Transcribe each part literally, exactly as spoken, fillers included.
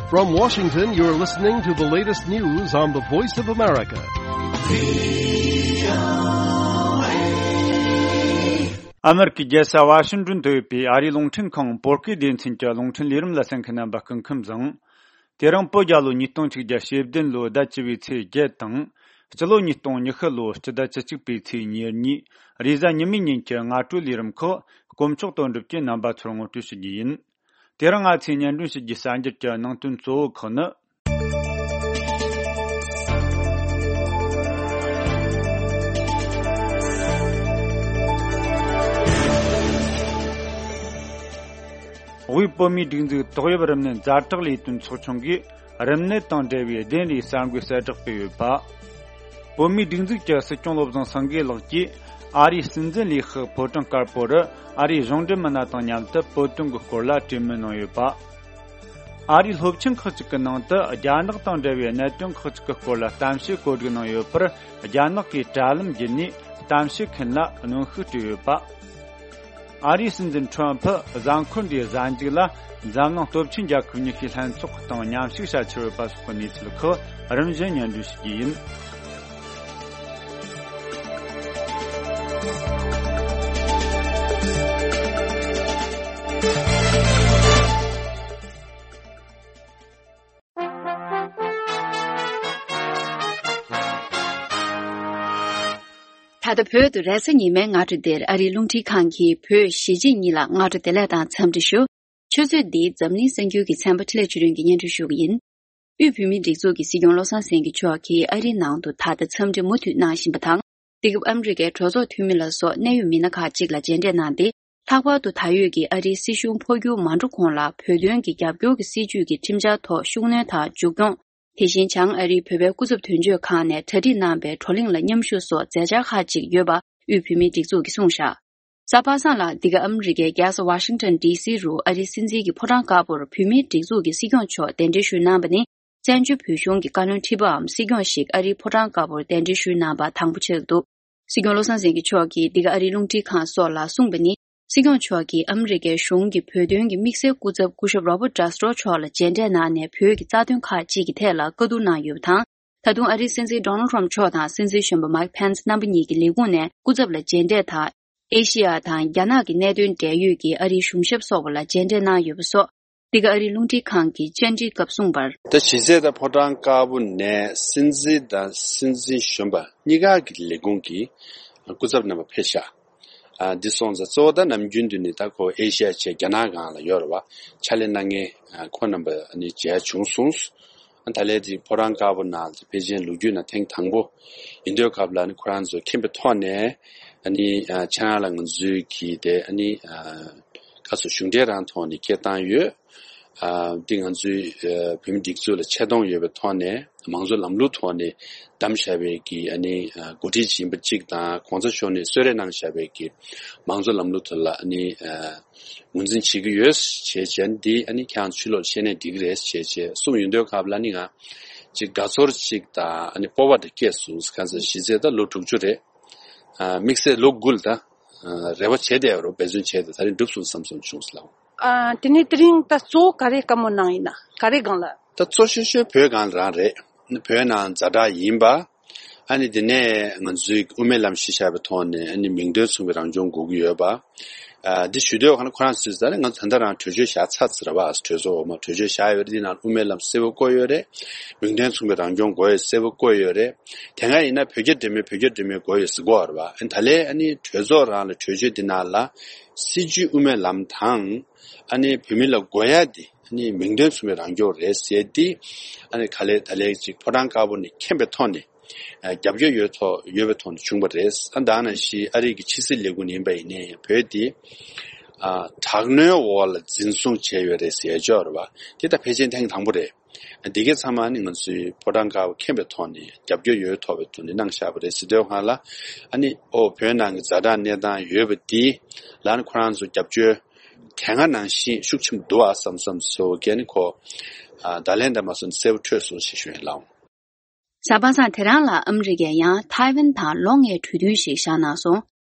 From Washington, you're listening to the latest news on the Voice of America. ཨ་མེ་རི་ཀའི་རྒྱལ་ས་ཝ་ཤིང་ཏོན་དུ་ཡོད་པའི་ཨ་རིའི་རླུང་འཕྲིན་ཁང་བོད་སྐད་སྡེ་ཚན་གྱི་རླུང་འཕྲིན་ལས་རིམ་ལ་གསན་མཁན་རྣམ་པ་སྐུ་ཁམས་བཟང་། དེ་རིང་བོད་རྒྱལ་ལོ་ཉིས་སྟོང་ཆིག་བརྒྱ་ཞེ་བདུན་ལོའི་ཟླ་བཅུ་བའི་ཚེས་བརྒྱད་དང་། སྤྱི་ལོ་ཉིས་སྟོང་ཉི་ཤུ་ལོའི་སྤྱི་ཟླ་བཅུ་གཅིག་པའི་ཚེས་ཉེར་གཉིས། རེས་གཟའ་ཉི་མའི་ཉིན་གྱི་སྔ་དྲོའི་ལས་རིམ་ཁག་དཀོན་མཆོག་དོན་གྲུབ་ཀྱིས་རྣམ་པ་ཚོར་ངོ་སྤྲོད་ཞུ་རྒྱུ་ཡིན། དེ་རིང་ང་ཚོས་སྙན་སྒྲོན་ཞུ་རྒྱུའི་གསར་འགྱུར་གྱི་ནང་དོན་གཙོ་བོ་ཁག་ནི། དབུས་བོད་མིའི་སྒྲིག་འཛུགས་ཏོག་དབྱིབས་རིམས་ནད་ཛ་དྲག་ལས་དོན་ཚོགས་ཆུང་གིས་རིམས་ནད་དང་འབྲེལ་བའི་བདེན་རེའི་གསར་འགོད་གསལ་བསྒྲགས་སྤེལ་ཡོད་པ། བོད་མིའི་སྒྲིག་འཛུགས་ཀྱི་སྲིད་སྐྱོང་བློ་བཟང་སེང་གེ་ལགས་ཀྱིས་ཨ་རིའི་སྲིད་འཛིན་ལས་ཁག་ཕོ་བྲང་དཀར་པོ་རུ་ཨ་རིའི་གཞུང་འབྲེལ་མི་སྣ་དང་མཉམ་དུ་བོད་དོན་གྱི་སྐོར་ལ་གྲོས་མོལ་གནང་ཡོད་པ། ཨ་རིའི་སློབ་ཆེན་ཁག་ཅིག་གི་ནང་དུ་རྒྱ་ནག་དང་འབྲེལ་བའི་གནད་དོན་ཁག་ཅིག་གི་སྐོར་ལ་གཏམ་བཤད་གོ་སྒྲིག་གནང་ཡོད་པར། རྒྱ་ནག་གིས་དྲ་ལམ་བརྒྱུད་ནས་གཏམ་བཤད་མཁན་ལ་གནོན་ཤུགས་སྤྲད་ཡོད་པ། ཨ་རིའི་སྲིད་འཛིན་ཁྲོམ་ཕུ་གཟའ་འཁོར་འདིའི་གཟའ་མཇུག་ལ་འཛམ་གླིང་སྟོབས་ཆེན་རྒྱལ་ཁབ་ཉི་ཤུའི་ལྷན་ཚོགས་དང་མཉམ་ཞུགས་བྱ་འཆར་ཡོད་པ་སོགས་ཀྱི་གནས་ཚུལ་ཁག་རིམ་བཞིན་སྙན་སྒྲོན་ཞུ་རྒྱུ་ཡིན། ད་ལྟ་བོད་དུ་རེས་གཟའ་ཉི་མའི་སྔ་དྲོ་འདིར་ཨ་རིའི་རླུང་འཕྲིན་ཁང་གི་བོད་གཞིས་བྱེས་གཉིས་ལ་སྔ་དྲོ་བདེ་ལེགས་དང་འཚམས་འདྲི་ཞུ། ཆུ་ཚོད་འདིའི་འཛམ་གླིང་གསར་འགྱུར་གྱི་ཚན་པ་འཕྲིན་ལས་ཆོས་སྒྲོན་གྱིས་སྙན་སྒྲོན་ཞུ་གི་ཡིན། དབུས་བོད་མིའི་སྒྲིག་འཛུགས་ཀྱི་སྲིད་སྐྱོང་བློ་བཟང་སེང་གེ་མཆོག་གིས་ཨ་རིའི་ནང་དུ་ད་ལྟ་འཚམས་འདྲི་མུ་མཐུད་གནང་བཞིན་པ་དང་། འདི་སྐབས་ཨ་མི་རི་ཀའི་གྲོས་ཚོགས་འཐུས་མི་ལ་སོགས་གནད་ཡོད་མི་སྣ་ཁག་ཅིག་ལ་མཇལ་འཕྲད་གནང་སྟེ། ལྷག་པར་དུ་ད་ཡོད་ཀྱི་ཨ་རིའི་སྲིད་གཞུང་འཕོ་འགྱུར་མ་འགྲོ་གོང་ལ་བོད་དོན་གྱི་རྒྱབ་སྐྱོར་གྱི་སྲིད་ཇུས་ཀྱི་ཁྲིམས་འཆར་ཐོག་ཤུགས་སྣོན་དང་མཇུག་སྐྱོང་། དེ་བཞིན་བྱང་ཨ་རིའི་བོད་པའི་སྐུ་ཚབ་དོན་གཅོད་ཁང་ནས་གྲ་སྒྲིག་གནང་པའི་བགྲོ་གླེང་ལ་མཉམ་ཞུགས་སོགས་མཛད་འཆར་ཁག་ཅིག་ཡོད་པ་དབུས་བོད་མིའི་སྒྲིག་འཛུགས་ཀྱིས་གསུངས་བཞག། གཟའ་པ་སངས་ལ་འདི་ག་ཨ་མི་རི་ཀའི་རྒྱལ་ས་ཝ་ཤིང་ཊོན་ཌི་སི་རུ་ཨ་རིའི་སྲིད་འཛིན་གྱི་ཕོ་བྲང་དཀར་པོར་བོད་མིའི་སྒྲིག་འཛུགས་ཀྱི་སྲིད་སྐྱོང་མཆོག་གདན་འདྲེན་ཞུས་གནང་པ་ནི། བཙན་བྱོལ་བོད་གཞུང་གི་བཀའ་བློན་ཁྲི་པའམ་སྲིད་སྐྱོང་ཞིག་ཨ་རིའི་ཕོ་བྲང་དཀར་པོར་གདན་འདྲེན་ཞུས་གནང་པ་དང་པོ་ཆགས་འདུག། སྲིད་སྐྱོང་བློ་བཟང་སེང་གེ་མཆོག་གིས་འདི་ག་ཨ་རིའི་རླུང་འཕྲིན་ཁང་སོགས་ལ་གསུངས་པ་ནི། སྲིད་སྐྱོང་མཆོག་གིས་ཨ་མི་རི་ཀའི་གཞུང་གི་བོད་དོན་གྱི་དམིགས་བསལ་སྐུ་ཚབ་སྐུ་ཞབས་Robert Castro་མཆོག་ལ་མཇལ་འཕྲད་གནང་ནས་བོད་ཀྱི་རྩ་དོན་ཁག་ཅིག་གི་ཐད་ལ་བཀའ་བསྡུར་གནང་ཡོད་པ་དང་། ད་དུང་ཨ་རིའི་སྲིད་འཛིན་Donald Trump་མཆོག་དང་སྲིད་འཛིན་གཞོན་པ་Mike Pence་རྣམ་པ་གཉིས་ཀྱི་ལས་ཁུངས་ནས་སྐུ་ཚབ་ལ་མཇལ་འཕྲད་དང་། ཨེ་ཤེ་ཡ་དང་རྒྱ་ནག་གི་གནད་དོན་འབྲེལ་ཡོད་ཀྱི་ཨ་རིའི་གཞུང་ཞབས་སོགས་པ་ལ་མཇལ་འཕྲད་གནང་ཡོད་པ་སོགས། འདི་ག་ཨ་རིའི་རླུང་འཕྲིན་ཁང་གིས་བཅར་འདྲིའི་སྐབས་གསུངས་པར། ད་གཞི་རྩའི་ད་ཕོ་བྲང་དཀར་པོ་ནས་སྲིད་འཛིན་དང་སྲིད་འཛིན་གཞོན་པ་གཉིས་ཀ་གི་ལས་ཁུངས་ཀྱི་སྐུ་ཚབ་རྣམ་པ་ཕེབས་ཤག། ཨ་འདི་སོང་ཙང་གཙོ་བོ་ད་ནམ་རྒྱུན་དུ་ནི་ད་ཁོ་ཨེ་ཤེ་ཡ་བྱས་རྒྱ་ནག་སྒང་ལ་ཡོད་རེད་བ། ཕྱག་ལས་གནང་མཁན་ཨ་ཁོ་རྣམ་པ་ནི་མཇལ་བྱུང་སོང་། ཨ་ད་ལན་དེ་ཕོ་བྲང་དཀར་པོ་ནང་ལ་ཕལ་ཆེར་ལོ་རྒྱུས་ནང་ཐེངས་དང་པོ་ཡིན་དུས་སྐབས་ལ་ནི་ཁོ་རང་ཚོ་མཁྱེན་པའི་ཐོག་ནས་ཨ་ནི་ཨ་ཁྱེད་རང་ལ་ང་ཚོའི་གི་དེ་ཨ་ནི་ཨ་ཁ་སོ་གཞུང་འབྲེལ་རང་ཐོག་ནས་སྐད་བཏང་ཡོད། ཨ་འདི་ང་ཚོའི་ཨ་བོད་མི་སྒྲིག་འཛུགས་ལ་ཆེ་མཐོང་ཡོད་པའི་ཐོག་ནས་མང་གཙོ་ལམ་ལུགས་ཐོག་ནས་བདམས་བཞག་པའི་གི་ཨ་ནི་ཨ་འགོ་ཁྲིད་ཡིན་པ་གཅིག་དང་གོང་ས་མཆོག་ནས་གསོལ་རས་གནང་བཞག་པའི་གི་མང་གཙོ་ལམ་ལུགས་ཐོག་ལ་ཨ་ནི་ཨ་ངོས་འཛིན་བྱེད་ཀྱི་ཡོད་ཅེས་བྱས་འདི་ཨ་ནི་ཁྱེད་རང་ཕྱི་ལོགས་ལ་བཤད་ནས་འགྲིག་གི་རེད་ཅེས་བྱས་གསུངས་ཡོང་དུས་སྐབས་ལ་ནི་ང་ཅིག་དགའ་ཚོར་ཅིག་དང་ཨ་ནི་སྤོབས་པ་དང་སྐྱེས་སོང་། གང་ཟེར་གཞི་རྩའི་ད་ལོ་དྲུག་ཅུ་རེད། ཨ་དམིགས་བསལ་ལོ་དགུ་ལ་ད་ཨ་རེ་བ་བྱས་བསྡད་ཡོད་རེད། འབད་བརྩོན་བྱས་ཏེ་ད་རིང་འགྲུབ་སོང་བསམ་སོང་བྱུང་སོང་ལགས། ཨ་དེ་ནས་དེ་རིང་ད་གཙོ་བོ་ག་རེ་བཀའ་མོལ་གནང་ཡིན་ན་ག་རེ་སྒང་ལ། ད་གཙོ་ཤོས་ཤོས་བོད་སྒང་ལ་རང་རེད། བོད་ནང་ཛ་དྲག་ཡིན་པ། ཨ་ནི་དེ་ནས་ང་ཚོའི་དབུ་མའི་ལམ་གཞི་བཞག་པའི་ཐོག་ནས་ཨ་ནི་མིང་དོན་མཚུངས་པའི་རང་སྐྱོང་དགོས་ཀྱི་ཡོད་པ། ཨ་འདི་ཞུ་དུས་ཁོ་རང་ཚོས་ད་ནི་ང་ཚོ་ད་ལྟ་རང་གྲོས་ཆོད་བཞག་ཚར་ཚར་བ། གྲོས་ཚོགས་འོག་མ་གྲོས་ཆོད་བཞག་ཡོད་རེད། འདི་ནང་དབུ་མའི་ལམ་གསལ་པོ་བཀོད་ཡོད་རེད། མིང་དོན་མཚུངས་པའི་རང་སྐྱོང་དགོས་ཡོད་གསལ་པོ་བཀོད་ཡོད་རེད། དེ་སྔ་ཡིན་ན་བོད་རྒྱ་འབྲེལ་མོལ་བོད་རྒྱ་འབྲེལ་མོལ་དགོས་ཡོད་ཟེར་གོ་བ་རེད་བ། ཨ་ནི་ད་ལན་ཨ་ནི་གྲོས་ཚོགས་རང་ལ་གྲོས་ཆོད་འདི་ནང་ལ་སྲིད་བྱུས་དབུ་མའི་ལམ་དང་ཨ་ནི་བོད་མི་ལ་དགོས་ཡ་འདི་ཨ་ནི་མིང་དོན་མཚུངས་པའི་རང་སྐྱོང་རེད་ཟེར་འདི་ཨ་ནི་ག་ལེ་ད་ལན་ཅིག་ཕོ་བྲང་དཀར་པོ་ནས་མཁྱེན་པའི་ཐོག་ནས། ཨ་རྒྱབ་སྐྱོར་ཡོད་ཐོག་ཡོད་པའི་ཐོག་ནས་བྱུང་བ་རེད། ཨ་ད་ནང་བཞིན་ཨ་རི་གི་ཕྱི་སྲིད་ལས་ཁུངས་ཡིན་པ་ཡིན་ནའི་བོད་དེ་ཨ་དྲག་གནོན་འོག་ལ་འཛིན་བཟུང་བྱས་ཡོད་རེད་ཟེར་ཡ་ཅིག་ཡོད་རེད་བ། དེ་ད་ཕལ་ཆེར་ཐེངས་དང་པོ་རེད། ཨ་འདི་གའི་ཚང་མ་ནི་ང་ཚོའི་ཕོ་བྲང་དཀར་པོ་མཁྱེན་པའི་ཐོག་ནས་རྒྱབ་སྐྱོར་ཡོད་ཐོག་པའི་ཐོག་ནས་གནང་བཞག་པ་རེད་ཟེར་དུས་སྒང་ལ། ཨ་ནི་ཨོ་བོད་ནང་གི་ཛ་དྲག་གནས་སྟངས་ཡོད་པ་འདི་ལ་ནི་ཁོ་རང་ཚོ་རྒྱབ་སྐྱོར་དེ་སྔ་ནང་བཞིན་ཤུགས་ཆེན་པོ་འདུག་ཨ་བསམ་བསམ་ཚོ་གས་ནི་ཁོ་ཨ་ད་ལན་འདི་མ་སོང་གསལ་པོ་འཕྲོད་སོང་ཞེས་ཞུ་ཡིན་ལགས། གཟའ་པ་སངས་དེ་རིང་ལ་ཨ་མི་རི་ཀས་ཡང་ཐའེ་ཝན་དང་ལོ་ལྔའི་གྲོས་མཐུན་ཞིག་བཞག་གནང་སོང་།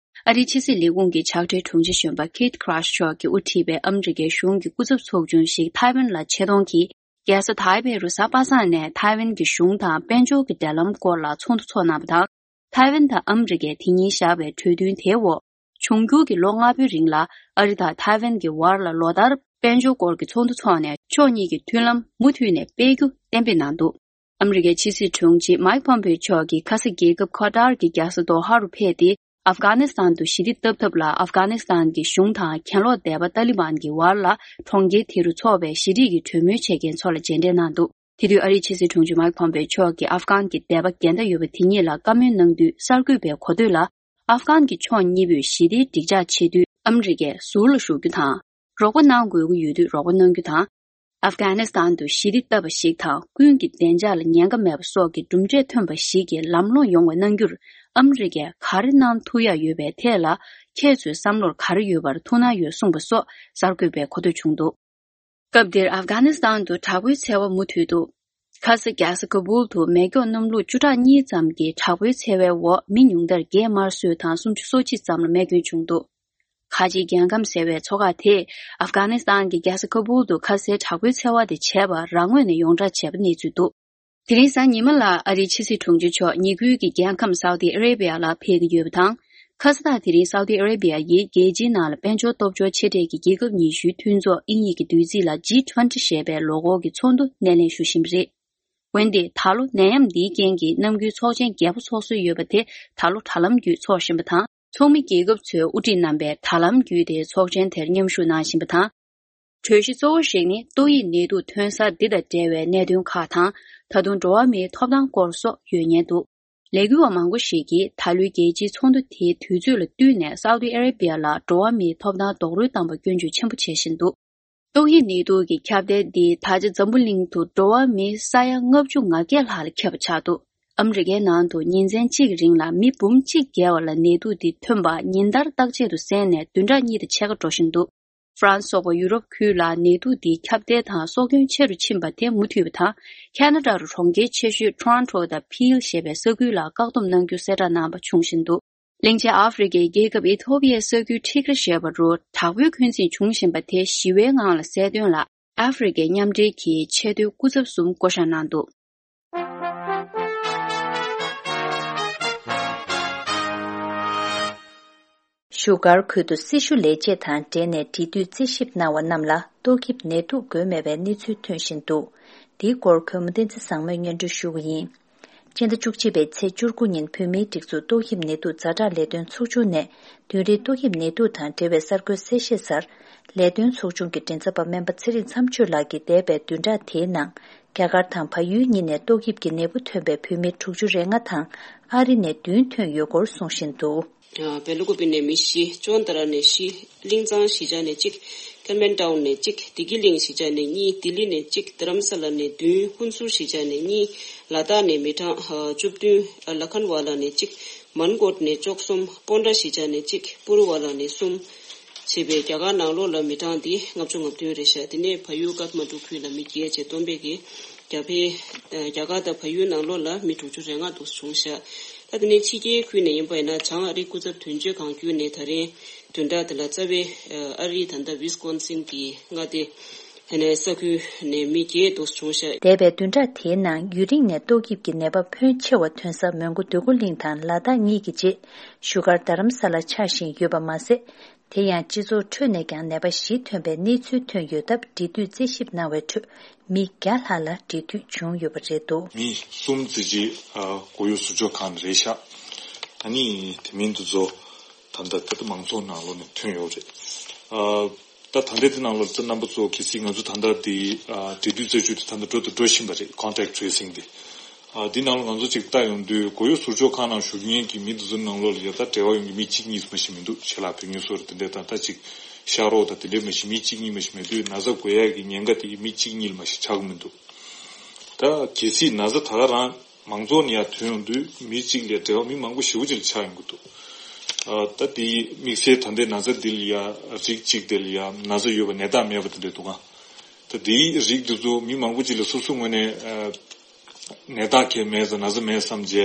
ཨ་རིའི་ཕྱི་སྲིད་ལས་ཁུངས་ཀྱི་ཕྱག་སྦྲེལ་དྲུང་ཆེ་གཞོན་པ་Keith Krach་མཆོག་གིས་དབུ་ཁྲིད་པའི་ཨ་མི་རི་ཀའི་གཞུང་གི་སྐུ་ཚབ་ཚོགས་ཆུང་ཞིག་ཐའེ་ཝན་ལ་ཆེད་གཏོང་གིས་ རྒྱལ་ས་ཐའེ་པེ་རུ་གཟའ་པ་སངས་ནས་ཐའེ་ཝན་གྱི་གཞུང་དང་དཔལ་འབྱོར་གྱི་འབྲེལ་ལམ་སྐོར་ལ་ཚོགས་འདུ་འཚོགས་གནང་བ་དང་། ཐའེ་ཝན་དང་ཨ་མི་རི་ཀས་དེ་ཉིན་བཞག་པའི་གྲོས་མཐུན་དེའི་འོག་འབྱུང་འགྱུར་གྱི་ལོ་ལྔ་པོའི་རིང་ལ་ཨ་རི་དང་ཐའེ་ཝན་གྱི་བར་ལ་ལོ་ལྟར་དཔལ་འབྱོར་སྐོར་གྱི་ཚོགས་འདུ་འཚོགས་ནས་ཕྱོགས་གཉིས་ཀྱི་མཐུན་ལམ་མུ་མཐུད་ནས་སྤེལ་རྒྱུ་གཏན་འབེབས་གནང་འདུག་ཨ་མི་རི་ཀའི་ཕྱི་སྲིད་དྲུང་ཆེ་མའིག་ཕོམ་པེ་མཆོག་གིས་ཁ་སང་རྒྱལ་ཁབ་ཁ་ཏར་གྱི་རྒྱལ་ས་དོ་ཧ་རུ་ཕེབས་ཏེ། ཨབ་གྷ་ནི་སི་ཐན་དུ་ཞི་བདེ་བཏབ་ཐབས་ལ་ཨབ་གྷ་ནི་སི་ཐན་གྱི་གཞུང་དང་གྱེན་ལོག་སྡེ་པ་ཏཱ་ལི་བན་གྱི་བར་ལ་གྲོང་ཁྱེར་དེ་རུ་འཚོགས་པའི་ཞི་བདེ་ཀྱི་གྲོས་མོལ་བྱེད་མཁན་ཚོ་ལ་མཇལ་འཕྲད་གནང་འདུག་དེ་དུས་ཨ་རིའི་ཕྱི་སྲིད་དྲུང་ཆེ་མའིག་ཕོམ་པེ་མཆོག་གིས་ཨབ་གྷན་གྱི་སྡེ་པ་འགལ་ཟླ་ཡོད་པ་དེ་གཉིས་ལ་བཀའ་མོལ་གནང་དུས། གསར་འགོད་པས་གོ་ཐོས་ལ། ཨབ་གྷན་གྱི་ཕྱོགས་གཉིས་པོས་ཞི་བདེའི་འགྲིག་འཇགས་ཆེད་དུ་ཨ་མི་རི་ཀས་ཟུར་ལ་ཞུགས་རྒྱུ་དང་། རོགས་པ་གནང་དགོས་ཀྱི་ཡོད་དུས་རོགས་པ་གནང་རྒྱུ་དང་། ཨབ་གྷ་ནི་སི་ཐན་དུ་ཞི་བདེ་བཏབ་པ་ཞིག་དང་། ཀུན་གྱི་བདེ་འཇགས་ལ་ཉེན་ཁ་མེད་པ་སོགས་ཀྱི་གྲུབ་འབྲས་ཐོན་པ་ཞིག་གི་ལམ་ལྷོང་ཡོང་བ་གནང་རྒྱུར། ཨ་མི་རི་ཀས་ག་རེ་གནང་ཐུབ་ཡག་ཡོད་པའི་ཐད་ལ། ཁྱེད་ཚོའི་བསམ་བློར་ག་རེ་ཡོད་པར་ཐུགས་སྣང་ཡོད་གསུངས་པ་སོགས་གསར་འགོད་པས་གོ་ཐོས་བྱུང་འདུག་སྐབས་དེར་ཨབ་གྷ་ནི་སི་ཐན་དུ་དྲག་པོའི་འཚེ་བ་མུ་མཐུད་འདུག་ཁ་ས་རྒྱལ་ས་ཀ་བུལ་དུ་མེ་སྒྱོགས་གནམ་ལོ་བཅུ་ཕྲག་གཉིས་ཙམ་གྱི་དྲག་པོའི་འཚེ་བའི་འོག་མི་ཉུང་མཐར་བརྒྱད་དམར་གསོད་དང་སུམ་ཅུ་སོ་གཅིག་ཙམ་ལ་རྨས་སྐྱོན་བྱུང་འདུག་ཁ་ཆེའི་རྒྱལ་ཁམས་ཟེར་བའི་མཚོ་ཁག་དེས་ཨབ་གྷ་ནི་སི་ཐན་གྱི་རྒྱལ་ས་ཀ་བུལ་དུ་ཁ་སའི་དྲག་པོའི་འཚེ་བ་དེ་བྱས་པར་རང་ངོས་ནས་ཡོངས་བསྒྲགས་བྱས་པ་གནས་ཚུལ་འདུག་དེ་རིང་གཟའ་ཉི་མ་ལ་ཨ་རིའི་ཕྱི་སྲིད་དྲུང་ཆེ་མཆོག་ཉེ་ཁུལ་གྱི་རྒྱལ་ཁམས་སའུ་ཏི་ཨ་རེ་བྷི་ཡ་ལ་ཕེབས་ཀྱི་ཡོད་པ་དང་། ཁ་ས་ཐག་དེ་རིང་སའུ་ཏི་ཨ་རེ་བྷི་ཡ་ཡིས་རྒྱལ་སྤྱིའི་ནང་ལ་དཔལ་འབྱོར་སྟོབས་འབྱོར་ཆེ་གྲས་ཀྱི་རྒྱལ་ཁབ་ཉི་ཤུའི་མཐུན་ཚོགས་དབྱིན་ཡིག་གི་བསྡུས་ཚིག་ལ་ཇི་ཊུ་ཝེན་ཊི་ཞེས་པའི་ལོ་འཁོར་གྱི་ཚོགས་འདུ་སྣེ་ལེན་ཞུ་བཞིན་པ་རེད། འོན་ཏེ་ད་ལོ་ནད་ཡམས་འདིའི་རྐྱེན་གྱིས་ནམ་རྒྱུན་ཚོགས་ཆེན་བརྒྱད་པོ་ཚོགས་སྲོལ་ཡོད་པ་དེ་ད་ལོ་དྲ་ལམ་བརྒྱུད་འཚོགས་བཞིན་པ་དང་། ཚོགས་མི་རྒྱལ་ཁབ་ཚོའི་དབུ་ཁྲིད་རྣམ་པས་དྲ་ལམ་བརྒྱུད་དེ་ཚོགས་ཆེན་དེར་མཉམ་ཞུགས་གནང་བཞིན་པ་དང་། གྲོས་གཞི་གཙོ་བོ་ཞིག་ནི་ཏོག་དབྱིབས་ནད་དུག་ཐོན་གསར་འདི་དང་འབྲེལ་བའི་གནད་དོན་ཁག་དང་། ད་དུང་འགྲོ་བ་མིའི་ཐོབ་ཐང་སྐོར་སོགས་ཡོད་ཉེན་འདུག་ལས་འགུལ་བ་མང་པོ་ཞིག་གིས་ད་ལོའི་རྒྱལ་སྤྱིའི་ཚོགས་འདུ་དེའི་དུས་ཚོད་ལ་བསྟུན་ནས་སའུ་ཏི་ཨ་རེ་བྷི་ཡ་ལ་འགྲོ་བ་མིའི་ཐོབ་ཐང་རྡོག་རོལ་བཏང་པར་སྐྱོན་བརྗོད་ཆེན་པོ་བྱེད་བཞིན་འདུག་ཏོག་དབྱིབས་ནད་དུག་གི་ཁྱབ་གདལ་འདི་ད་ཆ་འཛམ་བུ་གླིང་དུ་འགྲོ་བ་མི་ས་ཡ་ལྔ་བཅུ་ང་བརྒྱད་ལྷག་ལ་ཁྱབ་པ་ཆགས་འདུག་ཨ་མི་རི་ཀའི་ནང་དུ་ཉིན་མཚན་གཅིག་རིང་ལ་མི་འབུམ་གཅིག་བརྒལ་བ་ལ་ནད་དུག་འདི་ཐོན་པ་ཉིན་ལྟར་བརྟག་དཔྱད་དུ་གསན་ནས་བདུན་ཕྲག་གཉིས་དང་ཕྱེད་ཀ་འགྲོ་བཞིན་འདུག་ཧྥ་རན་སི་སོགས་པ་ཡུ་རོབ་ཁུལ་ལ་ནད་དུག་འདིའི་ཁྱབ་གདལ་དང་སྲོག་སྐྱོན་ཆེ་རུ་ཕྱིན་པ་དེ་མུ་མཐུད་པ་དང་། ཁ་ན་ཌ་རུ་གྲོང་ཁྱེར་ཆེ་ཤོས་ཊོ་རོན་ཊོ་དང་ཕིལ་ཞེས་པའི་ས་ཁུལ་ལ་བཀག་སྡོམ་གནང་རྒྱུ་གསལ་བསྒྲགས་གནང་པ་བྱུང་བཞིན་འདུག་གླིང་ཆེན་ཨ་ཧྥེ་རི་ཁའི་རྒྱལ་ཁབ་ཨི་ཐོ་པི་ཡའི་ས་ཁུལ་ཁྲི་ཀ་ར་ཞེས་པ་རུ་དྲག་པོའི་འཁོན་འཛིན་བྱུང་བཞིན་པ་དེ་ཞི་བའི་ངང་ལ་སེལ་དོན་ལ་ཨ་ཧྥེ་རི་ཁའི་མཉམ་འབྲེལ་གྱི་ཆེས་མཐོའི་སྐུ་ཚབ་གསུམ་བསྐོ་བཞག་གནང་འདུག་བཞུགས་སྒར་ཁུལ་དུ་སྲི་ཞུ་ལས་བྱེད་དང་འབྲེལ་ནས་འབྲེལ་མཐུད་རྩད་ཞིབ་གནང་བ་རྣམས་ལ་ཏོག་དབྱིབས་ནད་དུག་འགོས་མེད་པའི་གནས་ཚུལ་ཐོན་བཞིན་འདུག་འདིའི་སྐོར་གུས་མོ་བསྟན་འཛིན་བཟང་མོས་སྙན་སྒྲོན་ཞུ་གི་ཡིན། སྤྱི་ཟླ་བཅུ་གཅིག་པའི་ཚེས་བཅུ་དགུ་ཉིན་བོད་མིའི་སྒྲིག་འཛུགས་ཏོག་དབྱིབས་ནད་དུག་ཛ་དྲག་ལས་དོན་ཚོགས་ཆུང་ནས་བདུན་རེའི་ཏོག་དབྱིབས་ནད་དུག་དང་འབྲེལ་བའི་གསར་འགོད་གསལ་བཤད་སར། ལས་དོན་ཚོགས་ཆུང་གི་མགྲིན་ཚབ་པ་སྨན་པ་ཚེ་རིང་མཚམས་གཅོད་ལགས་ཀྱིས་འདས་པའི་བདུན་ཕྲག་དེའི་ནང་རྒྱ་གར་དང་བལ་ཡུལ་གཉིས་ནས་ཏོག་དབྱིབས་ཀྱི་ནད་འབུ་ཐོན་པའི་བོད་མི་དྲུག་ཅུ་རེ་ལྔ་དང་ཨ་རི་ནས་བདུན་ཐོན་ཡོད་སྐོར་གསུངས་བཞིན་འདུག་བེ་ལུ་ཀུ་པི་ནས་མི་བཞི། ཅོན་ཏ་ར་ནས་བཞི། གླིང་ཚང་གཞིས་ཆགས་ནས་གཅིག་ཀེན་མན་ཊའུན་ནས་གཅིག་བདེ་སྐྱིད་གླིང་གཞིས་ཆགས་ནས་གཉིས། ལྡི་ལི་ནས་གཅིག་རྡ་རམ་ས་ལ་ནས་བདུན། ཧུན་སུར་གཞིས་ཆགས་ནས་གཉིས། ལ་དྭགས་ནས་མི་གྲངས་ཨ་བཅུ་བདུན། ཨ་ལ་ཁན་ཝ་ལ་ནས་གཅིག་མན་གོད་ནས་བཅུ་གསུམ། ཀོན་ཏྲ་གཞིས་ཆགས་ནས་གཅིག་པུ་རུ་ཝ་ལ་ནས་གསུམ། བྱས་པའི་རྒྱ་གར་ནང་ལོགས་ལ་མི་གྲངས་འདི་ལྔ་བཅུ་ང་བདུན་རེད་ཤག་དེ་ནས་བལ་ཡུལ་ཀཏ་མན་ཌུ་ཁུལ་ལ་མི་བརྒྱད་བྱས་བསྡོམས་པས་ཀྱི་རྒྱ་བལ་རྒྱ་གར་དང་བལ་ཡུལ་ནང་ལོགས་ལ་མི་དྲུག་ཅུ་རེ་ལྔ་འདུག་བྱུང་ཤག་ད་དེ་ནས་ཕྱི་རྒྱལ་ཁུལ་ནས་ཡིན་པ་ཡིན་ན་བྱང་ཨ་རིའི་སྐུ་ཚབ་དོན་གཅོད་ཁང་བརྒྱུད་ནས་ད་རིང་བདུན་ཕྲག་འདི་ལ་རྩ་བའི་ཨ་རིའི་ད་ལྟ་ཝི་སི་ཀོན་སིན་གྱི་མངའ་སྡེ་དེ་ནས་ས་ཁུལ་ནས་མི་བརྒྱད་འདུག་བྱུང་ཤག་འདས་པའི་བདུན་ཕྲག་དེའི་ནང་ཡུན་རིང་ནས་ཏོག་དབྱིབས་ཀྱི་ནད་པ་ཕོན་ཆེ་བ་ཐོན་ས་མོན་གྷོ་འདོད་རྒུ་གླིང་དང་ལ་དྭགས་གཉིས་ཀྱི་རྗེས་བཞུགས་སྒར་རྡ་རམ་ས་ལར་ཆགས་བཞིན་ཡོད་པ་མ་ཟད། དེ་ཡང་སྤྱི་ཚོགས་ཁྲོད་ནས་ཀྱང་ནད་པ་བཞི་ཐོན་པའི་གནས་ཚུལ་ཐོན་ཡོད་སྟབས་འབྲེལ་མཐུད་རྩད་ཞིབ་གནང་བའི་ཁྲོད་མི་བརྒྱ་ལྷག་ལ་འབྲེལ་མཐུད་བྱུང་ཡོད་པ་རེད་འདུག་མི་གསུམ་ཙམ་ཅིག་ཨ་མགོ་གཡོག་ཟུར་འཇོག་ཁང་ནས་རེད་ཤག་ཨ་ནི་དེ་མིན་དེ་ཚོ་ད་ལྟ་ད་ལྟ་མང་ཚོགས་ནང་ལོགས་ནས་ཐོན་ཡོད་རེད། ཨ་ད་ད་ལྟའི་དེ་ནང་ལོགས་ད་རྣམ་པ་ཚོ་གལ་སྲིད་ང་ཚོ་ད་ལྟ་དེ་ཨ་འབྲེལ་མཐུད་རྩད་གཅོད་དེ་ད་ལྟ་འགྲོ་དང་འགྲོ་བཞིན་པ་རེད། Contact Tracing་དེ། ཨ་འདི་ནང་ལ་ང་ཚོ་ཅིག་ལྟ་ཡོང་དུས་མགོ་གཡོག་ཟུར་འཇོག་ཁང་ནང་བཞུགས་མཁན་གྱི་མི་དེ་ཚོའི་ནང་ལོགས་ལ་ཡ་ད་འབྲེལ་བ་ཡོད་མཁན་མི་གཅིག་གཉིས་མ་ཞིག་མི་འདུག་ཆེད་ལས་བོད་མི་སོགས་རེད། དེ་འདྲའི་ད་ལྟ་ཅིག་ཤ་རོགས་དང་དེ་འདྲའི་མ་ཞིག་མི་གཅིག་གཉིས་མ་ཞིག་མེད་དུས་ན་ཚ་འགོས་ཡག་གི་ཉེན་ཁ་དེ་མི་གཅིག་གཉིས་མ་ཞིག་ཆགས་ཀྱི་མི་འདུག་ད་གལ་སྲིད་ན་ཚ་ད་ག་རང་མང་ཚོགས་ནས་ཡར་ཐོན་ཡོང་དུས་མི་གཅིག་ལས་འབྲེལ་བ་མི་མང་པོ་ཞེ་པོ་ཅིག་ལ་ཆགས་ཡོང་གི་འདུག་ཨ་ད་དེ་དམིགས་བསལ་ད་ལྟའི་ན་ཚ་འདི་ལ་ཡ་རིགས་གཅིག་དེ་ལ་ཡ་ན་ཚ་ཡོད་པ་ནད་རྟགས་མེད་པ་དེ་འདྲ་འདུག་ག་ད་དེའི་རིགས་འདི་ཚོ་མི་མང་པོ་ཅིག་ལ་སོ་སོའི་ངོས་ནས་ཨ་ནད་རྟགས་གང་ཡང་མེད་ཙང་ན་ཚ་མེད་བསམ་བྱས་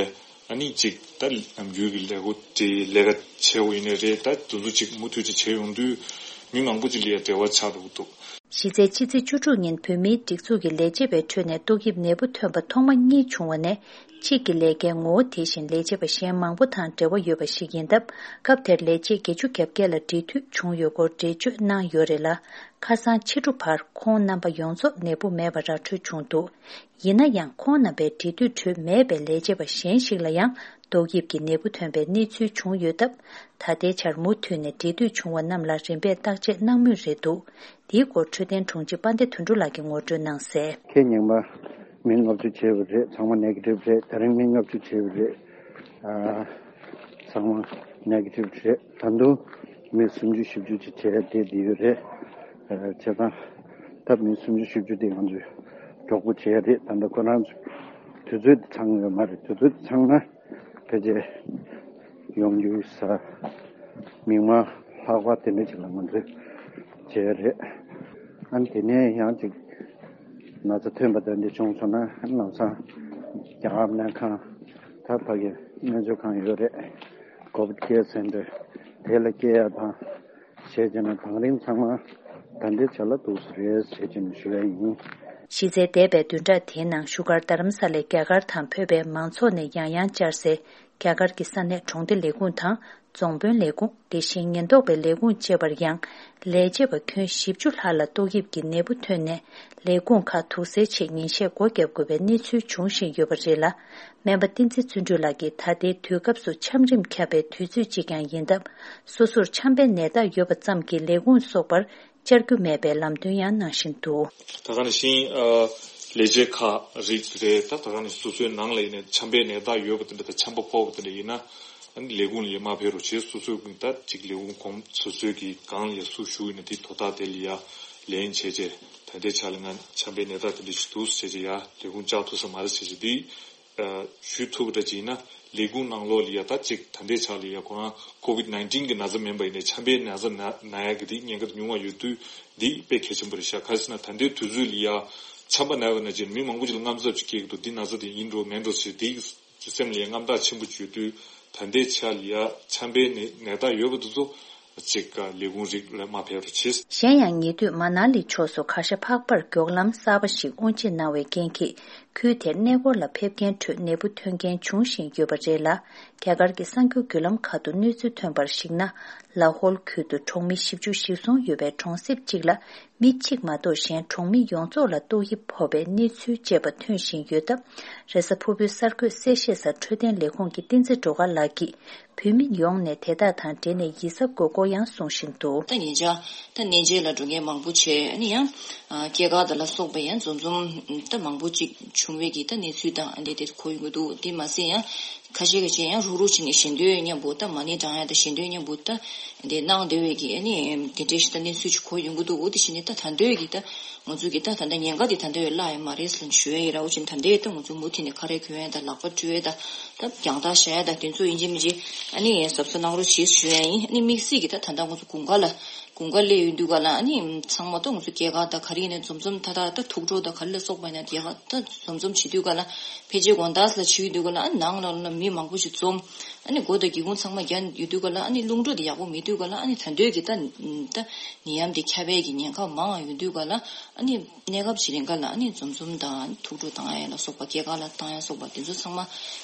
ཨ་ནི་ཅིག་ད་ནམ་རྒྱུན་གྱི་ལས་འགུལ་དེ་ལས་ཀ་བྱས་པ་ཡིན་ནའི་རེད། ད་དེ་ཚོ་ཅིག་མུ་མཐུད་ཅིག་བྱས་ཡོང་དུས་ མི་མང་པོ་ཅིག་ལ་ཡང་འབྲེལ་བ་ཆགས་འགྲོ་གི་འདུག། གཞི་རྩའི་ཕྱི་ཚེས་བཅུ་དྲུག་ཉིན་བོད་མིའི་སྒྲིག་འཛུགས་ཀྱི་ལས་བྱེད་པའི་ཁྲོད་ནས་ཏོག་དབྱིབས་ནད་འབུ་ཐོན་པ་ཐོག་མ་གཉིས་བྱུང་བ་ནས། གཅིག་གི་ལས་ཀའི་ངོ་བོ་དེ་བཞིན་ལས་བྱེད་པ་གཞན་མང་པོ་དང་འབྲེལ་བ་ཡོད་པ་ཞིག་ཡིན་སྟབས། སྐབས་དེར་ལས་བྱེད་བརྒྱད་ཅུ་གྱ་བརྒྱད་ལ་འབྲེལ་མཐུད་བྱུང་ཡོད་སྐོར་འགྲེལ་བརྗོད་གནང་ཡོད་རེད་ལ། ཁ་སང་ཕྱི་དྲོ་བར་ཁོང་རྣམ་པ་ཡོངས་རྫོགས་ནད་འབུ་མེད་པ་ར་འཕྲོད་བྱུང་འདུག། ཡིན་ན་ཡང་ཁོང་རྣམ་པའི་འབྲེལ་མཐུད་ཁྲོད་མེད་པའི་ལས་བྱེད་པ་གཞན་ཞིག་ལ་ཡང་ཏོག་དབྱིབས་ཀྱི་ནད་འབུ་ཐོན་པའི་གནས་ཚུལ་བྱུང་ཡོད་སྟབས། ད་ལྟའི་ཆར་མུ་མཐུད་ནས་འབྲེལ་མཐུད་བྱུང་བ་རྣམས་ལ་རིམ་པས་བརྟག་དཔྱད་གནང་མུས་རེད་འདུག། འདིའི་སྐོར་འཕྲོད་བསྟེན་དྲུང་ཆེ་དཔལ་ལྡན་དོན་གྲུབ་ལགས་ཀྱིས་ངོ་སྤྲོད་གནང་གསལ། ཁེ་ཉིན་མ་མི་ལྔ་བཅུ་བྱས་པ་རེད། ཚང་མ་ནེ་གེ་ཊིབ་རེད། ད་རིང་མི་ལྔ་བཅུ་བྱས་པ་རེད། ཨ། ཚང་མ་ནེ་གེ་ཊིབ་རེད། ད་དུང་མི་སུམ་ཅུ་བཞི་བཅུ་ཅིག་བྱས་བསྡད་བསྡད་ཡོད་རེད། ཨ། བྱས་ཙང་ད་མི་སུམ་ཅུ་བཞི་བཅུ་དེ་ང་ཚོས་གྲོགས་པོ་བྱས་རེད། ད་ལྟ་ཁོ་རང་ཚོ་དུས་ཚོད་དེ་ཚང་ཡོད་མ་རེད། དུས་ཚོད་དེ་ཚང་ན་ཕལ་ཆེར་ཡོང་རྒྱུ་ས་མིག་དམར་ལྷག་པ་དེ་འདྲ་ཅིག་ལ་ང་ཚོས་བྱས་རེད། ཨ་ནི་དེ་ནས་ཡང་ཅིག་ན་ཚ་ཐོན་པ་དེ་འདྲ་བྱུང་སོང་ན་ལམ་སང་རྒྱ་གར་སྨན་ཁང་ད་ཕ་གི་སྨན་བཅོས་ཁང་ཡོད་རེད། ཀོ་བིད་ཀེར་སེན་ཊར་དེ་ལ་སྐྱེལ་ཡ་དང་བྱས་བྱས་ན་དང་རིང་ཚང་མ་ད་ལྟའི་ཆ་ལ་འདུག་སེ་རེད་བྱས་བྱས་ནས་ཞུ་ཡ་ཡིན། གཞི་རྩའི་འདས་པའི་བདུན་ཕྲག་དེའི་ནང་བཞུགས་སྒར་རྡ་རམ་ས་ལའི་རྒྱ་གར་དང་བོད་པའི་མང་ཚོགས་ནས་ཡང་ཡང་བཅར་སའི་རྒྱ་གར་གྱི་ས་གནས་གྲོང་སྡེ་ལས་ཁུངས་དང་། རྫོང་དཔོན་ལས་ཁུངས། དེ་བཞིན་ཉེན་རྟོག་པའི་ལས་ཁུངས་བཅས་པར་ཡང་ལས་བྱེད་པ་ཁྱོན་བཞི་བཅུ་ལྷག་ལ་ཏོག་དབྱིབས་ཀྱི་ནད་འབུ་ཐོན་ནས། ལས་ཁུངས་ཁག་དུག་སེལ་ཆེད་ཉིན་ཤས་སྒོ་བརྒྱབ་དགོས་པའི་གནས་ཚུལ་འབྱུང་བཞིན་ཡོད་པ་རེད་ལ། སྨན་པ་བསྟན་འཛིན་བརྩོན་འགྲུས་ལགས་ཀྱིས་ད་ལྟའི་དུས་སྐབས་སུ་ཆམ་རིམས་ཁྱབ་པའི་དུས་ཚོད་ཅིག་ཀྱང་ཡིན་སྟབས། སོ་སོར་ཆམ་པའི་ནད་རྟགས་ཡོད་པ་ཙམ་གྱིས་ལས་ཁུངས་སོགས་པར་བཅར་རྒྱུ་མེད་པའི་ལམ་སྟོན་ཡང་གནང་བཞིན་འདུག། ད་ག་ནང་བཞིན། ཨ། ལས་བྱེད་ཁག་རིགས་རེད། ད་ད་ག་ནང་བཞིན་སོ་སོའི་ནང་ལ་ཡིན་ན་ཆམ་པའི་ནད་རྟགས་ཡོད་པ་དེ་འདྲ་དང་ཆམ་པ་ཕོག་པ་དེ་འདྲ་ཡིན་ན། ཨ་ནི་ལས་ཁུངས་ལ་ཡ་མ་ཕེབས་རོགས་བྱེད། སོ་སོའི་ད་ཅིག་ལས་ཁུངས་གོང་སོ་སོའི་གི་སྒང་ལ་ཡ་སུ་བཞུགས་ཡིན་ན་དེ་དོ་བདག་དེ་ལ་ཡ་ལན་བྱས་རྗེས་ད་ལྟའི་ཆ་ལ་ང་ཆམ་པའི་ནད་རྟགས་དེ་འདྲ་ཞིག་འདུག་ཟེར་རྗེས་ཡ་ལས་ཁུངས་བཅར་ཐུབ་ས་མ་རེད་ཟེར་རྗེས་དེ། ཨ། ཞུ་ཐུབ་པ་འདྲ་ཅིག་ཡིན་ན་ལས་ཁུངས་ནང་ལོགས་ལ་ཡ་ད་ཅིག་ད་ལྟའི་ཆ་ལ་ཡ་ཁོ་རང་ཀོ་བིད་ནའིན་ཊིན་གི་ན་ཚ་མིན་པ་ཡིན་ནའི་ཆམ་པའི་ན་ཚ་ན་ན་ཡ་གི་དེ་ཉེན་ཁ་ཉུང་བ་ཡོད་དུས་འདི་དཔེ་གལ་ཆེན་པོ་རེད་ཤག། ག་རེ་ཟེར་ན་ད་ལྟའི་དུས་ཚོད་ལ་ཡ་ཆམ་པ་ན་བ་ན་ཅིག་མི་མང་པོ་ཅིག་ལ་དངངས་འཚབ་ཅིག་སྐྱེ་གི་འདུག། འདི་ན་ཚ་དེ་ཡིན་འགྲོ་མིན་འགྲོ་ཟེར་དེ་སེམས་ལ་ཡ་དངངས་སྐྲག་ཆེན་པོ་ཅིག་ཡོད་དུས་ད་ལྟའི་ཆ་ལ་ཡ་ཆམ་པའི་ནད་ནད་རྟགས་ཡོད་པ་དེ་ཚོ། གཅིག་ལས་ཁུངས་རིགས་ལ་མ་ཕེབས་རོགས་བྱེད། གཞན་ཡང་ཉེ་དུས་མ་ན་ལི་ཕྱོགས་སུ་གར་ཞ་འཕགས་པར་མགྱོགས་ལམ་གསར་པ་ཞིག་དབུ་འབྱེད་གནང་བའི་རྐྱེན་གྱིས། ཁུལ་དེར་གནས་སྐོར་ལ་ཕེབས་མཁན་ཁྲོད་ནད་འབུ་ཐོན་མཁན་འབྱུང་བཞིན་ཡོད་པ་རེད་ལ། རྒྱ་གར་གྱི་གསར་འགྱུར་བརྒྱུད་ལམ་ཁག་ཏུ་གནས་ཚུལ་ཐོན་པར་གཞིགས་ན། ལ་ཧོལ་ཁུལ་དུ་གྲོང་མི་བཞི་བཅུ་ཞིག་སོང་ཡོད་པའི་གྲོང་གསེབ་གཅིག་ལ། མི་གཅིག་མ་གཏོགས་གཞན་གྲོང་མི་ཡོངས་རྫོགས་ལ་ཏོག་དབྱིབས་ཕོག་པའི་གནས་ཚུལ་བཅས་པ་ཐོན་བཞིན་ཡོད་སྟབས། རེས་གཟའ་ཕུར་བུའི་གསར་འགོད་གསལ་བཤད་སར་འཕྲོད་བསྟེན་ལས་ཁུངས་ཀྱི་བསྟན་འཛིན་སྒྲོལ་དཀར་ལགས་ཀྱིས། བོད་མི་ཡོངས་ནས་དེ་དག་དང་འབྲེལ་ནས་ཡིད་གཟབ་དགོས་སྐོར་ཡང་གསུང་བཞིན་འདུག། ད་ཉེ་ཆར་ད་གནས་མཇལ་ལ་འགྲོ་མཁན་མང་པོ་བྱས། ཨ་ནི་ཡང་ཨ་སྐྱེས་སྐར་དང་ལ་སོགས་པ་ཡང་འཛོམས་འཛོམས་ད་མང་པོ་ཅིག་བྱུང་བའི་གི་ད་གནས་ཚུལ་དང་ཨ་འདྲ་དེ་གོ་ཡོང་གི་འདུག། དེ་མ་ཟད་ཡང་ཁ་ཤས་ཀྱི་ཅན་ཡང་རུག་རུག་བྱས་ནས་ཞལ་འདོན་མཉམ་པོ་ད་མ་ཎི་བགྲང་ཡ་དང་ཞལ་འདོན་མཉམ་པོ་ད་དེ་གནང་བསྡད་པའི་གི་ཨ་ནི་དེ་འདྲའི་ཞིག་ད་གནས་ཚུལ་ཅིག་གོ་ཡོང་གི་འདུག། འོ་དེ་བྱས་ནས་ད་ད་འདོད་ཀྱི་ད། ང་ཚོ་གི་ད་ད་ལྟ་ཉེན་ཁ་དེ་ད་ལྟ་བས་བརླག་ཡོད་མ་རེད་ཟེར་ནས་ཞུ་ཡ་ཡིན། ར་འོ་ཅིན་ད་ལྟའི་ད་ང་ཚོ་མུ་མཐུད་ནས་ཁ་རས་གོན་ཡ་དང་ལག་པ་བཀྲུ་ཡ་དང་ད་རྒྱང་ཐག་བཞག་ཡ་དང་དེ་ཚོ་ཡིན་གཅིག་མིན་གཅིག་ཨ་ནི་གཟབ་གཟབ་གནང་རོགས་བྱེད་ཞུ་ཡ་ཡིན། ཨ་ནི་དམིགས་བསལ་གྱི་ད་ད་ལྟ་ང་ཚོ་དགུན་ཁ་ལ་དགུན་ཁ་སླེབས་ཡོང་དུས་ག་ལ་ཨ་ནི་ཚང་མ་ད་ང་ཚོ་སྐྱེས་སྐར་དང་ག་རེ་ཡིན་ནའི་འཛོམས་འཛོམས་ད་ད་ད་ཐུགས་སྤྲོ་དང་ག་རེ་ལ་སོགས་པ་ཡིན་ན་དེ་ག་ད་འཛོམས་འཛོམས་བྱེད་དུས་ག་ལ་ཕལ་ཆེར་དགོང་དག་ལ་བྱེད་ཡོང་དུས་ག་ལ་ཨ་ནི་ནང་ལ་ལ་མི་མང་པོ་ཞིག་འཛོམས། ཨ་ནི་སྒོ་དང་སྒེའུ་ཁུང་ཚང་མ་བརྒྱབ་ཡོད་དུས་ག་ལ་ཨ་ནི་རླུང་འགྲོ་དེ་ཡག་པོ་མེད་དུས་ག་ལ་ཨ་ནི་ད་འདོད་ཀྱི་ད་ད་ནད་ཡམས་དེ་ཁྱབ་པའི་གི་ཉེན་ཁ་མང་བ་ཡོད་དུས་ག་ལ་ཨ་ནི་གནས་སྐབས་ཅིག་རིང་ག་ལ་ཨ་ནི་འཛོམས་འཛོམས་དང་ཐུགས་སྤྲོ་བཏང་ཡ་ལ་སོགས་པ་སྐྱེས་སྐར་ལ་བཏང་ཡ་སོགས་པ་དེ་ཚོ་ཚང་མ་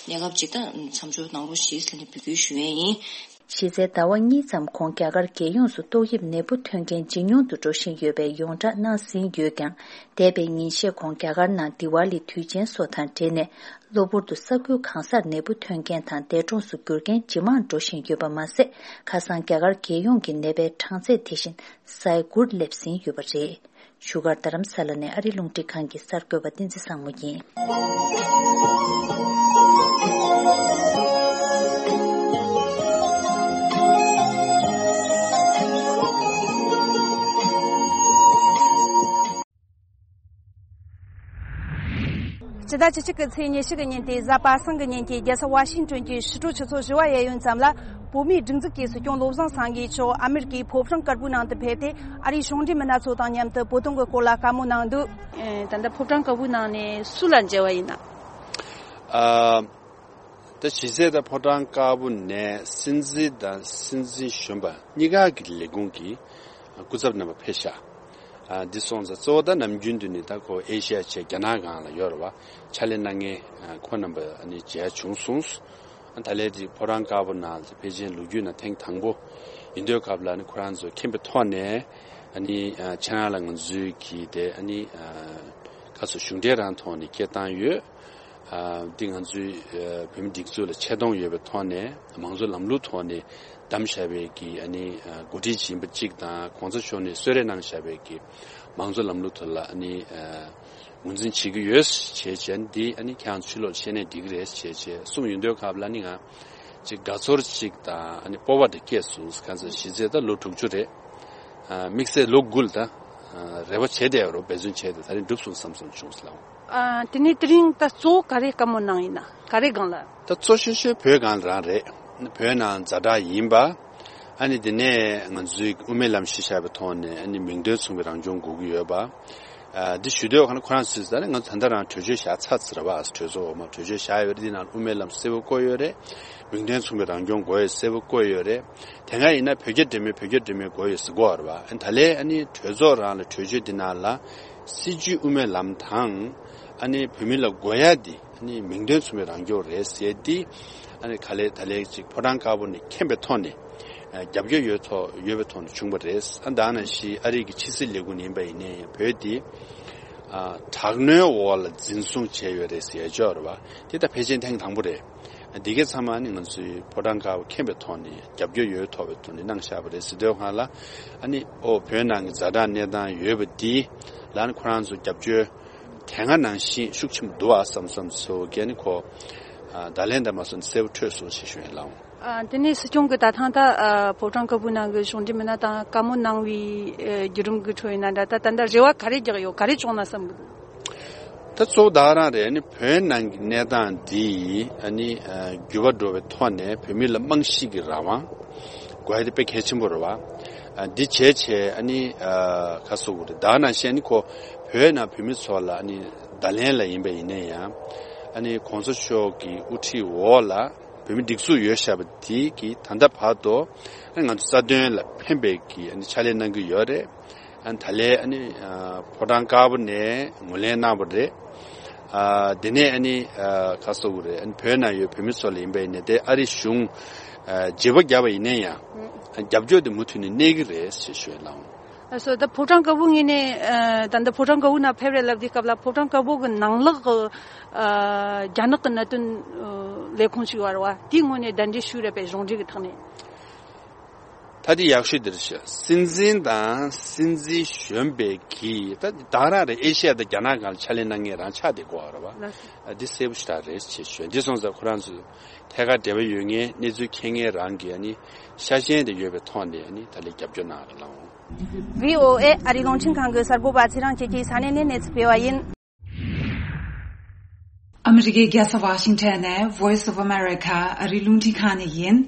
གནས་སྐབས་ཅིག་ད་མཚམས་འཇོག་གནང་རོགས་ཞེས་ཟེར་ནས་འབོད་སྐུལ་ཞུ་ཡས་ཡིན། གཞི་རྩའི་ཟླ་བ་གཉིས་ཙམ་གོང་རྒྱ་གར་རྒྱལ་ཡོངས་སུ་ཏོག་དབྱིབས་ནད་འབུ་ཐོན་མཁན་ཇེ་ཉུང་དུ་འགྲོ་བཞིན་ཡོད་པའི་ཡོངས་བསྒྲགས་གནང་ཟིན་ཡོད་ཀྱང་། འདས་པའི་ཉིན་ཤས་གོང་རྒྱ་གར་ནང་དི་ཝཱ་ལི་དུས་ཆེན་སོགས་དང་འབྲེལ་ནས། གློ་བུར་དུ་ས་ཁུལ་གང་སར་ནད་འབུ་ཐོན་མཁན་དང་འདས་གྲོངས་སུ་གྱུར་མཁན་ཇེ་མང་འགྲོ་བཞིན་ཡོད་པ་མ་ཟད། ཁ་སང་རྒྱ་གར་རྒྱལ་ཡོངས་ཀྱི་ནད་པའི་གྲངས་ཚད་དེ་བཞིན་ས་ཡ་དགུར་སླེབས་ཟིན་ཡོད་པ་རེད། བཞུགས་སྒར་རྡ་རམ་ས་ལ་ནས་ཨ་རི་རླུང་འཕྲིན་ཁང་གི་གསར་འགོད་པ་བསྟན་འཛིན་བཟང་མོ་ཡིན། སྤྱི་ཟླ་བཅུ་གཅིག་གི་ཚེས་ཉི་ཤུ་གི་ཉིན་ཏེ་གཟའ་པ་སངས་ཀྱི་ཉིན་གྱི་རྒྱལ་ས་ཝ་ཤིང་ཏོན་གྱི་ཕྱི་དྲོ་ཆུ་ཚོད་བཞི་པ་གཡས་གཡོན་ཙམ་ལ། བོད་མིའི་སྒྲིག་འཛུགས་ཀྱི་སྲིད་སྐྱོང་བློ་བཟང་སེང་གེ་མཆོག་ཨ་མེ་རི་ཀའི་ཕོ་བྲང་དཀར་པོའི་ནང་དུ་ཕེབས་ཏེ། ཨ་རིའི་གཞུང་འབྲེལ་མི་སྣ་ཚོ་དང་མཉམ་དུ་བོད་དོན་གྱི་སྐོར་ལ་བཀའ་མོལ་གནང་འདུག། ཨེ། ད་ལྟ་ཕོ་བྲང་དཀར་པོའི་ནང་ནས་སུ་ལ་མཇལ་བ་ཡིན་ན། ཨ། ད་གཞི་རྩའི་ད་ཕོ་བྲང་དཀར་པོ་ནས་སྲིད་འཛིན་དང་སྲིད་འཛིན་གཞོན་པ་གཉིས་ཀ་གི་ལས་ཁུངས་ཀྱི་ སྐུ་ཚབ་རྣམ་པ་ཕེབས་ཤག་ཨ་འདི་སོང་ཙང་གཙོ་བོ་ད་ནམ་རྒྱུན་དུ་ནི་ད་ཁོ་ཨེ་ཤི་ཡ་བྱས་རྒྱ་ནག་སྒང་ལ་ཡོད་རེད་བ། ཕྱག་ལས་གནང་མཁན་ཨ་ཁོང་རྣམ་པ་ཨ་ནི་མཇལ་བྱུང་སོང་། ཨ་ད་ལན་དེ་ཕོ་བྲང་དཀར་པོ་ནང་ལ་ཕལ་ཆེར་ལོ་རྒྱུས་ནང་ཐེངས་དང་པོ་ཡིན་དུས་སྐབས་ལ་ཨ་ནི་ཁོ་རང་ཚོ་མཁྱེན་པའི་ཐོག་ནས་ཨ་ནི་ཨ་ཁྱེད་རང་ལ་ང་ཚོའི་གི་དེ་ཨ་ནི་ཨ་ཁ་སོ་གཞུང་འབྲེལ་རང་ཐོག་ནས་སྐད་བཏང་ཡོད། ཨ་འདི་ང་ཚོའི་ཨ་བོད་མི་སྒྲིག་འཛུགས་ལ་ཆེ་མཐོང་ཡོད་པའི་ཐོག་ནས་མང་གཙོ་ལམ་ལུགས་ཐོག་ནས་བདམས་བཞག་པའི་གི་ཨ་ནི་ཨ་འགོ་ཁྲིད་ཡིན་པ་གཅིག་དང་གོང་ས་མཆོག་ནས་གསོལ་རས་གནང་བཞག་པའི་གི་མང་གཙོ་ལམ་ལུགས་ཐོག་ལ་ཨ་ནི་ཨ་ངོས་འཛིན་བྱེད་ཀྱི་ཡོད་ཅེས་བྱས་འདི་ཨ་ནི་ཁྱེད་རང་ཕྱི་ལོགས་བཤད་ནས་འགྲིག་གི་རེད་ཅེས་བྱས་གསུངས་ཡོང་དུས་སྐབས་ལ་ནི་ང་ཅིག་དགའ་ཚོར་ཅིག་དང་ཨ་ནི་སྤོབས་པ་འདི་སྐྱེས་སོང་། གང་ཟེར་གཞི་རྩའི་ད་ལོ་དྲུག་ཅུ་རེད། ཨ་དམིགས་བསལ་ལོ་དགུ་ལ་ད་ཨ་རེ་བ་བྱས་བསྡད་ཡོད་རེད། འབད་བརྩོན་བྱས་ཏེ་ད་རིང་འགྲུབ་སོང་བསམ་སོང་བྱུང་སོང་། ཨ་དེ་ནས་དེ་རིང་ད་གཙོ་བོ་ག་རེ་བཀའ་མོལ་གནང་ཡིན་ན་ག་རེ་སྒང་ལ། ད་གཙོ་ཆེ་ཤོས་བོད་སྒང་ལ་རང་རེད། བོད་ནང་ཛ་དྲག་ཡིན་པ། ཨ་ནི་དེ་ནས་ང་ཚོའི་དབུ་མའི་ལམ་གཞི་བཞག་པའི་ཐོག་ནས་ཨ་ནི་མིང་དོན་མཚུངས་པའི་རང་སྐྱོང་དགོས་ཀྱི་ཡོད་པ། ཨ་འདི་ཞུ་འདོད་ཁ་ན་ཁོ་རང་ཚོས་ད་ནི་ང་ཚོ་ད་ལྟ་རང་གྲོས་ཆོད་བཞག་ཚར་ཚར་བ། གྲོས་ཚོགས་འོག་མ་གྲོས་ཆོད་བཞག་ཡོད་རེད། འདི་ནང་དབུ་མའི་ལམ་གསལ་པོ་བཀོད་ཡོད་རེད། མིང་དོན་མཚུངས་པའི་རང་སྐྱོང་དགོས་ཡོད་གསལ་པོ་བཀོད་ཡོད་རེད། དེ་སྔ་ཡིན་ན་བོད་རྒྱ་འབྲེལ་མོལ་བོད་རྒྱ་འབྲེལ་མོལ་དགོས་ཡོད་ཟེར་གོ་བ་རེད་བ། ཨ་ནི་ད་ལན་ཨ་ནི་གྲོས་ཚོགས་རང་ལ་གྲོས་ཆོད་འདི་ནང་ལ་སྲིད་བྱུས་དབུ་མའི་ལམ་དང་ཨ་ནི་བོད་མི་ལ་དགོས་ཡ་འདི་ཨ་ནི་མིང་དོན་མཚུངས་པའི་རང་སྐྱོང་རེད་ཟེར་ཏེ། ཨ་ནི་ག་ལེ་ད་ལན་ཅིག་ཕོ་བྲང་དཀར་པོ་ནས་མཁྱེན་པའི་ཐོག་ནས་ཨ་རྒྱབ་སྐྱོར་ཡོད་ཐོག་ཡོད་པའི་ཐོག་ནས་བྱུང་བ་རེད། ཨ་ད་ནང་བཞིན་ཨ་རི་གི་ཕྱི་སྲིད་ལས་ཁུངས་ཡིན་པ་ཡིན་ནའི་བོད་འདི་ཨ་དྲག་གནོན་འོག་ལ་འཛིན་བཟུང་བྱས་ཡོད་རེད་ཟེར་ཡ་ཅིག་ཡོད་རེད་བ། དེ་ད་ཕལ་ཆེར་ཐེངས་དང་པོ་རེད། ཨ་འདི་གའི་ཚང་མ་ཨ་ནི་ང་ཚོའི་ཕོ་བྲང་དཀར་པོ་མཁྱེན་པའི་ཐོག་ནས་རྒྱབ་སྐྱོར་ཡོད་ཐོག་པའི་ཐོག་ནས་གནང་བཞག་པ་རེད་ཟེར་དུས་སྒང་ལ། ཨ་ནི་ཨོ་བོད་ནང་གི་ཛ་དྲག་གནས་སྟངས་ཡོད་པ་འདི་ལ་ཨ་ནི་ཁོ་རང་ཚོ་རྒྱབ་སྐྱོར་དེ་སྔ་ནང་བཞིན་ཤུགས་ཆེན་པོ་འདུག་ཨ་བསམ་བསམ་ཚོ་གི་ཨ་ནི་ཁོ་ཨ་ད་ལན་འདི་མ་སོང་གསལ་པོ་འཕྲོད་སོང་ཞེས་ཞུ་ཡིན་ལགས། ཨ་དེ་ནས་སྲིད་སྐྱོང་གི་ད་ཐེངས་ད་ཨ་ཕོ་བྲང་དཀར་པོའི་ནང་གི་གཞུང་འབྲེལ་མི་སྣ་དང་བཀའ་མོལ་གནང་བའི་ཨ་བརྒྱུད་རིམ་གྱི་ཁྲོད་ཡིན་ན་འདྲ། ད་ད་ལྟ་རེ་བ་ག་རེ་རྒྱག་ཡོད། ག་རེ་བྱུང་ན་བསམ་གི་འདུག་ད་གཙོ་བོ་ད་རང་རེད། ཨ་ནི་བོད་ནང་གི་གནས་སྟངས་འདི་ཨ་ནི་ཨ་འགྱུར་བ་འགྲོ་བའི་ཐོག་ནས་བོད་མི་ལ་རྨང་གཞི་གི་རང་དབང་དགོས་ཡ་དེ་དཔེ་གལ་ཆེན་པོ་རེད་བ། ཨ་འདི་བྱས་བྱས་ཨ་ནི་ཨ་ག་ཟེར་དགོས་རེད། ད་ནང་བཞིན་ཨ་ནི་ཁོ་བོད་ནང་བོད་མི་ཚོ་ལ་ཨ་ནི་ད་ལན་ལ་ཡིན་པ་ཡིན་ན་ཡང་ཨ་ནི་གོང་ས་མཆོག་གི་དབུ་ཁྲིད་འོག་ལ་བོད་མི་སྒྲིག་འཛུགས་ཡོད་བཞག་པ་དེ་གི་ད་ལྟ་བར་དུ་ང་ཚོ་རྩ་དོན་ལ་ཕན་པའི་གི་ཕྱག་ལས་གནང་གི་ཡོད་རེད། ཨ་ནི་ད་ལན་ཨ་ནི་ཨ་ཕོ་བྲང་དཀར་པོ་ནས་ངོས་ལེན་གནང་བ་རེད། ཨ་དེ་ནས་ཨ་ནི་ཨ་ག་ཟེར་དགོས་རེད། ཨ་ནི་བོད་ནང་ཡོད་བོད་མི་ཚོ་ལ་ཡིན་པ་ཡིན་ནའི་དེ་ཨ་རི་གཞུང་ཨ་བརྗེ་པོ་བརྒྱབ་པ་ཡིན་ན་ཡང་ཨ་རྒྱབ་སྐྱོར་དེ་མུ་མཐུད་ནས་གནས་ཀྱི་རེད་ཞེས་ཞུ་ཡ་ལགས། ཨ་སོ་ད་ཕོ་བྲང་དཀར་པོའི་ངོས་ནས་ཨ་ད་ལྟ་ཕོ་བྲང་དཀར་པོའི་ནང་ཕེབས་རེད་ལབ་དུས་སྐབས་ལ་ཕོ་བྲང་དཀར་པོ་གི་ནང་ལོགས་ཀྱི་ཨ་རྒྱ་ནག་གི་གནད་དོན་ཨ་ལས་ཁུངས་ཤིག་ཡོད་རེད་བ། དེའི་ངོས་ནས་གདན་འདྲེན་ཞུས་རེད་པས། གཞུང་འབྲེལ་གྱི་ཐོག་ནས། ད་དེ་ཡག་ཤོས་དེ་རེད་ཤག་སྲིད་འཛིན་དང་སྲིད་འཛིན་གཞོན་པའི་གི་ད་ད་རང་རེད། ཨེ་ཤི་ཡ་དང་རྒྱ་ནག་སྒང་ལ་ཕྱག་ལས་གནང་མཁན་རང་ཆགས་བསྡད་ཀྱི་ཡོད་རེད་བ། ལགས་སོ། ཨ་འདི་གསལ་པོ་ཞེ་དྲག་རེད་ཅེས་ཞུ། འདི་སོང་ཙང་ཁོ་རང་ཚོ་ཐད་ཀར་འབྲེལ་བ་ཡོད་མཁན་གནས་ཚུལ་མཁྱེན་མཁན་རང་གི་ཨ་ནི་ཤ་ཞེན་དེ་ཡོད་པའི་ཐོག་ནས་ཨ་ནི་ད་ལན་རྒྱབ་སྐྱོར་གནང་རོགས་གནང་། བྷི་ཨོ་ཨེ་ཨ་རིའི་རླུང་འཕྲིན་ཁང་གི་གསར་འགོད་པ་ཚེ་རིང་སྐྱིད་ཀྱིས་ས་གནས་ནས་གནས་ཚུལ་སྤེལ་བ་ཡིན། ཨ་མི་རི་ཀའི་རྒྱལ་ས་ཝ་ཤིང་ཊོན་ནས་Voice of America ཨ་རིའི་རླུང་འཕྲིན་ཁང་ནས་ཡིན།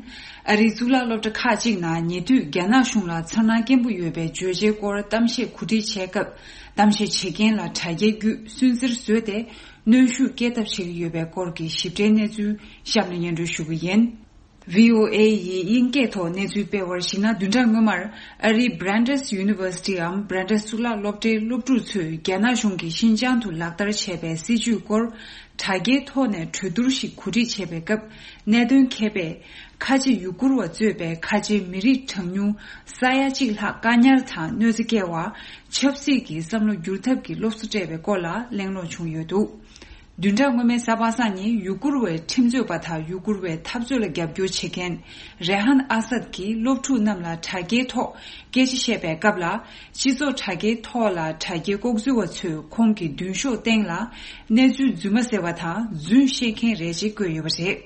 ཨ་རིའི་གཙུག་ལག་སློབ་གྲྭ་ཁག་ཅིག་ནང་ཉེ་དུས་རྒྱ་ནག་གཞུང་ལ་མཚར་སྣང་སྐྱེན་པོ་ཡོད་པའི་བརྗོད་བྱའི་སྐོར་གཏམ་བཤད་གོ་སྒྲིག་བྱས་སྐབས། གཏམ་བཤད་བྱེད་མཁན་ལ་དྲ་རྒྱའི་བརྒྱུད་སུན་གཙེར་བཟོས་ཏེ། གནོན་ཤུགས་སྐྱེད་ཐབས་བྱེད་ཀྱི་ཡོད་པའི་སྐོར་གྱི་ཞིབ་ཕྲའི་གནས་ཚུལ་གཤམ་ནས་སྙན་སྒྲོན་ཞུ་གི་ཡིན། བྷི་ཨོ་ཨེ་ཡིས་དབྱིན་སྐད་ཐོག་གནས་ཚུལ་སྤེལ་བར་གཞིགས་ན། བདུན་ཕྲག་སྔོན་མར་ཨ་རིའི་Brandeis Universityའམ་Brandeis་གཙུག་ལག་སློབ་གྲྭའི་སློབ་ཕྲུག་ཚོས་རྒྱ་ནག་གཞུང་གིས་ཤིན་ཅང་དུ་ལག་བསྟར་བྱས་པའི་སྲིད་བྱུས་སྐོར་དྲ་རྒྱའི་ཐོག་ནས་གྲོས་བསྡུར་ཞིག་གོ་སྒྲིག་བྱས་པའི་སྐབས། གནད་དོན་མཁས་པས་ཁ་ཆེ་ཡུ་གུར་བ་གཙོས་པའི་ཁ་ཆེ་མི་རིགས་གྲངས་ཉུང་ས་ཡ་གཅིག་ལྷག་བཀག་ཉར་དང་གནོད་འཚེ་བསྐྱལ་བ། ཆབ་སྲིད་ཀྱི་བསམ་བློ་བསྒྱུར་ཐབས་ཀྱི་སློབ་གསོ་སྤྲད་པའི་སྐོར་ལ་གླེང་སློང་བྱུང་ཡོད་འདུག་བདུན་ཕྲག་སྔོན་མའི་གཟའ་པ་སངས་ཉིན་ཡུ་གུར་བའི་ཁྲིམས་རྩོད་པ་དང་ཡུ་གུར་བའི་འཐབ་རྩོད་ལ་རྒྱབ་སྐྱོར་བྱེད་མཁན་རེ་ཧན་ཨ་སད་ཀྱིས་སློབ་ཕྲུག་རྣམས་ལ་དྲ་རྒྱའི་ཐོག་སྐད་ཆ་བཤད་པའི་སྐབས་ལ། སྤྱི་ཚོགས་དྲ་རྒྱའི་ཐོག་ལ་དྲ་རྒྱའི་ལྐོག་འཛུལ་བ་ཚོས་ཁོང་གི་མདུན་ཤོག་སྟེང་ལ་གནས་ཚུལ་རྫུན་མ་ཟེར་བ་དང་རྫུན་བཤད་མཁན་རེད་ཅེས་བཀོད་ཡོད་པ་རེད།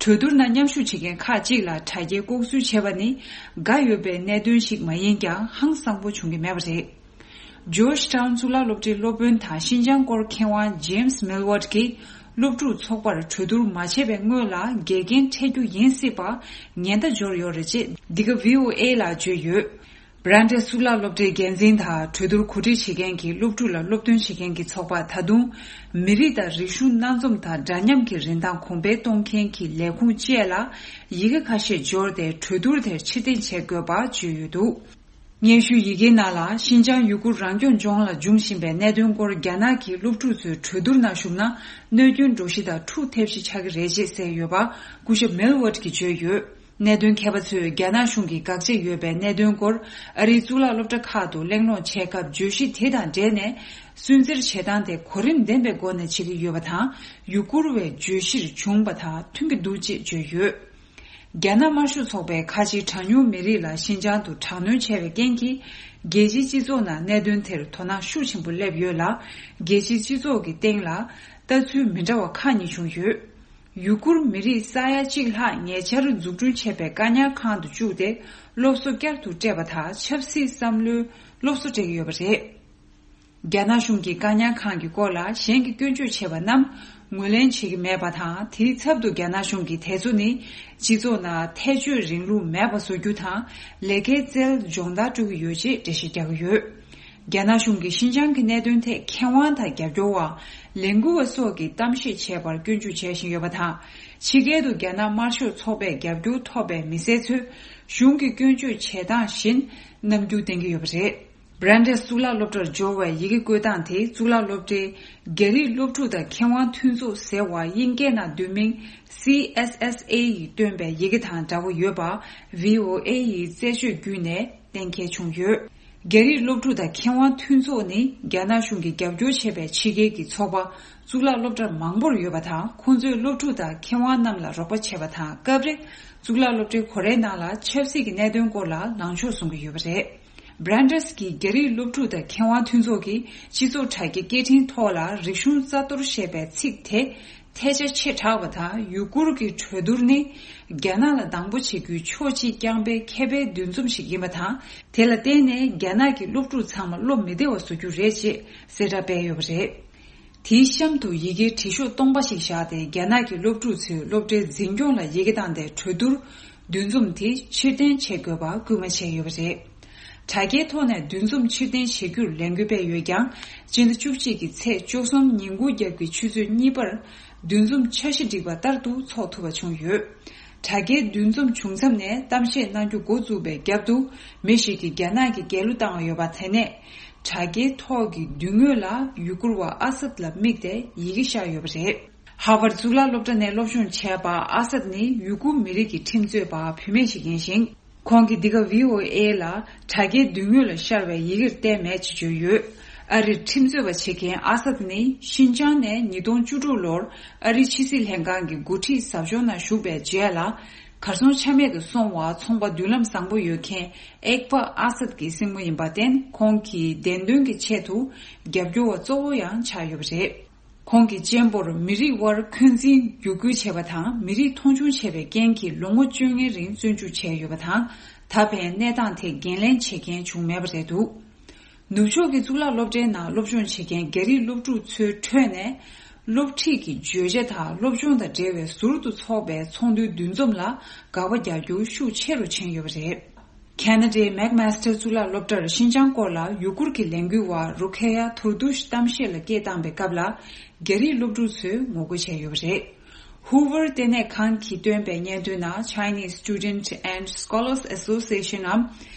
གྲོས་བསྡུར་ནང་མཉམ་ཞུགས་བྱེད་མཁན་ཁག་ཅིག་ལ་དྲ་རྒྱའི་ལྐོག་འཛུལ་བྱས་པ་ནི་དགའ་འོས་པའི་གནད་དོན་ཞིག་མ་ཡིན་ཀྱང་ཧང་སང་པོ་བྱུང་གི་མེད་པ་རེད། Georgetown་གཙུག་ལག་སློབ་གྲྭའི་སློབ་དཔོན་དང་ཤིན་ཅང་སྐོར་མཁས་དབང་James Millward་གྱིས་སློབ་ཕྲུག་ཚོགས་པར་གྲོས་བསྡུར་མ་བྱས་པའི་སྔོན་ལ་འགལ་རྐྱེན་འཕྲད་རྒྱུ་ཡིན་སྲིད་པ་ཉེན་བརྡ་འབྱོར་ཡོད་རེད་ཅེས་འདི་ག་བྷི་ཨོ་ཨེ་ལ་བརྗོད་ཡོད། Brandeis་གཙུག་ལག་སློབ་གྲྭའི་འགན་འཛིན་དང་གྲོས་བསྡུར་གོ་སྒྲིག་བྱེད་མཁན་གྱི་སློབ་ཕྲུག་ལ་སློབ་སྟོན་བྱེད་མཁན་གྱི་ཚོགས་པ་ད་དུང་མི་རིགས་དང་རིག་གཞུང་སྣ་འཛོམས་དང་འདྲ་མཉམ་གྱི་རིན་ཐང་གོང་འཕེལ་གཏོང་མཁན་གྱི་ལས་ཁུངས་བཅས་ལ་ཡི་གེ་ཁ་ཤས་འབྱོར་ཏེ་གྲོས་བསྡུར་དེར་ཕྱིར་འཐེན་བྱེད་དགོས་པ་བརྗོད་ཡོད་འདུག་སྙན་ཞུའི་ཡི་གེའི་ནང་ལ། ཤིན་ཅང་ཡུ་གུར་རང་སྐྱོང་ལྗོངས་ལ་འབྱུང་བཞིན་པའི་གནད་དོན་སྐོར་རྒྱ་ནག་གི་སློབ་ཕྲུག་ཚོའི་གྲོས་བསྡུར་ནང་ཞུགས་ན། གནོད་སྐྱོན་འགྲོ་གཞི་དང་འཁྲུག་ཐེབས་གཞི་ཆགས་ཀྱི་རེད་ཅེས་གསལ་ཡོད་པ། སྐུ་ཞབས་མིལ་ཝར་གྱིས་བརྗོད་ཡོད། གནད་དོན་མཁས་པ་ཚོས་རྒྱ་ནག་གཞུང་གིས་དགག་བྱ་ཡོད་པའི་གནད་དོན་སྐོར་ཨ་རིའི་གཙུག་ལག་སློབ་གྲྭ་ཁག་ཏུ་གླེང་སློང་བྱས་སྐབས། བརྗོད་གཞི་དེ་དང་འབྲེལ་ནས་སུན་གཙེར་བྱེད་སྟངས་དེ་གོ་རིམ་ལྡན་པའི་སྒོ་ནས་བྱེད་ཀྱི་ཡོད་པ་དང་། ཡུ་གུར་བའི་བརྗོད་གཞིར་བྱུང་བ་དང་མཐུན་གྱི་འདུག་ཅེས་བརྗོད་ཡོད། རྒྱ་ནག་དམར་ཤོག་ཚོགས་པས་ཁ་ཆེའི་གྲངས་ཉུང་མི་རིགས་ལ་ཤིན་ཅང་དུ་དྲག་གནོན་བྱས་པའི་རྐྱེན་གྱིས། རྒྱལ་སྤྱིའི་སྤྱི་ཚོགས་ནང་གནད་དོན་དེར་དོ་སྣང་ཤུགས་ཆེན་པོ་སླེབས་ཡོད་ལ། རྒྱལ་སྤྱིའི་སྤྱི་ཚོགས་ཀྱི་སྟེང་ལ་ལྟ་ཚུལ་མི་འདྲ་བ་ཁག་གཉིས་བྱུང་ཡོད། ཡུ་གུར་མི་རིགས་ས་ཡ་གཅིག་ལྷག་ཉེ་ཆར་འཛུགས་སྐྲུན་བྱས་པའི་བཀག་ཉར་ཁང་དུ་བཅུག་སྟེ། སློབ་གསོ་བསྐྱར་དུ་སྤྲད་པ་དང་ཆབ་སྲིད་བསམ་བློའི་སློབ་གསོ་སྤྲད་ཀྱི་ཡོད་པ་རེད། རྒྱ་ནག་གཞུང་གིས་བཀག་ཉར་ཁང་གི་སྐོར་ལ་གཞན་གྱིས་སྐྱོན་བརྗོད་བྱས་པ་རྣམས་ངོས་ལེན་བྱེད་ཀྱི་མེད་པ་དང་། དེའི་ཚབ་ཏུ་རྒྱ་ནག་གཞུང་གིས་དེ་ཚོ་ནི་སྤྱི་ཚོགས་ནང་ཐལ་སྤྱོད་རིང་ལུགས་མེད་པ་བཟོ་རྒྱུ་དང་། ལས་ཀའི་རྩལ་སྦྱོང་བརྡར་སྤྲོད་ཀྱི་ཡོད་ཅེས་འགྲེལ་བཤད་རྒྱག་གི་ཡོད། རྒྱ་ནག་གཞུང་གིས་ཤིན་ཅང་གི་གནད་དོན་ཐད་མཁས་དབང་དང་རྒྱབ་སྐྱོར་བ། ལས་འགུལ་བ་སོགས་ཀྱིས་གཏམ་བཤད་བྱས་པར་སྐྱོན་བརྗོད་བྱེད་བཞིན་ཡོད་པ་དང་། ཕྱི་རྒྱལ་དུ་རྒྱ་ནག་དམར་ཤོག་ཚོགས་པས་རྒྱབ་སྐྱོར་ཐོབ་པའི་མི་སེར་ཚོས་གཞུང་གི་སྐྱོན་བརྗོད་བྱེད་སྟངས་བཞིན་རྣམ་འགྱུར་བསྟན་གྱི་ཡོད་པ་རེད། བྷ་རན་ཌེས་གཙུག་ལག་སློབ་གྲྭར་འབྱོར་བའི་ཡི་གེ་བཀོད་སྟངས་དེ། གཙུག་ལག་སློབ་གྲྭའི་རྒྱ་རིགས་སློབ་ཕྲུག་དང་མཁས་དབང་མཐུན་ཚོགས་ཟེར་བ། དབྱིན་སྐད་ནང་བསྡུས་མིང་C S S A ཡིས་བཏོན་པའི་ཡི་གེ་དང་འདྲ་བོ་ཡོད་པ། V O A ཡིས་རྩད་གཅོད་བརྒྱུད་ནས་གཏན་འཁེལ་བྱུང་ཡོད། རྒྱ་རིགས་སློབ་ཕྲུག་དང་མཁས་དབང་མཐུན་ཚོགས་ནི་རྒྱ་ནག་གཞུང་གིས་རྒྱབ་སྐྱོར་བྱས་པའི་ཕྱི་རྒྱལ་གྱི་ཚོགས་པ་གཙུག་ལག་སློབ་གྲྭ་མང་པོར་ཡོད་པ་དང་། ཁོང་ཚོས་སློབ་ཕྲུག་དང་མཁས་དབང་རྣམས་ལ་རོགས་པ་བྱས་པ་དང་། སྐབས་རེ་གཙུག་ལག་སློབ་གྲྭའི་སྒོ་རའི་ནང་ལ་ཆབ་སྲིད་ཀྱི་གནད་དོན་སྐོར་ལ་ལངས་ཕྱོགས་གསུང་གི་ཡོད་པ་རེད། བྷ་རན་ཌེས་ཀྱི་རྒྱ་རིགས་སློབ་ཕྲུག་དང་མཁས་དབང་མཐུན་ཚོགས་ཀྱིས་སྤྱི་ཚོགས་དྲ་རྒྱའི་སྐད་འཕྲིན་ཐོག་ལ་རིག་གཞུང་རྩ་གཏོར་ཞེས་པའི་ཚིག་དེ་ཐལ་ཆ་ཆེ་དྲགས་པ་དང་། ཡུ་གུར་གྱི་གྲོས་བསྡུར་ནི་རྒྱ་ནག་ལ་སྡང་པོ་བྱེད་རྒྱུའི་ཕྱོགས་གཅིག་རྐྱང་པའི་མཁས་པའི་འདུ་འཛོམས་ཤིག་ཡིན་པ་དང་། དེ་ལ་བརྟེན་ནས་རྒྱ་ནག་གི་སློབ་ཕྲུག་ཚང་མ་བློ་མི་བདེ་བ་བཟོ་རྒྱུ་རེད་ཅེས་གསལ་བསྒྲགས་སྤེལ་ཡོད་པ་རེད། དེའི་གཤམ་དུ་ཡི་གེའི་བྲིས་ཤོག་སྟོང་པ་ཞིག་བཞག་སྟེ། རྒྱ་ནག་གི་སློབ་ཕྲུག་ཚོས་སློབ་གྲྭའི་འཛིན་སྐྱོང་ལ་ཡི་གེ་བཏང་སྟེ། གྲོས་བསྡུར་འདུ་འཛོམས་དེ་ཕྱིར་འཐེན་བྱེད་དགོས་པ་སྐུལ་མ་བྱས་ཡོད་པ་རེད། དྲ་རྒྱའི་ཐོག་ནས་འདུ་འཛོམས་ཕྱིར་འཐེན་བྱེད་རྒྱུར་ལས་འགུལ་སྤེལ་ཡོད་ཀྱང་། སྤྱི་ཟླ་བཅུ་གཅིག་གི་ཚེས་བཅུ་གསུམ་ཉིན་གུང་རྒྱབ་ཀྱི་ཆུ་ཚོད་གཉིས་པར་འདུ་འཛོམས་འཆར་གཞི་བསྒྲིགས་པ་ལྟར་དུ་འཚོགས་ཐུབ་པ་བྱུང་ཡོད། དྲ་རྒྱའི་འདུ་འཛོམས་བྱུང་མཚམས་ནས་གཏམ་བཤད་གནང་རྒྱུ་འགོ་བཙུགས་པའི་རྒྱབ་ཏུ། མི་ཞིག་གིས་རྒྱ་ནག་གི་རྒྱལ་གླུ་བཏང་བ་ཡོད་པ་དེ་ནས། དྲ་རྒྱའི་ཐོག་གི་མདུན་ངོས་ལ་ཡུ་གུར་བ་ཨ་སད་ལ་དམིགས་ཏེ་ཡི་གེ་ཤར་ཡོད་པ་རེད། ཧར་ཝརཌ་གཙུག་ལག་སློབ་གྲྭ་ནས་སློབ་སྦྱོང་བྱས་པ་ཨ་སད་ནི་ཡུ་གུར་མི་རིགས་ཀྱི་ཁྲིམས་རྩོད་པ་བུད་མེད་ཞིག་ཡིན་ཞིང་། ཁོང་གིས་འདི་ག་V O A ལ་དྲ་རྒྱའི་མདུན་ངོས་ལ་ཤར་བའི་ཡི་གེར་བལྟས་མེད་ཅེས་བརྗོད་ཡོད། ཨ་རིར་ཁྲིམས་རྩོད་པ་བྱེད་མཁན་ཨ་སད་ནི་ཤིན་ཅང་ནས་ཉིས་སྟོང་བཅུ་དྲུག་ལོར་ཨ་རིའི་ཕྱི་སྲིད་ལྷན་ཁང་གི་འགོ་ཁྲིད་ཟབ་སྦྱོང་ནང་ཞུགས་པའི་རྗེས་ལ། གར་སོང་ཆ་མེད་དུ་སོང་བ། ཚོང་པ་མདུན་ལམ་བཟང་པོ་ཡོད་མཁན་ཨེག་པ་ཨ་སད་ཀྱི་སྲིང་མོ་ཡིན་པར་བརྟེན། ཁོང་གི་བདེན་དོན་གྱི་ཆེད་དུ་རྒྱབ་སྐྱོར་བ་གཙོ་བོ་ཡང་ཆགས་ཡོད་པ་རེད། ཁོང་གི་གཅེན་པོར་མི་རིགས་དབར་འཁོན་འཛིན་བརྒྱུད་སྐུལ་བྱས་པ་དང་། མི་རིགས་མཐོང་ཆུང་བྱས་པའི་རྐྱེན་གྱིས་ལོ་ངོ་བཅོ་ལྔའི་རིང་བཙོན་འཇུག་བྱས་ཡོད་པ་དང་། ད་ཕན་གནས་སྟངས་དེ་འགན་ལེན་བྱེད་མཁན་བྱུང་མེད་པ་རེད་འདུག། ནུབ་ཕྱོགས་ཀྱི་གཙུག་ལག་སློབ་གྲྭའི་ནང་སློབ་སྦྱོང་བྱེད་མཁན་རྒྱ་རིགས་སློབ་ཕྲུག་ཚོའི་ཁྲོད་ནས། སློབ་ཁྲིད་ཀྱི་བརྗོད་བྱ་དང་སློབ་སྦྱོང་དང་འབྲེལ་བའི་ཟུར་དུ་འཚོགས་པའི་ཚོགས་འདུའི་འདུ་འཛོམས་ལ་དགག་པ་རྒྱག་རྒྱུ་ཤུགས་ཆེ་རུ་ཕྱིན་ཡོད་པ་རེད། ཁེ་ན་ཌའི་མེག་མཱས་ཊར་གཙུག་ལག་སློབ་གྲྭར་ཤིན་ཅང་སྐོར་ལ་ཡུ་གུར་གྱི་ལས་འགུལ་བ་རུ་ཁེ་ཡ་ཐུར་དུ་ཤི་གཏམ་བཤད་ལ་སྐད་བཏང་པའི་སྐབས་ལ། རྒྱ་རིགས་སློབ་ཕྲུག་ཚོས་ངོ་རྒོལ་བྱས་ཡོད་པ་རེད། ཧུ་ཝར་ལྟེ་གནས་ཁང་གིས་བཏོན་པའི་སྙན་ཐོའི་ནང་། Chinese Student and Scholars Association འམ།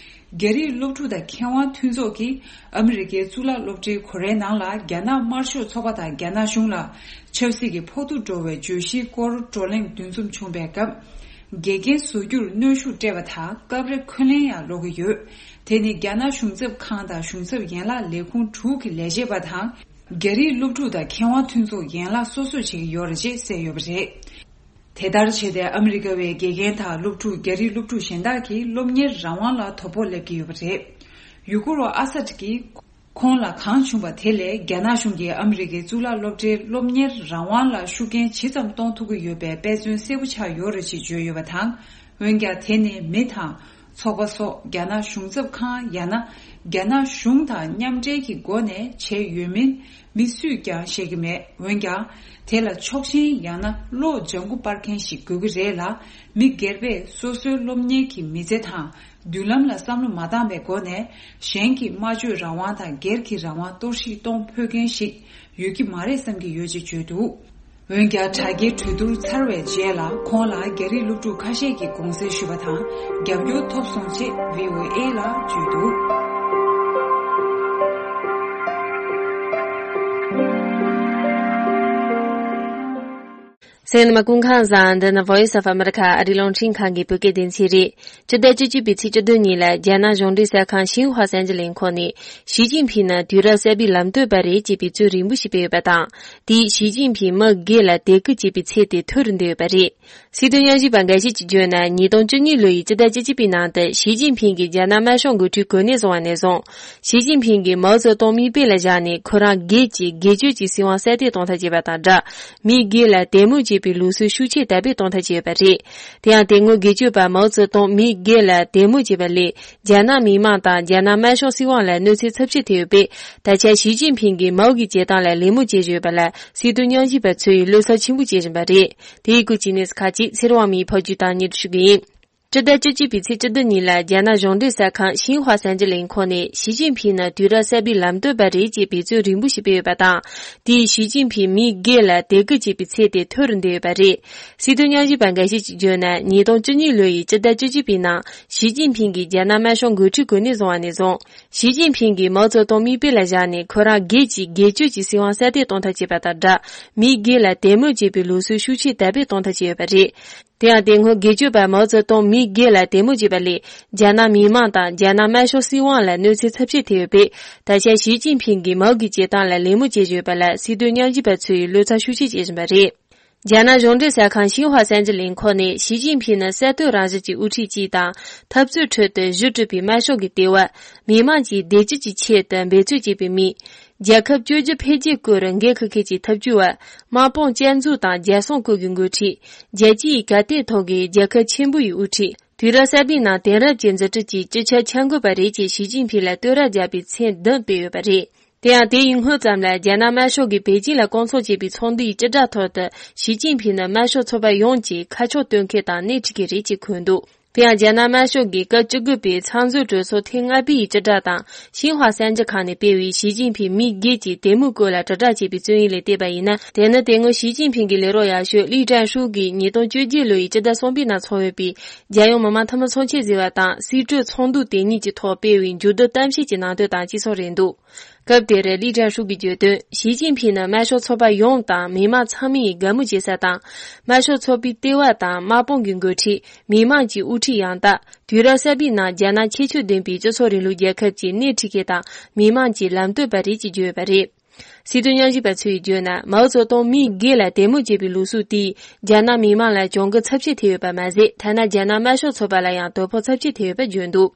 རྒྱ་རིགས་སློབ་ཕྲུག་དང་མཁས་དབང་མཐུན་ཚོགས་ཀྱིས་ཨ་མི་རི་ཀའི་གཙུག་ལག་སློབ་གྲྭའི་སྒོ་རའི་ནང་ལ་རྒྱ་ནག་དམར་ཤོག་ཚོགས་པ་དང་རྒྱ་ནག་གཞུང་ལ་ཆབ་སྲིད་ཀྱི་ཕོག་ཐུག་འགྲོ་བའི་བརྗོད་གཞིའི་སྐོར་བགྲོ་གླེང་འདུ་འཛོམས་བྱུང་པའི་སྐབས། འགལ་རྐྱེན་བཟོ་རྒྱུར་གནོན་ཤུགས་སྤྲད་པ་དང་། སྐབས་རེ་འཁོན་ལན་ཡང་སློག་གི་ཡོད། དེ་ནི་རྒྱ་ནག་གཞུང་ཚབ་ཁང་དང་གཞུང་ཚབ་ཡན་ལག་ལས་ཁུངས་དྲུག་གི་ལས་བྱེད་པ་དང་། རྒྱ་རིགས་སློབ་ཕྲུག་དང་མཁས་དབང་མཐུན་ཚོགས་ཡན་ལག་སོ་སོས་བྱེད་ཀྱི་ཡོད་རེད་ཅེས་གསལ་ཡོད་པ་རེད། དེ་ལྟར་བྱས་ཏེ། ཨ་མི་རི་ཀ་བའི་དགེ་རྒན་དང་སློབ་ཕྲུག་རྒྱ་རིགས་སློབ་ཕྲུག་གཞན་དག་གིས་སློབ་གཉེར་རང་དབང་ལ་དོ་ཕོག་སླེབས་ཀྱི་ཡོད་པ་རེད། ཡུ་གུར་བ་ཨ་སད་ཀྱིས་ཁོང་ལ་གང་བྱུང་བ་དེ་ལས། རྒྱ་ནག་གཞུང་གིས་ཨ་མི་རི་ཀའི་གཙུག་ལག་སློབ་གྲྭའི་སློབ་གཉེར་རང་དབང་ལ་ཤུགས་རྐྱེན་ཇི་ཙམ་གཏོང་ཐུབ་ཀྱི་ཡོད་པའི་དཔེ་མཚོན་གསལ་པོ་ཆགས་ཡོད་རེད་ཅེས་བརྗོད་ཡོད་པ་དང་། འོན་ཀྱང་། དེ་ནི་མི་དང་། ཚོགས་པ་སོགས་རྒྱ་ནག་གཞུང་ཚབ་ཁང་ཡང་ན་རྒྱ་ནག་གཞུང་དང་མཉམ་འབྲེལ་གྱི་སྒོ་ནས་བྱས་ཡོད་མིན་མི་སུས་ཀྱང་ཤེས་ཀྱི་མེད། འོན་ཀྱང་། དེ་ལ་ཕྱོགས་ཞེན་ཡང་ན་བློ་ལྗང་ཁུ་སྤར་མཁན་ཞིག་དགོས་ཀྱི་རེད་ལ། མི་སྒེར་པས་སོ་སོའི་སློབ་གཉེར་གྱི་མི་ཚེ་དང་མདུན་ལམ་ལ་བསམ་བློ་མ་བཏང་བའི་སྒོ་ནས། གཞན་གྱི་སྨྲ་བརྗོད་རང་དབང་དང་སྒེར་གྱི་རང་དབང་གཏོར་བཤིག་གཏོང་ཕོད་མཁན་ཞིག་ཡོད་ཀྱི་མ་རེད་བསམ་གྱི་ཡོད་ཅེས་བརྗོད་འདུག། འོན་ཀྱང་དྲ་རྒྱའི་གྲོས་བསྡུར་ཚར་བའི་རྗེས་ལ་ཁོང་ལ་རྒྱ་རིགས་སློབ་ཕྲུག་ཁ་ཤས་ཀྱིས་དགོངས་སེལ་ཞུས་པ་དང་རྒྱབ་སྐྱོར་ཐོབ་སོང་ཅེས་བྷི་ཨོ་ཨེ་ལ་བརྗོད་འདུག་གསན་མཁན་ལྷན་རྒྱས་ཚང་མ་སྐུ་ཁམས་བཟང་། འདི་ནི་Voice of America ཨ་རིའི་རླུང་འཕྲིན་ཁང་གི་བོད་སྐད་སྡེ་ཚན་རེད། སྤྱི་ཟླ་བཅུ་གཅིག་པའི་ཚེས་བཅུ་བདུན་ཉིན་ལ་རྒྱ་ནག་གཞུང་འབྲེལ་གསར་ཁང་ཤིན་ཧྭ་གསར་འགྱུར་ལས་ཁང་ནས་ཞི་ཅིན་ཕིང་ནི་དུས་རབས་གསར་པའི་ལམ་སྟོན་པ་རེད་ཅེས་པའི་རྩོད་རིང་པོ་ཞིག་སྤེལ་ཡོད་པ་དང་། དེས་ཞི་ཅིན་ཕིང་མི་སྒེར་ལ་དད་གུས་བྱེད་པའི་ཚད་དེ་མཐོ་རུ་འདོན་ཡོད་པ་རེད། སྲིད་དོན་ཉམས་ཞིབ་པ་འགའ་ཞིག་གིས་བརྗོད་ན། ཉིས་སྟོང་བཅུ་གཉིས་ལོ་ཡི་སྤྱི་ཟླ་བཅུ་གཅིག་པའི་ནང་དུ་ཞི་ཅིན་ཕིང་གིས་རྒྱ་ནག་དམར་ཤོག་འགོ་ཁྲིད་གོ་གནས་བཟུང་བ་ནས་བཟུང་། ཞི་ཅིན་ཕིང་གིས་མའོ་ཙེ་ཏུང་མིག་དཔེ་ལ་བཞག་ནས་ཁོ་རང་སྒེར་གྱི་སྒེར་གཅོད་ཀྱི་སྲིད་དབང་གསར་གཏོད་གཏོང་ཐབས་བྱས་པ་དང་སྦྲགས། མི་སྒེར་ལ་དད་མོས་བྱེད་པའི་ལུགས་སྲོལ་ཤུགས་ཆེ་དར་སྤེལ་གཏོང་ཐབས་བྱས་ཡོད་པ་རེད། དེ་ཡང་དེ་སྔོན་སྒེར་གཅོད་པ་མའོ་ཙེ་ཏུང་མི་སྒེར་ལ་དད་མོས་བྱས་པ་ལས། རྒྱ་ནག་མི་དམངས་དང་རྒྱ་ནག་དམར་ཤོག་སྲིད་དབང་ལ་གནོད་འཚེ་ཚབས་ཆེ་ཐེབས་ཡོད་པས། ད་ཆ་ཞི་ཅིན་ཕིང་གིས་མའོ་གི་བྱེད་སྟངས་ལ་ལད་མོ་བྱེད་བཞིན་ཡོད་པ་ལ། སྲིད་དོན་ཉམས་ཞིབ་པ་ཚོས་བློ་འཚབ་ཆེན་པོ་བྱེད་བཞིན་པ་རེད། དེའི་སྐོར་གྱི་གནས་ཚུལ་ཁག་ཅིག་ཚེ་རིང་དབང་མོས་ཕབ་སྒྱུར་དང་སྙན་སྒྲོན་ཞུ་གི་ཡིན། སྤྱི་ཟླ་བཅུ་གཅིག་པའི་ཚེས་བཅུ་བདུན་ཉིན་ལ་རྒྱ་ནག་གཞུང་འབྲེལ་གསར་ཁང་ཤིན་ཧྭ་གསར་འགྱུར་ལས་ཁང་ནས་ཞི་ཅིན་ཕིང་ནི་དུས་རབས་གསར་པའི་ལམ་སྟོན་པ་རེད་ཅེས་འབད་བརྩོན་རིང་པོ་ཞིག་སྤེལ་ཡོད་པ་དང་། དེས་ཞི་ཅིན་ཕིང་མི་སྒེར་ལ་དད་གུས་བྱེད་པའི་ཚད་དེ་མཐོ་རུ་འདོན་ཡོད་པ་རེད། སྲིད་དོན་ཉམས་ཞིབ་པ་འགའ་ཞིག་གིས་བརྗོད་ན། ཉིས་སྟོང་བཅུ་གཉིས་ལོ་ཡི་སྤྱི་ཟླ་བཅུ་གཅིག་པའི་ནང་ཞི་ཅིན་ཕིང་གིས་རྒྱ་ནག་དམར་ཤོག་འགོ་ཁྲིད་གོ་གནས་བཟུང་བ་ནས་བཟུང་། ཞི་ཅིན་ཕིང་གིས་མའོ་ཙེ་ཏུང་མིག་དཔེ་ལ་བཞག་ནས་ཁོ་རང་སྒེར་གྱི་སྒེར་གཅོད་ཀྱི་སྲིད་དབང་གསར་གཏོད་གཏོང་ཐབས་བྱས་པ་དང་སྦྲགས། མི་སྒེར་ལ་དད་མོས་བྱེད་པའི་ལུགས་སྲོལ་ཤུགས་ཆེ་དར་སྤེལ་གཏོང་ཐབས་བྱས་ཡོད་པ་རེད། དེ་ཡང་དེ་སྔོན་སྒེར་གཅོད་པ་མའོ་ཙེ་ཏུང་མི་སྒེར་ལ་དད་མོས་བྱས་པ་ལས། རྒྱ་ནག་མི་དམངས་དང་རྒྱ་ནག་དམར་ཤོག་སྲིད་དབང་ལ་གནོད་འཚེ་ཚབས་ཆེ་ཐེབས་ཡོད་པས། ད་ཆ་ཞི་ཅིན་ཕིང་གིས་མའོ་གི་བྱེད་སྟངས་ལ་ལད་མོ་བྱེད་བཞིན་ཡོད་པ་ལ། སྲིད་དོན་ཉམས་ཞིབ་པ་ཚོས་བློ་འཚབ་ཤུགས་ཆེ་བྱེད་བཞིན་པ་རེད། རྒྱ་ནག་གཞུང་འབྲེལ་གསར་ཁང་ཤིན་ཧྭ་གསར་འགྱུར་ལས་ཁང་ནས་ཞི་ཅིན་ཕིང་ནི་གསར་གཏོད་རང་བཞིན་གྱི་དབུ་ཁྲིད་ཅིག་དང་། འཐབ་རྩོད་ཁྲོད་དུ་གཞི་གྲུབ་པའི་དམར་ཤོག་གི་ལྟེ་བ། མི་དམངས་ཀྱི་བདེ་སྐྱིད་ཀྱི་ཆེད་དུ་འབད་རྩོལ་བྱེད་པའི་མི། རྒྱལ་ཁབ་བཅོས་བསྒྱུར་འཕེལ་རྒྱས་སྐོར་འགན་འཁུར་མཁན་གྱི་ཐབས་ཇུས་པ། དམག་དཔུང་བསྐྱར་འཛུགས་དང་རྒྱལ་སྲུང་སྐོར་གྱི་འགོ་ཁྲིད། རྒྱལ་སྤྱིའི་གར་སྟེགས་ཐོག་གི་རྒྱལ་ཁབ་ཆེན་པོ་ཡི་དབུ་ཁྲིད། དུས་རབས་གསར་པའི་ནང་དེང་རབས་ཅན་འཛུགས་སྐྲུན་གྱི་སྤྱི་ཁྱབ་འཆར་འགོད་པ་རེད་ཅེས་ཞི་ཅིན་ཕིང་ལ་བསྟོད་ར་བརྒྱབ་པའི་མཚན་བདུན་སྤེལ་ཡོད་པ་རེད། དེ་ཡང་དེ་ཡི་སྔོན་ཙམ་ལ་རྒྱ་ནག་དམར་ཤོག་གིས་པེ་ཅིང་ལ་སྐོང་ཚོགས་བྱས་པའི་ཚོགས་འདུ་ཡི་སྤྱི་བསྒྲགས་ཐོག་ཏུ་ཞི་ཅིན་ཕིང་ནི་དམར་ཤོག་ཚོགས་པ་ཡོངས་ཀྱི་ཁ་ཕྱོགས་སྟོན་མཁན་དང་སྣེ་ཁྲིད་མཁན་རེད་ཅེས་འཁོད་འདུག་དེ་ཡང་རྒྱ་ནག་དམར་ཤོག་གིས་སྐབས་བཅུ་དགུ་པའི་ཚང་འཛོམས་གྲོས་ཚོགས་ཐེངས་ལྔ་པའི་ཡི་སྤྱི་བསྒྲགས་དང་ཤིན་ཧྭ་གསར་འགྱུར་ཁང་ནས་སྤེལ་བའི་ཞི་ཅིན་ཕིང་མི་སྒེར་གྱི་དད་མོས་སྐོར་ལ་དྲིལ་བསྒྲགས་བྱས་པའི་རྩོམ་ཡིག་ལ་བལྟས་པ་ཡིན་ན། དེ་ནི་དེ་སྔོན་ཞི་ཅིན་ཕིང་གི་ལས་རོགས་ཡག་ཤོས་ལི་ཀྲན་ཧྲུའུ་གིས་ཉིས་སྟོང་བཅོ་བརྒྱད་ལོ་ཡི་སྤྱི་ཟླ་གསུམ་པའི་ནང་འཚོགས་ཡོད་པའི་རྒྱལ་ཡོངས་མི་དམངས་འཐུས་མི་ཚོགས་ཆེན་ཟེར་བ་དང་སྲིད་གྲོས་ཚོགས་འདུ་དེ་གཉིས་ཀྱི་ཐོག་སྤེལ་བའི་མཇུག་བསྡུ་གཏམ་བཤད་ཀྱི་ནང་དོན་དང་གཅིག་མཚུངས་རེད་འདུག་སྐབས་དེར་ལི་ཀྲན་ཧྲུའུ་གིས་བརྗོད་དོན། ཞི་ཅིན་ཕིང་ནི་དམར་ཤོག་ཚོགས་པ་ཡོངས་དང་མི་དམངས་ཚང་མའི་དགའ་མོས་བྱེད་ས་དང་། དམར་ཤོག་ཚོགས་པའི་ལྟེ་བ་དང་དམག་དཔུང་གི་འགོ་ཁྲིད། མི་དམངས་ཀྱི་དབུ་ཁྲིད་ཡང་དག་དུས་རབས་གསར་པའི་ནང་རྒྱ་ནག་ཁྱད་ཆོས་ལྡན་པའི་སྤྱི་ཚོགས་རིང་ལུགས་རྒྱལ་ཁབ་ཀྱི་སྣེ་ཁྲིད་མཁན་དང་མི་དམངས་ཀྱི་ལམ་སྟོན་པ་རེད་ཅེས་བརྗོད་ཡོད་པ་རེད། སྲིད་དོན་ཉམས་ཞིབ་པ་ཚོས་བརྗོད་ན། མའོ་ཙེ་ཏུང་མིའི་སྒེར་ལ་དད་མོས་བྱེད་པའི་ལུགས་སྲོལ་དེས་རྒྱ་ནག་མི་དམངས་ལ་གྱོང་གུན་ཚབས་ཆེ་ཐེབས་ཡོད་པ་མ་ཟད། ཐ་ན་རྒྱ་ནག་དམར་ཤོག་ཚོགས་པ་ལ་ཡང་དོ་ཕོག་ཚབས་ཆེ་ཐེབས་ཡོད་པ་བརྗོད་འདུག་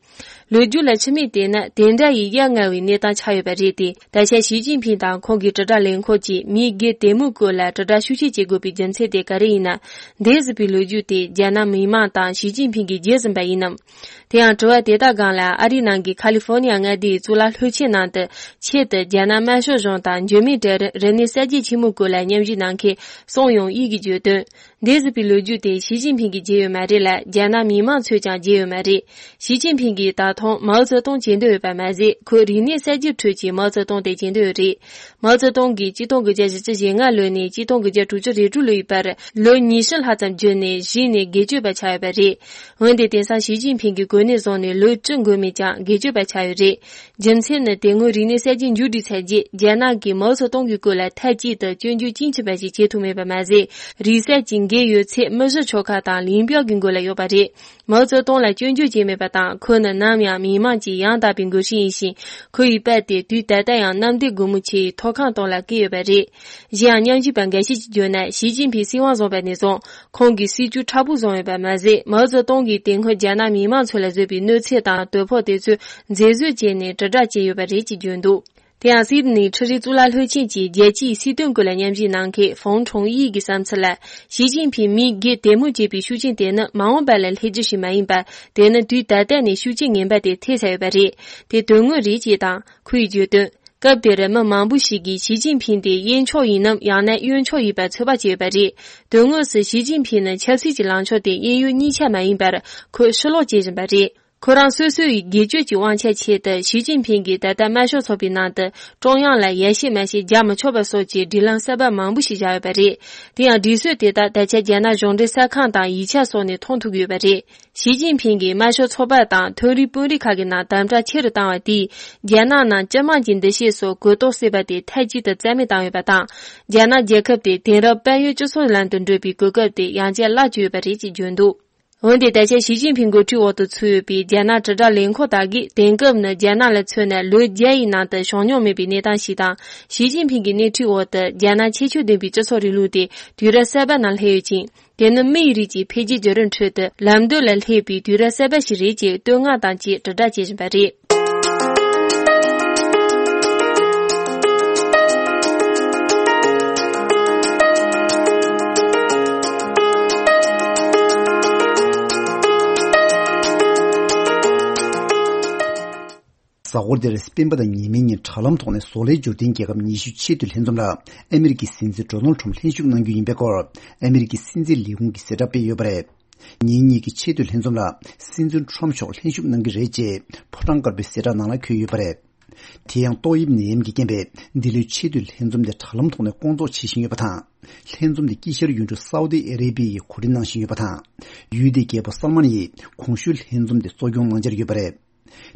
ལོ་རྒྱུས་ལ་ཆི་མེད་བལྟས་ན། དེ་འདྲ་ཡི་ཡ་ང་བའི་གནས་སྟངས་ཆགས་ཡོད་པ་རེད་དེ། ད་ཆ་ཞི་ཅིན་ཕིང་དང་ཁོང་གི་དྲིལ་བསྒྲགས་ལས་ཁུངས་ཀྱིས་མིའི་སྒེར་དད་མོས་སྐོར་ལ་དྲིལ་བསྒྲགས་ཤུགས་ཆེ་བྱེད་དགོས་པའི་རྒྱུ་མཚན་དེ་ག་རེ་ཡིན་ན། འདས་ཟིན་པའི་ལོ་རྒྱུས་དེ་རྒྱ་ནག་མི་དམངས་དང་ཞི་ཅིན་ཕིང་གིས་བརྗེད་ཟིན་པ་ཡིན་ནམ། དེ་ཡང་དྲི་བ་དེ་དག་སྒང་ལ། ཨ་རིའི་ནང་གི་ཁ་ལི་ཧྥོ་ནི་ཡ་མངའ་སྡེའི་གཙུག་ལག་སློབ་ཆེན་ནང་དུ་ཆེད་དུ་རྒྱ་ནག་དམར་ཤོག་གཞུང་དང་འཇིགས་མེད་གྲལ་རིམ་རིག་གནས་གསར་བརྗེ་ཆེན་མོའི་སྐོར་ལ་མཉམ་ཞུགས་གནང་མཁན་སུང་ཡུང་དབྱི་གིས་བརྗོད་དོན། འདས་ཟིན་པའི་ལོ་རྒྱུས་དེ་ཞི་ཅིན་ཕིང་གིས་བརྗེད་ཡོད་མ་རེད་ལ། རྒྱ་ནག་མི་དམངས་ཚོས་ཀྱང་བརྗེད་ཡོད་མ་རེད། ཞི་ཅིན་ཕིང་གིས་ད་དུང་མའོ་ཙེ་ཏུང་བརྗེད་འདོད་ཡོད་པ་མ་ཟད། ཁོས་རིག་གནས་གསར་བརྗེའི་ཁྲོད་ཀྱི་མའོ་ཙེ་ཏུང་དེ་བརྗེད་འདོད་ཡོད་རེད། མའོ་ཙེ་ཏུང་གིས་གཅིག་སྟོང་དགུ་བརྒྱ་བཞི་བཅུ་ཞེ་ལྔ་ལོ་ནས་གཅིག་སྟོང་དགུ་བརྒྱ་དྲུག་ཅུ་རེ་དྲུག་ལོ་ཡི་བར་ལོ་ཉི་ཤུ་ལྷག་ཙམ་བརྒྱུད་ནས་གཞི་ནས་སྒེར་གཅོད་པ་ཆགས་ཡོད་པ་རེད། འོན་ཏེ་དེང་སང་ཞི་ཅིན་ཕིང་གིས་གོ་གནས་བཟུང་ནས་ལོ་བཅུ་འགོར་མེད་ཀྱང་སྒེར་གཅོད་པ་ཆགས་ཡོད་རེད། རྒྱུ་མཚན་ནི་དེ་སྔོན་རིག་གནས་གསར་བརྗེ་མཇུག་སྒྲིལ་ཚར་རྗེས་རྒྱ་ནག་གིས་མའོ་ཙེ་ཏུང་གི་སྐོར་ལ་མཐའ་གཅིག་ཏུ་སྐྱོན་བརྗོད་ཅིའང་མེད་པ་ཞིག་བྱེད་ཐུབ་མེད་པ་མ་ཟད། རིག་གསར་གྱི་འགན་ཡོད་ཚད་མི་བཞི་ཆོལ་ཁ་དང་ལིན་པའོ་གི་མགོ་ལ་ཡོད་པ་རེད། མའོ་ཙེ་ཏུང་ལ་སྐྱོན་བརྗོད་བྱས་མེད་པ་དང་། ཁོ་ནི་ནམ་ཡང་མི་དམངས་ཀྱི་ཡང་དག་པའི་འགོ་ཁྲིད་ཡིན་ཞིང་། ཁོ་ཡི་པར་དེ་དུས་ད་ལྟ་ཡང་གནམ་བདེ་སྒོ་མོ་ཆེའི་ཐོག་ཁང་སྟེང་ལ་བཀལ་ཡོད་པ་རེད། གཞན་ཡང་མཉམ་ཞུགས་པ་འགའ་ཤས་ཀྱིས་བརྗོད་ན། ཞི་ཅིན་ཕིང་སྲིད་དབང་བཟུང་བ་ནས་བཟུང་ཁོང་གིས་སྲིད་ཇུས་མཁྲེགས་པོ་བཟུང་ཡོད་པ་མ་ཟད། མའོ་ཙེ་ཏུང་གིས་དེ་སྔོན་རྒྱ་ནག་མི་དམངས་ཚོ་ལ་བཟོས་པའི་གནོད་འཚེ་དང་དོ་ཕོག་དེ་ཚོའི་མཛེས་བཟོ་བྱས་ནས་དྲིལ་བསྒྲགས་བྱས་ཡོད་པ་རེད་ཅེས་བརྗོད་འདུག་དེ་ཡང་སིད་ནི་ཁྲི་རི་གཙུག་ལག་སློབ་ཆེན་གྱི་རྒྱལ་སྤྱིའི་སྲིད་དོན་སྐོར་ལ་མཉམ་ཞུགས་གནང་མཁན་ཧྥང་ཁྲུང་དབྱི་གི་བསམ་ཚུལ་ལ། ཞི་ཅིན་ཕིང་མིའི་སྒེར་དད་མོས་བྱེད་པའི་ཤུགས་རྐྱེན་དེ་ནི་མ་འོངས་པ་ལ་སླེབས་རྒྱུ་ཞིག་མ་ཡིན་པར། དེ་ནི་དུས་ད་ལྟ་ནས་ཤུགས་རྐྱེན་ངན་པ་དེ་ཐེབས་ཚར་ཡོད་པ་རེད། དེ་དོན་དངོས་རེད་ཅེས་དང་། ཁོ་ཡིས་བརྗོད་དོན། སྐབས་དེར་མི་མང་པོ་ཞིག་གིས་ཞི་ཅིན་ཕིང་དེ་གཡས་ཕྱོགས་ཡིན་ནམ་ཡང་ན་གཡོན་ཕྱོགས་ཡིན་པར་ཚོད་དཔག་བྱས་ཡོད་པ་རེད། དོན་དངོས་སུ་ཞི་ཅིན་ཕིང་ནི་ཆབ་སྲིད་ཀྱི་ལངས་ཕྱོགས་དེ་གཡས་གཡོན་གཉིས་ཆ་མ་ཡིན་པར་ཁོས་ཕྱིར་ལོག་བྱེད་བཞིན་པ་རེད། ཁོ་རང་སོ་སོ་ཡི་སྒེར་གཅོད་ཀྱི་དབང་ཆ་ཆེད་དུ་ཞི་ཅིན་ཕིང་གིས་ད་ལྟ་དམར་ཤོག་ཚོགས་པའི་ནང་དུ་ཀྲུང་དབྱང་ལ་ཡར་ཞུ་མར་ཞུ་རྒྱག་མི་ཆོག་པ་སོགས་ཀྱི་སྒྲིག་ལམ་གསར་པ་མང་པོ་ཞིག་བཞག་ཡོད་པ་རེད། དེ་ཡང་སྒྲིག་སྲོལ་དེ་དག་ད་ཆ་རྒྱ་ནག་གཞུང་འབྲེལ་གསར་ཁང་དང་ཡིག་ཆ་སོགས་ནས་མཐོང་ཐུབ་ཀྱི་ཡོད་པ་རེད། ཞི་ཅིན་ཕིང་གིས་དམར་ཤོག་ཚོགས་པ་དང་མཐོ་རིམ་དཔོན་རིགས་ཁག་གི་ནང་དམ་དྲག་ཆེ་རུ་བཏང་བ་དེས་རྒྱ་ནག་ནང་སྤྱི་དམངས་ཀྱི་འདུ་ཤེས་སོགས་གུ་དོག་སྲིད་པ་དེ་མཐའ་གཅིག་ཏུ་རྩ་མེད་བཏང་ཡོད་པ་དང་། རྒྱ་ནག་རྒྱལ་ཁབ་དེ་དེང་རབས་དཔལ་ཡོན་སྤྱི་ཚོགས་ལམ་དུ་འགྲོ་བའི་གོ་སྐབས་དེ་ཡང་བསྐྱར་བརླག་བཅུག་ཡོད་པ་རེད་ཅེས་བརྗོད་འདུག་འོན་ཏེ་ད་ཆ་ཞི་ཅིན་ཕིང་འགོ་ཁྲིད་འོག་ཏུ་ཚུད་ཡོད་པའི་རྒྱ་ནག་དྲིལ་བསྒྲགས་ལས་ཁུངས་དག་གིས་དེང་སྐབས་ནི་རྒྱ་ནག་ལ་མཚོན་ན་ལོ་བརྒྱ་ཡི་ནང་དུ་བྱུང་མྱོང་མེད་པའི་གནས་སྟངས་ཤིག་དང་། ཞི་ཅིན་ཕིང་གི་སྣེ་ཁྲིད་འོག་ཏུ་རྒྱ་ནག་ཁྱད་ཆོས་ལྡན་པའི་སྤྱི་ཚོགས་རིང་ལུགས་དེ་དུས་རབས་གསར་པ་ནང་སླེབས་ཡོད་ཅིང་། དེ་ནི་མི་ཡི་རིགས་ཀྱི་འཕེལ་རྒྱས་བརྒྱུད་རིམ་ཁྲོད་དུ་ལམ་སྟོན་ལ་སླེབས་པའི་དུས་རབས་གསར་པ་ཞིག་རེད་ཅེས་བསྟོད་བསྔགས་དང་བཅས་དྲིལ་བསྒྲགས་བྱེད་བཞིན་པ་རེད། གཟའ་འཁོར་འདིར་སྤེན་པ་དང་ཉེ་མིན་གཉིས་དྲ་ལམ་ཐོག་ནས་བཟོ་ལས་འབྱོར་ལྡན་རྒྱལ་ཁབ་ཉི་ཤུ་ཆེས་མཐོའི་ལྷན་འཛོམས་ལ་ཨ་མི་རི་ཀའི་སྲིད་འཛིན་ཌོ་ནལ་ཁྲོམ་ལྷན་ཞུགས་གནང་རྒྱུ་ཡིན་པའི་སྐོར་ཨ་མི་རི་ཀའི་སྲིད་འཛིན་ལས་ཁུངས་ཀྱིས་གསལ་བསྒྲགས་སྤེལ་ཡོད་པ་རེད། ཉིན་གཉིས་ཀྱི་ཆེས་མཐོའི་ལྷན་འཛོམས་ལ་སྲིད་འཛིན་ཁྲོམ་མཆོག་ལྷན་ཞུགས་གནང་གི་རེད་ཅེས་ཕོ་བྲང་དཀར་པོའི་གསལ་བསྒྲགས་ནང་ལ་འཁོད་ཡོད་པ་རེད། དེ་ཡང་ཏོག་དབྱིབས་ནད་ཡམས་ཀྱི་རྐྱེན་པས་འདི་ལོའི་ཆེས་མཐོའི་ལྷན་འཛོམས་དེ་དྲ་ལམ་ཐོག་ནས་སྐོང་ཚོགས་བྱེད་བཞིན་ཡོད་པ་དང་། ལྷན་འཛོམས་དེ་དཀྱིལ་ཤར་ཡུལ་གྲུ་སའུ་ཏི་ཨ་རེ་བྷི་ཡས་གོ་སྒྲིག་གནང་བཞིན་ཡོད་པ་དང་། ཡུལ་དེའི་རྒྱལ་པོ་སལ་མན་ཡིས་གོང་ཞུས་ལྷན་འཛོམས་དེ་གཙོ་སྐྱོང་གནང་འཆར་ཡོད་པ་རེད།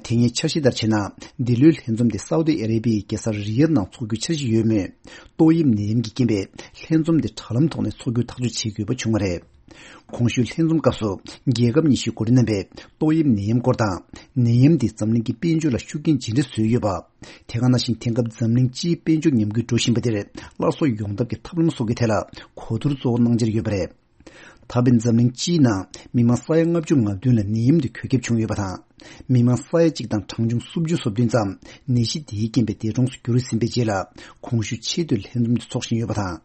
དེ་སྔའི་འཆར་གཞི་ལྟར་བྱས་ན། འདི་ལོའི་ལྷན་འཛོམས་དེ་སའུ་ཏི་ཨ་རེ་བྷི་ཡའི་རྒྱལ་ས་རི་ཡད་ནང་འཚོགས་རྒྱུའི་འཆར་གཞི་ཡོད་མོད། ཏོག་དབྱིབས་ནད་ཡམས་ཀྱི་རྐྱེན་པས་ལྷན་འཛོམས་དེ་དྲ་ལམ་ཐོག་ནས་འཚོགས་རྒྱུའི་ཐག་གཅོད་བྱེད་དགོས་པ་བྱུང་བ་རེད། གོང་ཞུས་ལྷན་འཛོམས་སྐབས་སུ་རྒྱལ་ཁབ་ཉི་ཤུའི་འགོ་ཁྲིད་རྣམ་པས་ཏོག་དབྱིབས་ནད་ཡམས་སྐོར་དང་། ནད་ཡམས་འདིས་འཛམ་གླིང་གི་དཔལ་འབྱོར་ལ་ཤུགས་རྐྱེན་ཇི་འདྲ་བཟོས་ཡོད་པ། དེ་ག་ནང་བཞིན་དེང་སྐབས་འཛམ་གླིང་སྤྱིའི་དཔལ་འབྱོར་ཉམས་རྒུད་འགྲོ་བཞིན་པ་དེར་སླར་གསོ་ཡོང་ཐབས་ཀྱི་ཐབས་ལམ་སོགས་ཀྱི་ཐད་ལ་གོ་བསྡུར་གཙོ་བོ་གནང་འཆར་ཡོད་པ་རེད། ད་ཕན་འཛམ་གླིང་སྤྱིའི་ནང་མི་མང་ས་ཡ་ལྔ་བཅུ་ང་བདུན་ལ་ནད་ཡམས་དེ་འགོས་ཁྱབ་བྱུང་ཡོད་པ་དང་། མི་མང་ས་ཡ་གཅིག་དང་གྲངས་ཆུང་སུམ་ཅུ་སོ་བདུན་ཙམ་ནད་གཞི་དེའི་རྐྱེན་པས་འདས་གྲོངས་སུ་གྱུར་ཟིན་པའི་རྗེས་ལ་གོང་ཞུས་ཆེས་མཐོའི་ལྷན་འཛོམས་དེ་འཚོགས་བཞིན་ཡོད་པ་དང་།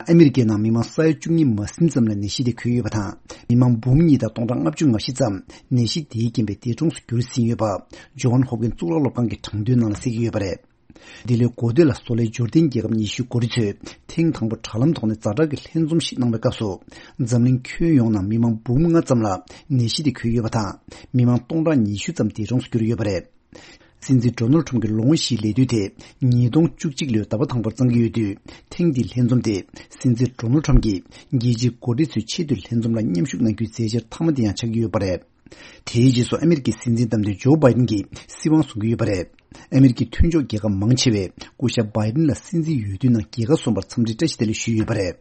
ཨ་མི་རི་ཀའི་ནང་མི་མང་ས་ཡ་བཅུ་གཉིས་མ་ཟིན་ཙམ་ལ་ནད་གཞི་དེ་འགོས་ཡོད་པ་དང་། མི་མང་འབུམ་གཉིས་དང་སྟོང་ཕྲག་ལྔ་བཅུ་ང་བཞི་ཙམ་ནད་གཞི་དེའི་རྐྱེན་པས་འདས་གྲོངས་སུ་གྱུར་ཟིན་ཡོད་པ། ཇོན་ཧོབ་ཀིན་གཙུག་ལག་སློབ་ཁང་གི་དྲང་དོན་ནང་ལ་གསལ་གྱི་ཡོད་པ་རེད། འདི་ལོའི་འགོ་སྟོད་ལ་བཟོ་ལས་འབྱོར་ལྡན་རྒྱལ་ཁབ་ཉི་ཤུའི་འགོ་ཁྲིད་ཚོས་ཐེངས་དང་པོ་དྲ་ལམ་ཐོག་ནས་ཛ་དྲག་གི་ལྷན་འཛོམས་ཤིག་གནང་བའི་སྐབས་སུ། འཛམ་གླིང་ཁྱོན་ཡོངས་ནང་མི་མང་འབུམ་ལྔ་ཙམ་ལ་ནད་གཞི་དེ་འགོས་ཡོད་པ་དང་། མི་མང་སྟོང་ཕྲག་ཉི་ཤུ་ཙམ་འདས་གྲོངས་སུ་གྱུར་ཡོད་པ་རེད། སྲིད་འཛིན་ཌོ་ནལ་ཁྲོམ་གྱི་ལོ་ངོ་བཞིའི་ལས་དུས་དེ་ཉིས་སྟོང་བཅུ་གཅིག་ལོའི་ཟླ་བ་དང་པོར་བརྩམས་ཀྱི་ཡོད་དུས། ཐེངས་འདིའི་ལྷན་འཛོམས་དེ་སྲིད་འཛིན་ཌོ་ནལ་ཁྲོམ་གྱིས་རྒྱལ་སྤྱིའི་འགོ་ཁྲིད་ཚོའི་ཆེས་མཐོའི་ལྷན་འཛོམས་ལ་མཉམ་ཞུགས་གནང་རྒྱུའི་མཛད་འཆར་མཐའ་མ་དེ་ཡང་ཆགས་ཀྱི་ཡོད་པ་རེད། དེའི་རྗེས་སུ་ཨ་མི་རི་ཀའི་སྲིད་འཛིན་བདམས་ཐོན་ཇོ་བྷའི་ཏིན་གྱིས་སྲིད་དབང་བཟུང་གི་ཡོད་པ་རེད། ཨ་མི་རི་ཀའི་མཐུན་ཕྱོགས་རྒྱལ་ཁབ་མང་ཆེ་བས་སྐུ་ཞབས་བྷའི་ཏིན་ལ་སྲིད་འཛིན་འོས་བསྡུའི་ནང་རྒྱལ་ཁ་སོན་པར་འཚམས་འདྲི་བཀྲ་ཤིས་བདེ་ལེགས་ཞུས་ཡོད་པ་རེད།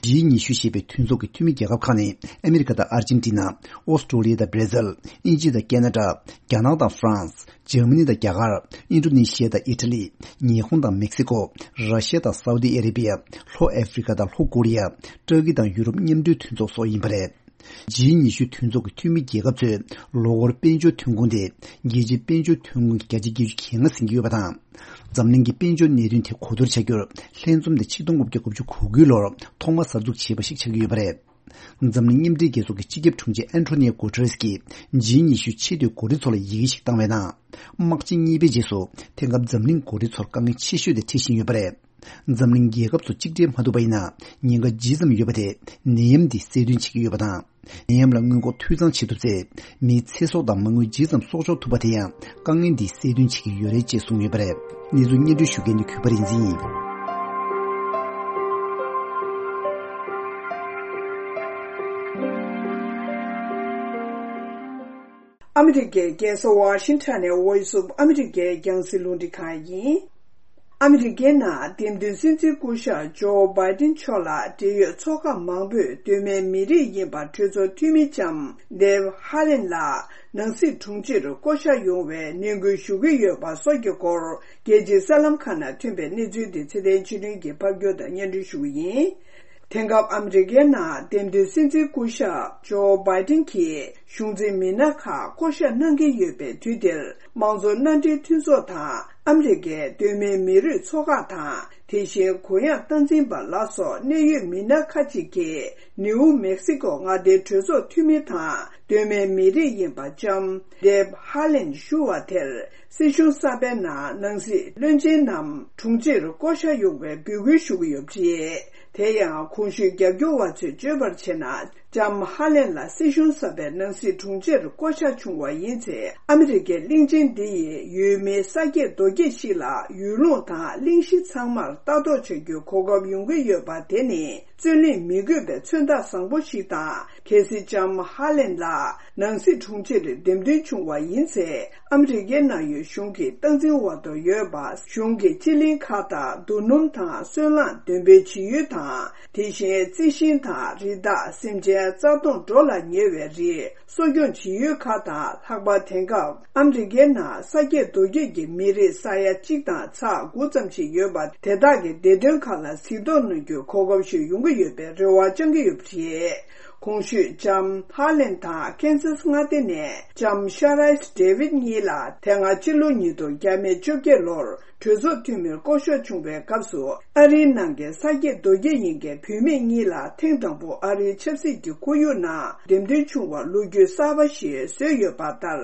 ཇི་ཉི་ཤུ་ཞེས་པའི་མཐུན་ཚོགས་ཀྱི་འཐུས་མི་རྒྱལ་ཁབ་ཁག་ནི་ཨ་མི་རི་ཀ་དང་ཨར་ཇེན་ཊི་ན། ཨོ་སི་ཀྲོ་ལི་ཡ་དང་བྷར་ཛིལ། དབྱིན་ཇི་དང་ཀེ་ན་ཌ། རྒྱ་ནག་དང་ཧྥ་རན་སི། འཇར་མ་ནི་དང་རྒྱ་གར། ཨིན་ཌོ་ནེ་ཤི་ཡ་དང་ཨི་ཊ་ལི། ཉི་ཧོང་དང་མེག་སི་ཀོ། ར་ཤི་ཡ་དང་སའུ་དི་ཨ་རེ་བྷི་ཡ། ལྷོ་ཨ་ཧྥི་རི་ཀ་དང་ལྷོ་ཀོ་རི་ཡ། ཏུར་ཀི་དང་ཡུ་རོབ་མཉམ་འབྲེལ་མཐུན་ཚོགས་སོགས་ཡིན་པ་རེད། ཇི་ཉི་ཤུ་མཐུན་ཚོགས་ཀྱི་འཐུས་མི་རྒྱལ་ཁབ་ཚོས་ལོ་འཁོར་དཔལ་འབྱོར་ཐོན་ཁུངས་དེ་རྒྱལ་སྤྱིའི་དཔལ་འབྱོར་ཐོན་ཁུངས་ཀྱི་བརྒྱ་ཆ་བརྒྱད་ཅུ་གྱ་ལྔ་ཟིན་གྱི་ཡོད་པ་དང་། འཛམ་གླིང་གི་དཔལ་འབྱོར་གནད་དོན་ཐད་གོ་བསྡུར་བྱ་རྒྱུར་ལྷན་འཛོམས་དེ་ཆིག་སྟོང་དགུ་བརྒྱ་དགུ་བཅུ་གོ་དགུའི་ལོར་ཐོག་མར་གསར་འཛུགས་བྱས་པ་ཞིག་ཆགས་ཀྱི་ཡོད་པ་རེད། འཛམ་གླིང་མཉམ་འབྲེལ་རྒྱལ་ཚོགས་ཀྱི་སྤྱི་ཁྱབ་དྲུང་ཆེ་ཨན་ཊོ་ནི་ཡོ་གུ་ཏེ་རེས་ཀྱིས་ཇི་ཉི་ཤུ་ཆེས་མཐོའི་འགོ་ཁྲིད་ཚོ་ལ་ཡི་གེ་ཞིག་བཏང་བའི་ནང་། དམག་ཆེན་གཉིས་པའི་རྗེས་སུ་དེང་སྐབས་འཛམ་གླིང་འགོ་ཁྲིད་ཚོར་དཀའ་ངལ་ཆེ་ཤོས་དེ་འཕྲད་བཞིན་ཡོད་པ་རེད། འཛམ་གླིང་རྒྱལ་ཁབ་ཚོ་གཅིག་སྒྲིལ་མ་ཐུབ་པ་ཡིན་ན། ཉེན་ཁ་ཇི་ཙམ་ཡོད་པ་དེ་ནད་ཡམས་འདིས་གསལ་སྟོན་བྱེད་ཀྱི་ཡོད་པ་དང་། ནད་ཡམས་ལ་སྔོན་འགོག་འཐུས་ཚང་བྱེད་ཐུབ་ཚེ། མིའི་ཚེ་སྲོག་དང་མ་དངུལ་ཇི་ཙམ་གསོག་འཇོག་ཐུབ་པ་དེ་ཡང་དཀའ་ངལ་འདིས་གསལ་སྟོན་བྱེད་ཀྱི་ཡོད་རེད་ཅེས་གསུངས་ཡོད་པ་རེད། གནས་ཚུལ་སྙན་སྒྲོན་ཞུ་མཁན་ནི་གུས་པ་རིག་འཛིན་ཡིན། ཨ་མི་རི་ཀའི་རྒྱལ་ས་ཝ་ཤིང་ཊོན་ནས་Voice of America་རྒྱང་སྲིང་རླུང་འཕྲིན་ཁང་ཡིན། ཨ་མི་རི་ཀའི་ནང་འདེམས་ཐོན་སྲིད་འཛིན་སྐུ་ཞབས་ཇོ་བྷའི་ཏིན་མཆོག་ལ་འབྲེལ་ཡོད་ཚོགས་ཁག་མང་པོས་གདོད་མའི་མི་རིགས་ཡིན་པ་གྲོས་ཚོགས་འཐུས་མི་ལྕམ་Deb Haaland་ལ་ནང་སྲིད་དྲུང་ཆེར་བསྐོ་གཞག་ཡོང་བའི་ནན་སྐུལ་ཞུ་གི་ཡོད་པ་སོགས་ཀྱི་སྐོར། རྒྱལ་སྤྱིའི་གསར་ལམ་ཁག་ནང་ཐོན་པའི་གནས་ཚུལ་དེ་ཚེ་བརྟན་ཆོས་སྒྲོན་གྱིས་ཕབ་སྒྱུར་དང་སྙན་སྒྲོན་ཞུ་གི་ཡིན། དེང་སྐབས་ཨ་མི་རི་ཀའི་ནང་འདེམས་ཐོན་སྲིད་འཛིན་སྐུ་ཞབས་ཇོ་བྷའི་ཏིན་གྱིས་གཞུང་འཛིན་མི་སྣ་ཁག་བསྐོ་གཞག་གནང་གི་ཡོད་པའི་དུས་འདིར། དམངས་གཙོ་མནའ་འབྲེལ་མཐུན་ཚོགས་དང་ཨ་མི་རི་ཀའི་གདོད་མའི་མི་རིགས་ཚོགས་ཁག་དང་། དེ་བཞིན་གུ་ཡངས་སྟངས་འཛིན་པ་ལ་སོགས་གནད་ཡོད་མི་སྣ་ཁག་ཅིག་གིས་ནིའུ་མེག་སི་ཀོ་མངའ་སྡེའི་གྲོས་ཚོགས་འཐུས་མི་དང་གདོད་མའི་མི་རིགས་ཡིན་པ་ལྕམ་Deb Haaland་ཞུ་བ་དེར། སྲིད་གཞུང་གསར་པའི་ནང་ནང་སྲིད་བློན་ཆེན་ནམ་དྲུང་ཆེར་བསྐོ་གཞག་ཡོང་བའི་འབོད་སྐུལ་ཞུ་གི་ཡོད་པ་རེད། དེ་ཡང་གོང་ཞུས་རྒྱབ་སྐྱོར་བ་ཚོས་བརྗོད་པར་བྱས་ན། ལྕམ་ཧ་ལན་ལགས་སྲིད་གཞུང་གསར་པའི་ནང་སྲིད་དྲུང་ཆེར་བསྐོ་གཞག་བྱུང་བ་ཡིན་ཚེ། ཨ་མི་རི་ཀའི་གླིང་ཆེན་འདི་ཡི་ཡུལ་མིའི་ས་སྐྱེས་རྡོ་སྐྱེས་ཤིག་ལ་ཡུལ་ལུང་དང་གླིང་གཞི་ཚང་མར་ལྟ་རྟོག་བྱ་རྒྱུའི་གོ་སྐབས་ཡོང་གི་ཡོད་པ་དེ་ནི་རྩོད་གླེང་མི་དགོས་པའི་མཚོན་རྟགས་བཟང་པོ་ཞིག་དང་། གལ་སྲིད་ལྕམ་ཧ་ལན་ལགས་ནང་སྲིད་དྲུང་ཆེར་འདེམས་ཐོན་བྱུང་བ་ཡིན་ཚེ། ཨ་མི་རི་ཀའི་ནང་ཡོད་གཞུང་གི་སྟངས་འཛིན་འོག་ཏུ་ཡོད་པ་གཞུང་གི་སྤྱི་གླིང་ཁག་དང་། རྡོ་སྣུམ་དང་སོལ་རླངས་འདོན་སྤེལ་བྱེད་ཡུལ་དང་། དེ་བཞིན་རྩི་ཤིང་དང་རི་དྭགས། སེམས་ཅན་རྩ་སྟོངས་འགྲོ་ལ་ཉེ་བའི་རིགས་གསོ་སྐྱོང་བྱེད་ཡུལ་ཁག་དང་། ལྷག་པར་དེང་སྐབས་ཨ་མི་རི་ཀའི་ནང་ས་སྐྱེས་རྡོ་སྐྱེས་ཀྱི་མི་རིགས་ས་ཡ་གཅིག་དང་ཚེག་དགུ་ཙམ་ཞིག་ཡོད་པ་དེ་དག་གི་བདེ་དོན་ཁག་ལ་གཟིགས་རྟོག་གནང་རྒྱུའི་གོ་སྐབས་ཤིག་ཡོང་གི་ཡོད་པའི་རེ་བ་བཅང་གི་ཡོད་པ་རེད། གོང་ཞུས་ལྕམ་ཧ་ལན་དང་ཀན་སཱས་མངའ་སྡེ་ནས་ལྕམ་ཤ་རཱིས་ཌེ་བིད་གཉིས་ལ་དེ་སྔ་ཕྱི་ལོ་ཉིས་སྟོང་བཅོ་བརྒྱད་ལོར་གྲོས་ཚོགས་འཐུས་མིར་བསྐོ་གཞག་བྱུང་བའི་སྐབས་སུ། ཨ་རིའི་ནང་གི་ས་སྐྱེས་རྡོ་སྐྱེས་ཡིན་མཁན་བུད་མེད་གཉིས་ལ་ཐེངས་དང་པོ་ཨ་རིའི་ཆབ་སྲིད་ཀྱི་ཁོར་ཡུག་ནང་འདེམས་ཐོན་བྱུང་བར་ལོ་རྒྱུས་གསར་པ་ཞིག་བཟོས་ཡོད་པ་ལྟར།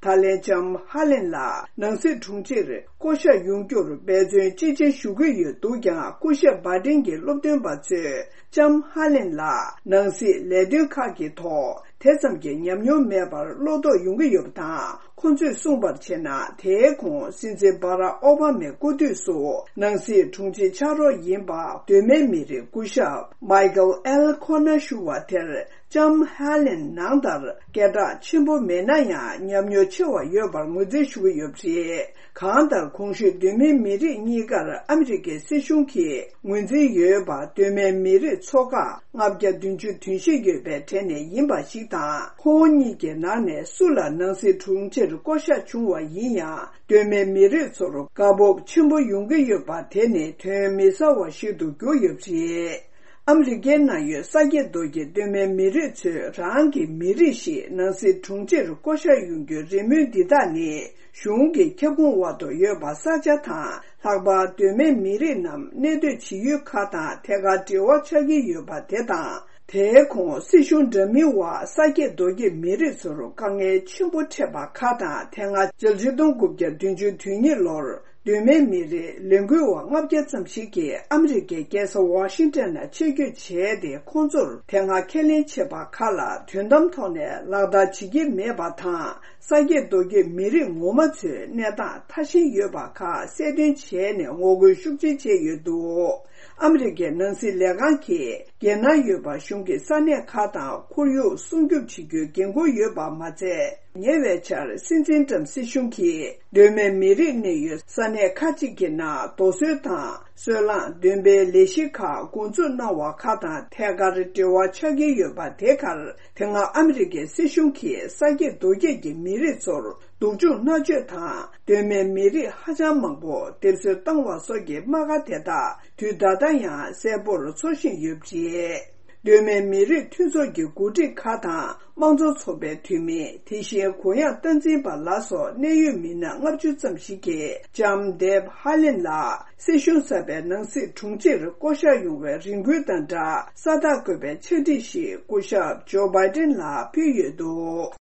ད་ལན་ལྕམ་ཧ་ལན་ལགས་ནང་སྲིད་དྲུང་ཆེར་བསྐོ་གཞག་ཡོང་རྒྱུར་འབད་བརྩོན་ཅི་ཆེ་ཞུ་གི་ཡོད་འདུག་ཀྱང་། སྐུ་ཞབས་བྷ་ཏིན་གྱི་སློབ་སྟོན་པ་ཚོས་ལྕམ་ཧ་ལན་ལགས་ནང་སྲིད་ལས་དོན་ཁག་གི་ཐོག་དེ་ཙམ་གྱི་ཉམས་མྱོང་མེད་པར་བློ་དོགས་ཡོང་གི་ཡོད་པ་དང་། ཁོང་ཚོས་གསུངས་པར་བྱས་ན། དེའི་གོང་སྲིད་འཛིན་བྷ་རག་ཨོ་བྷ་མའི་སྐུ་དུས་སུ་ནང་སྲིད་དྲུང་ཆེ་ཕྱག་རོགས་ཡིན་པ་གདོད་མའི་མི་རིགས་སྐུ་ཞབས་མའི་ཀལ་ཨེལ་ཁོ་ནར་ཞུ་བ་དེར། ལྕམ་ཧ་ལན་ནང་ལྟར་སྐད་གྲགས་ཆེན་པོ་མེད་ན་ཡང་། ཉམས་མྱོང་ཆེ་བ་ཡོད་པར་ངོས་འཛིན་ཞུ་གི་ཡོད་པ་རེད། གང་ལྟར། གོང་ཞུས་གདོད་མའི་མི་རིགས་གཉིས་ཀར་ཨ་མི་རི་ཀའི་སྲིད་གཞུང་གིས་ངོས་འཛིན་ཡོད་པ། གདོད་མའི་མི་རིགས་ཚོ་ཁག་ལྔ་བརྒྱ་བདུན་ཅུ་དོན་བཞི་ཡོད་པའི་གྲས་ནས་ཡིན་པ་ཞིག་དང་། ཁོང་གཉིས་ཀྱི་ནང་ནས་སུ་ལ་ནང་སྲིད་དྲུང་ཆེར་བསྐོ་གཞག་བྱུང་བ་ཡིན་ཡང་། གདོད་མའི་མི་རིགས་ཚོར་དགའ་སྤོབས་ཆེན་པོ་ཡོང་གི་ཡོད་པ་དེ་ནི་དོན་མི་གསལ་བ་ཞིག་ཏུ་གྱུར་ཡོད་པ་རེད། ཨ་མི་རི་ཀའི་ནང་ཡོད་ས་སྐྱེས་རྡོ་སྐྱེས་གདོད་མའི་མི་རིགས་ཚོས་རང་གི་མི་རིགས་ཤིག་ནང་སྲིད་དྲུང་ཆེར་བསྐོ་གཞག་ཡོང་རྒྱུའི་རེ་སྨོན་འདི་དག་ནི། གཞུང་གི་ཁྱབ་ཁོངས་འོག་ཏུ་ཡོད་པ་ས་ཆ་དང་། ལྷག་པར་གདོད་མའི་མི་རིགས་རྣམstorm་གནས་སྡོད་བྱེད་ཡུལ་ཁག་དང་ཐད་ཀར་འབྲེལ་བ་ཆགས་ཀྱི་ཡོད་པ་དེ་དང་། དེའི་གོང་སྲིད་གཞུང་འདྲ་མིན་འོག་ས་སྐྱེས་རྡོ་སྐྱེས་མི་རིགས་ཚོར་དཀའ་ངལ་ཆེན་པོ་འཕྲད་པ་ཁག་དང་། དེ་སྔ་ཕྱི་ལོ་ཆིག་སྟོང་དགུ་བརྒྱ་བདུན་ཅུ་དོན་གཉིས་ལོར་གདོད་མའི་མི་རིགས་ལས་འགུལ་བ་ལྔ་བརྒྱ་ཙམ་ཞིག་གིས་ཨ་མི་རི་ཀའི་རྒྱལ་ས་ཝ་ཤིང་ཊོན་ནང་ཆེད་བསྐྱོད་བྱས་ཏེ། ཁོང་ཚོར་དེ་སྔ་ཁས་ལེན་བྱས་པ་ཁག་ལ་དོན་དམ་ཐོག་ནས་ལག་བསྟར་བྱེད་ཀྱི་མེད་པ་དང་། ས་སྐྱེས་རྡོ་སྐྱེས་མི་རིགས་ངོ་མ་ཚོའི་གནས་སྟངས་ཐ་ཞན་ཡོད་པ་ཁག་གསལ་སྟོན་བྱས་ནས་ངོ་རྒོལ་ཤུགས་ཆེ་བྱས་ཡོད་འདུག་ཨ་མི་རི་ཀའི་ནང་སྲིད་ལས་ཁང་གིས་རྒྱལ་ནང་ཡོད་པ་གཞུང་གི་ས་གནས་ཁག་དང་ཁོར་ཡུག་སྲུང་སྐྱོབ་བྱེད་རྒྱུའི་འགན་ཁུར་ཡོད་པ་མ་ཚད། ཉེ་བའི་ཆར་སྲིད་འཛིན་ཏྲམ་སྲིད་གཞུང་གིས་གདོད་མའི་མི་རིགས་གནས་ཡུལ་ས་གནས་ཁག་ཅིག་གི་ནང་རྡོ་སོལ་དང་སོལ་རླངས་འདོན་སྤེལ་ལས་གཞི་ཁག་འགོ་འཛུགས་གནང་བ་ཁག་དང་ཐད་ཀར་འབྲེལ་བ་ཆགས་ཀྱི་ཡོད་པ་དེ་གར། དེ་སྔ་ཨ་མི་རི་ཀའི་སྲིད་གཞུང་གིས་ས་སྐྱེས་རྡོ་སྐྱེས་ཀྱི་མི་རིགས་ཚོར་སྡུག་སྦྱོང་མནར་གཅོད་དང་། གདོད་མའི་མི་རིགས་ཧ་ཅང་མང་པོ་སྡེབ་གསོད་བཏང་བ་སོགས་ཀྱི་རྨ་ཁ་དེ་དག་དུས་ད་ལྟ་ཡང་གསལ་པོར་ཚོར་བཞིན་ཡོད་པ་རེད། གདོད་མའི་མི་རིགས་མཐུན་ཚོགས་ཀྱི་འགོ་ཁྲིད་ཁག་དང་། དམངས་གཙོ་ཚོགས་པའི་འཐུས་མི། དེ་བཞིན་གུ་ཡངས་སྟངས་འཛིན་པ་ལ་སོགས་གནད་ཡོད་མི་སྣ་ལྔ་བཅུ་ཙམ་ཞིག་གིས་ལྕམ་ཌེབ་ཧ་ལེན་ལགས་སྲིད་གཞུང་གསར་པའི་ནང་སྲིད་དྲུང་ཆེར་བསྐོ་གཞག་ཡོང་བའི་རེ་སྐུལ་དང་སྦྲགས། ས་རྟགས་བཀོད་པའི་ཕྱག་བྲིས་ཤིག་སྐུ་ཞབས་ཇོ་བྷའི་ཏིན་ལ་ཕུལ་ཡོད་འདུག་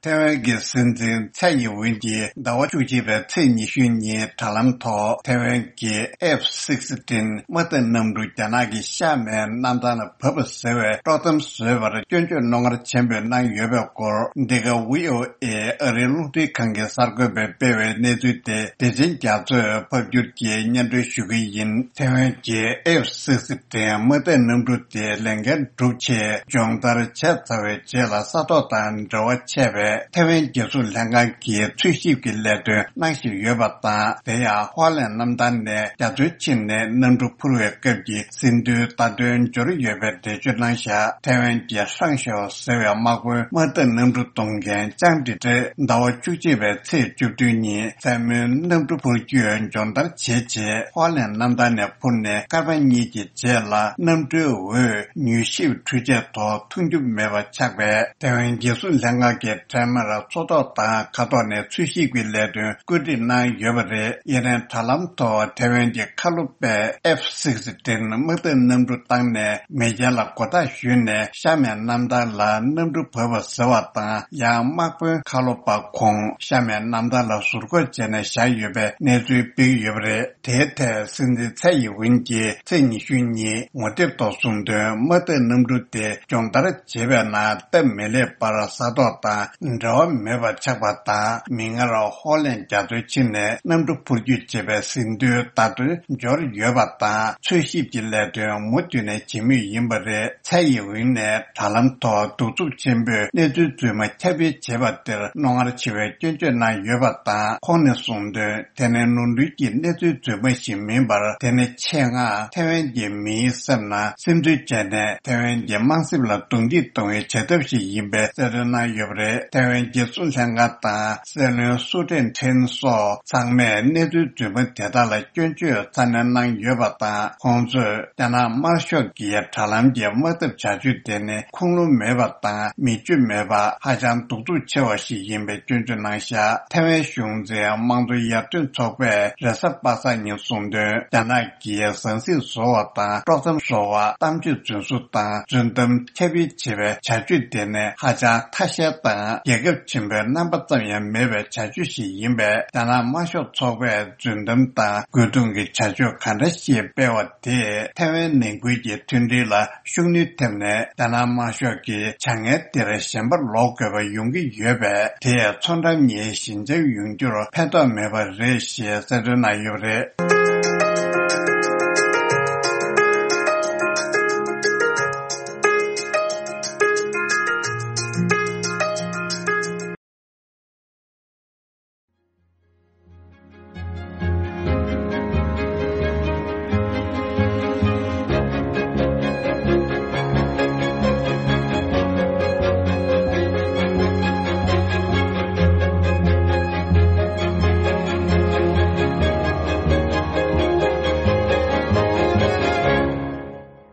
ཐའེ་ཝན་གྱི་སྲིད་འཛིན་ཚའེ་ཡིན་ཝེན་གྱིས་ཟླ་བ་བཅུ་གཅིག་པའི་ཚེས་ཉི་ཤུ་ཉིན་དྲ་ལམ་ཐོག་ཐའེ་ཝན་གྱི་ཨེཕ་སིག་སི་ཊིན་དམག་སྡེ་གནམ་གྲུ་རྒྱ་ནག་གི་ཤར་མའི་གནམ་ཐང་ལ་བབས་པ་ཟེར་བའི་དཀྲོག་གཏམ་བཟོས་པར་སྐྱོན་བརྗོད་རྣོ་ངར་ཆེན་པོས་གནང་ཡོད་པའི་སྐོར། འདི་ག་ཝི་ཨོ་ཨེ་ཨ་རིའི་རླུང་འཕྲིན་ཁང་གི་གསར་འགོད་པས་སྤེལ་བའི་གནས་ཚུལ་དེ་བདེ་ཆེན་རྒྱ་མཚོས་ཕབ་སྒྱུར་གྱིས་སྙན་སྒྲོན་ཞུ་གི་ཡིན། ཐའེ་ཝན་གྱི་ཨེཕ་སིག་སི་ཊིན་དམག་སྡེ་གནམ་གྲུ་དེ་ལས་འགན་བསྒྲུབས་ཆེད་སྦྱོང་བརྡར་བྱས་ཚར་བའི་རྗེས་ལ་ས་ཐོག་དང་འབྲེལ་བ་ཆད་པས། ཐའེ་ཝན་རྒྱལ་སྲུང་ལྷན་ཁང་གི་འཚོལ་ཞིབ་ཀྱི་ལས་དོན་གནང་བཞིན་ཡོད་པ་དང་། དེ་ཡང་ཧོ་ལན་གནམ་ཐང་ནས་རྒྱ་མཚོའི་ཕྱི་ནས་གནམ་གྲུ་འཕུར་བའི་སྐབས་ཀྱི་ཟིན་ཐོའི་བརྡ་དོན་འབྱོར་ཡོད་པའི་འགྲེལ་བརྗོད་གནང་བཞག་ཐའེ་ཝན་གྱི་ཧྲང་ཤའོ་ཟེར་བའི་དམག་དཔོན་དམག་སྡེ་གནམ་གྲུ་གཏོང་མཁན་ཅང་ཀྲི་ཀྲི་ཟླ་བ་བཅུ་གཅིག་པའི་ཚེས་བཅུ་བདུན་ཉིན་མཚན་མོའི་གནམ་གྲུ་འཕུར་སྐྱོད་སྦྱོང་བརྡར་བྱེད་ཆེད་ཧོ་ལན་གནམ་ཐང་ནས་འཕུར་ནས་སྐར་མ་གཉིས་ཀྱི་རྗེས་ལ་གནམ་གྲུའི་འོད་མྱུལ་ཞིབ་འཕྲུལ་ཆས་ཐོག་མཐོང་རྒྱུ་མེད་པ་ཆགས་པས། ཐའེ་ཝན་རྒྱལ་སྲུང་ལྷན་ཁང་གི་དྲ་ ཧེ་མར་མཚོ་ཐོག་དང་མཁའ་ཐོག་ནས་འཚོལ་ཞིབ་ཀྱི་ལས་དོན་བཀོད་སྒྲིག་གནང་ཡོད་པ་རེད། དབྱི་རན་དྲ་ལམ་ཐོག་ཐེ་ཝན་གྱི་མཁའ་སློབ་པས་ཨེཕ་སིག་སི་ཊིན་དམག་འཐབ་གནམ་གྲུ་བཏང་ནས་མེ་རྐྱེན་ལ་མགོ་བཏགས་ཞུས་ནས་གཤམ་མའི་གནམ་ཐང་ལ་གནམ་གྲུ་བབས་པ་ཟེར་བ་དང་། ཡང་དམག་དཔོན་མཁའ་སློབ་པ་ཁོང་གཤམ་མའི་གནམ་ཐང་ལ་ཟུར་འགོག་བྱས་ནས་བཞག་ཡོད་པའི་གནས་ཚུལ་སྤེལ་ཡོད་པ་རེད། དེའི་ཐད་སྲིད་འཛིན་ཚའེ་ཡི་ཝིན་གྱིས་ཚེས་ཉི་ཤུ་ཉིན་ངོ་དེབ་ཐོག་གསུངས་དོན། དམག་འཐབ་གནམ་གྲུ་དེ་སྦྱོང་བརྡར་བྱེད་པའི་ནང་སྟབས་མི་ལེགས་པར་ས་ཐོག་དང་འབྲེལ་བ་མེད་པ་ཆགས་པ་དང་། མིག་སྔར་ཧོ་ལན་རྒྱ་མཚོའི་ཕྱི་ནས་གནམ་གྲུ་འཕུར་སྐྱོད་བྱེད་པའི་ཟིན་ཐོའི་བརྡ་དོན་འབྱོར་ཡོད་པ་དང་། འཚོལ་ཞིབ་ཀྱི་ལས་དོན་མུ་མཐུད་ནས་བྱེད་མུས་ཡིན་པ་རེད། ཚའེ་ཡི་ཝིན་ནས་དྲ་ལམ་ཐོག་གདུག་རྩུབ་ཆེན་པོས་གནས་ཚུལ་རྫུན་མ་ཁྱབ་སྤེལ་བྱས་པ་དེར་རྣོ་ངར་ཆེ་བའི་སྐྱོན་བརྗོད་གནང་ཡོད་པ་དང་། ཁོང་ནས་གསུངས་དོན། དེ་ནས་ནོར་འཁྲུལ་གྱི་གནས་ཚུལ་རྫུན་མ་ཞིག་མིན་པར། དེ་ནི་ཆེད་མངགས་ཐེ་ཝན་གྱི་མིའི་སེམས་ནང་སིམ་འཛུལ་བྱས་ནས་ཐེ་ཝན་གྱི་དམངས་སེམས་ལ་རྡུང་རྡེག་གཏོང་བའི་བྱ་ཐབས་ཤིག་ཡིན་པའི་གསལ་སྟོན་གནང་ཡོད་པ་རེད། ཐེ་ཝན་རྒྱལ་སྲུང་ལྷན་ཁང་དང་སྲིད་བློན་སུའུ་ཀྲེན་ཁྲེན་སོགས་ཚང་མས་གནས་ཚུལ་རྫུན་མ་དེ་དག་ལ་སྐྱོན་བརྗོད་ཚ་ནན་གནང་ཡོད་པ་དང་། ཁོང་ཚོས་རྒྱ་ནག་དམར་ཤོག་གི་དྲ་ལམ་གྱི་དམག་འཐབ་བྱ་སྤྱོད་དེ་ནི་ཁུངས་ལུང་མེད་པ་དང་མི་སྤྱོད་མེད་པ། ཧ་ཅང་གདུག་རྩུབ་ཆེ་བ་ཞིག་ཡིན་པའི་སྐྱོན་བརྗོད་གནང་བཞག་ཐེ་ཝན་གཞུང་འཛིན་དམངས་གཙོ་ཡར་ཐོན་ཚོགས་པས་རེས་གཟའ་པ་སངས་ཉིན་གསུངས་དོན། རྒྱ་ནག་གིས་ཟང་ཟིང་བཟོ་བ་དང་དཀྲོག་གཏམ་བཟོ་བ། གཏམ་བརྗོད་རྫུན་བཟོ་དང་རྫུན་གཏམ་ཁྱབ་སྤེལ་བྱེད་པའི་བྱ་སྤྱོད་དེ་ནི་ཧ་ཅང་ཐ་ཤལ་དང་རྒྱལ་ཁབ་ཆེན་པོའི་རྣམ་པ་ཙམ་ཡང་མེད་པའི་བྱ་སྤྱོད་ཞིག་ཡིན་པས། རྒྱ་ནག་དམར་ཤོག་ཚོགས་པས་རྫུན་གཏམ་དང་རྒོལ་རྡུང་གི་བྱ་སྤྱོད་ག་འདྲ་ཞིག་སྤེལ་བ་དེས་ཐེ་ཝན་ནང་ཁུལ་གྱི་མཐུན་སྒྲིལ་ལ་ཤུགས་སྣོན་ཐེབས་ནས། རྒྱ་ནག་དམར་ཤོག་གིས་བྱ་ངན་དེར་ཞེན་པ་ལོག་དགོས་པ་ཡོང་གི་ཡོད་པས། དེས་མཚོ་འགྲམ་གཉིས་ཞི་འཇམ་ཡོང་རྒྱུར་ཕན་ཐོགས་མེད་པ་རེད་ཞེས་གསལ་སྟོན་གནང་ཡོད་པ་རེད།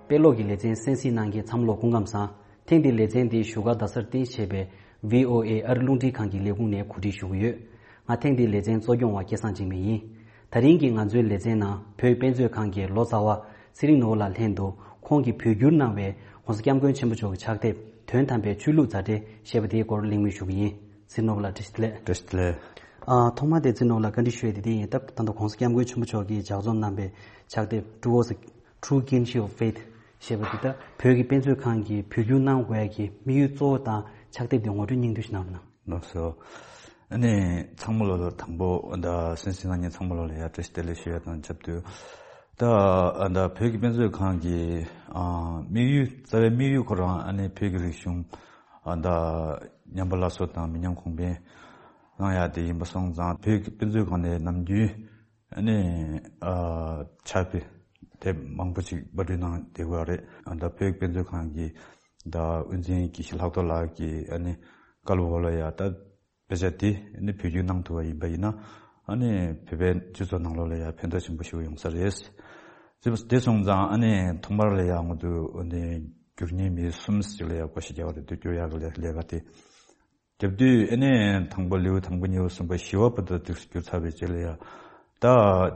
དཔེ་ཀློག་གི་ལེ་ཚན་གསན་གཟིགས་གནང་མཁན་ཚང་མ་ལ་སྐུ་ཁམས་བཟང་། ཐེངས་འདིའི་ལེ་ཚན་འདི་བཞུགས་སྒར་རྡ་སར་རྟེན་གཞི་བྱས་པའི་བྷི་ཨོ་ཨེ་ཨ་རི་རླུང་འཕྲིན་ཁང་གི་ལས་ཁུངས་ནས་གོ་སྒྲིག་ཞུ་གི་ཡོད། ང་ཐེངས་འདིའི་ལེ་ཚན་གཙོ་སྐྱོང་བ་སྐལ་བཟང་འཇིགས་མེད་ཡིན། དེ་རིང་གི་ང་ཚོའི་ལེ་ཚན་ནང་བོད་དཔེ་མཛོད་ཁང་གི་ལོ་ཙཱ་བ་ཚེ་རིང་ནོར་བུ་ལགས་ལྷན་དུ། ཁོང་གིས་བོད་བསྒྱུར་གནང་བའི་༸གོང་ས་༸སྐྱབས་མགོན་ཆེན་པོ་མཆོག་གི་ཕྱག་དེབ་དོན་དམ་པའི་ཆོས་ལུགས་མཛའ་འབྲེལ་ཞེས་པ་དེའི་སྐོར་གླེང་མོལ་ཞུ་གི་ཡིན། ཚེ་རིང་ནོར་བུ་ལགས་བཀྲ་ཤིས་བདེ་ལེགས། བཀྲ་ཤིས་བདེ་ལེགས། ཨ། ཐོག་མར་དེ་ཚེ་རིང་ནོར་བུ་ལགས་བཀའ་འདྲི་ཞུ་ཡས་དེ་འདི་ཡིན། ད་ད་ལྟ་༸གོང་ས་༸སྐྱབས་མགོན་ཆེན་པོ་མཆོག་གིས་ལྗགས་རྩོམ་གནང་བའི་ཕྱག་དེབ་Towards the True Kinship of Faith ཞེས་པ་འདི་ད་བོད་ཀྱི་དཔེ་མཛོད་ཁང་གིས་བོད་བསྒྱུར་གནང་དགོས་ཡ་གི་དམིགས་ཡུལ་གཙོ་བོ་དང་ཕྱག་དེབ་འདི་ངོ་སྤྲོད་སྙིང་བསྡུས་ཤིག་གནང་རོགས་གནང་། ལགས་སོ། ཨ་ནི་ཚང་མ་ལོ་ལ་དང་པོ་ད་གསན་གཟིགས་གནང་མཁན་ཚང་མ་ལོ་ལ་ཡ་བཀྲ་ཤིས་བདེ་ལེགས་ཞུ་ཡ་དང་ཆབས་ཅིག་ད་ད་བོད་ཀྱི་དཔེ་མཛོད་ཁང་གི་ཨ་དམིགས་ཡུལ་རྩ་བའི་དམིགས་ཡུལ་ཁོ་རང་ཨ་ནི་བོད་ཀྱི་རིག་གཞུང་ཨ་ད་ཉམས་པ་སླར་གསོ་དང་མི་ཉམས་གོང་འཕེལ་གནང་ཡ་དེ་ཡིན་པ་སོང་ཙང་། བོད་ཀྱི་དཔེ་མཛོད་ཁང་ནས་ནམ་རྒྱུན་ཨ་ནི་ཨ་ཕྱག་དཔེ་དེབ་མང་པོ་ཅིག་པར་སྐྲུན་གནང་བསྡད་ཡོད་རེད། ཨ་ད་བོད་ཀྱི་དཔེ་མཛོད་ཁང་གི་ད་དབུ་འཛིན་དགེ་བཤེས་ལྷག་རྡོར་ལགས་ཀྱི་ཨ་ནི་བཀའ་སློབ་འོག་ལ་ཡ་ད་དཔེ་ཆ་དེ་ཨ་ནི་བོད་བསྒྱུར་གནང་ཐུབ་པ་ཡིན་པ་ཡིན་ན། ཨ་ནི་བོད་པའི་སྤྱི་ཚོགས་ནང་ལོགས་ལ་ཡ་ཕན་ཐོགས་ཆེན་པོ་ཞིག་ཡོང་ས་རེད། དེ་དེ་སོང་ཙང་ཨ་ནི་ཐོག་མར་ལ་ཡ་ང་ཚོ་ཨ་ནི་བསྒྱུར་མཁན་མི་གསུམ་ཞིག་ལ་ཡ་བསྐོ་བཞག་བརྒྱབ་པ་རེད་འདུག་བསྒྱུར་ཡག་གི་ལས་ལས་ཀ་དེ་བརྒྱབ་དུས། ཨ་ནི་དང་པོ་ལེའུ་དང་པོ་གཉིས་པ་གསུམ་པ་བཞི་པ་བར་དུ་དེ་བསྒྱུར་ཚར་བའི་རྗེས་ལ་ཡ། ད་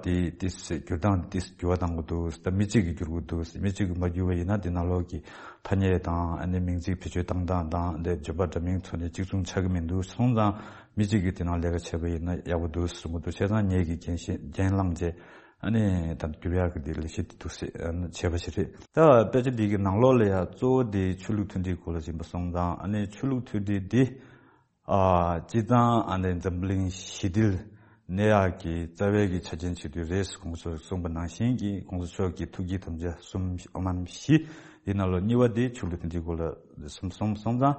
དེ་དེ་བསྒྱུར་སྟངས་དེ་འགྱུར་བ་གཏང་གི་འདུག་ད་མི་གཅིག་གིས་བསྒྱུར་གྱི་འདུག་མི་གཅིག་གིས་མ་བསྒྱུར་བ་ཡིན་ན་དེ་ནང་ལོགས་ཀྱི་ཐ་སྙད་དང་ཨ་ནི་མིང་ཚིག་བེད་སྤྱོད་བཏང་སྟངས་དང་། དེ་བརྗོད་པ་འདྲ་མིན་ཐོག་ནས་གཅིག་མཚུངས་ཆགས་ཀྱི་མི་འདུག་སོང་ཙང་མི་གཅིག་གིས་དེ་ནང་ལས་ཀ་བྱས་པ་ཡིན་ན་ཡག་པོ་འདུག་གསུང་གི་འདུག་བྱས་ཙང་ངེད་ཀྱིས་འགན་ཤེས་འགན་བླངས་བྱས། ཨ་ནི་ད་བསྒྱུར་ཡག་གི་དེ་ལས་གཞི་དེ་འདུག་སེ་ཨ་ནི་བྱས་པ་ཞིག་རེད། ད་དཔེ་ཆ་འདི་གི་ནང་ལོགས་ལ་ཡ་གཙོ་བོ་དེ་ཆོས་ལུགས་མཐུན་སྒྲིལ་སྐོར་ལ་ཡིན་པ་སོང་ཙང་། ཨ་ནི་ཆོས་ལུགས་མཐུན་སྒྲིལ་འདི་ཨ་སྤྱིར་བཏང་ཨ་ནི་འཛམ་བུ་གླིང་ཞི་བདེ་གནས་ཡག་གི་རྩ་བའི་གི་ཆ་རྐྱེན་ཆེ་བསྡུས་རེད། གོང་ས་མཆོག་གསུངས་པ་ནང་བཞིན་གྱི་གོང་ས་མཆོག་གི་ཐུགས་བསྐྱེད་དམ་བཅའ་གསུམ་ཨོཾ་མ་ཎི་བཞི་དེ་ནང་ལོགས་གཉིས་པ་དེ་ཆོས་ལུགས་མཐུན་སྒྲིལ་སྐོར་ལ་གསུངས་སོང་ཙང་།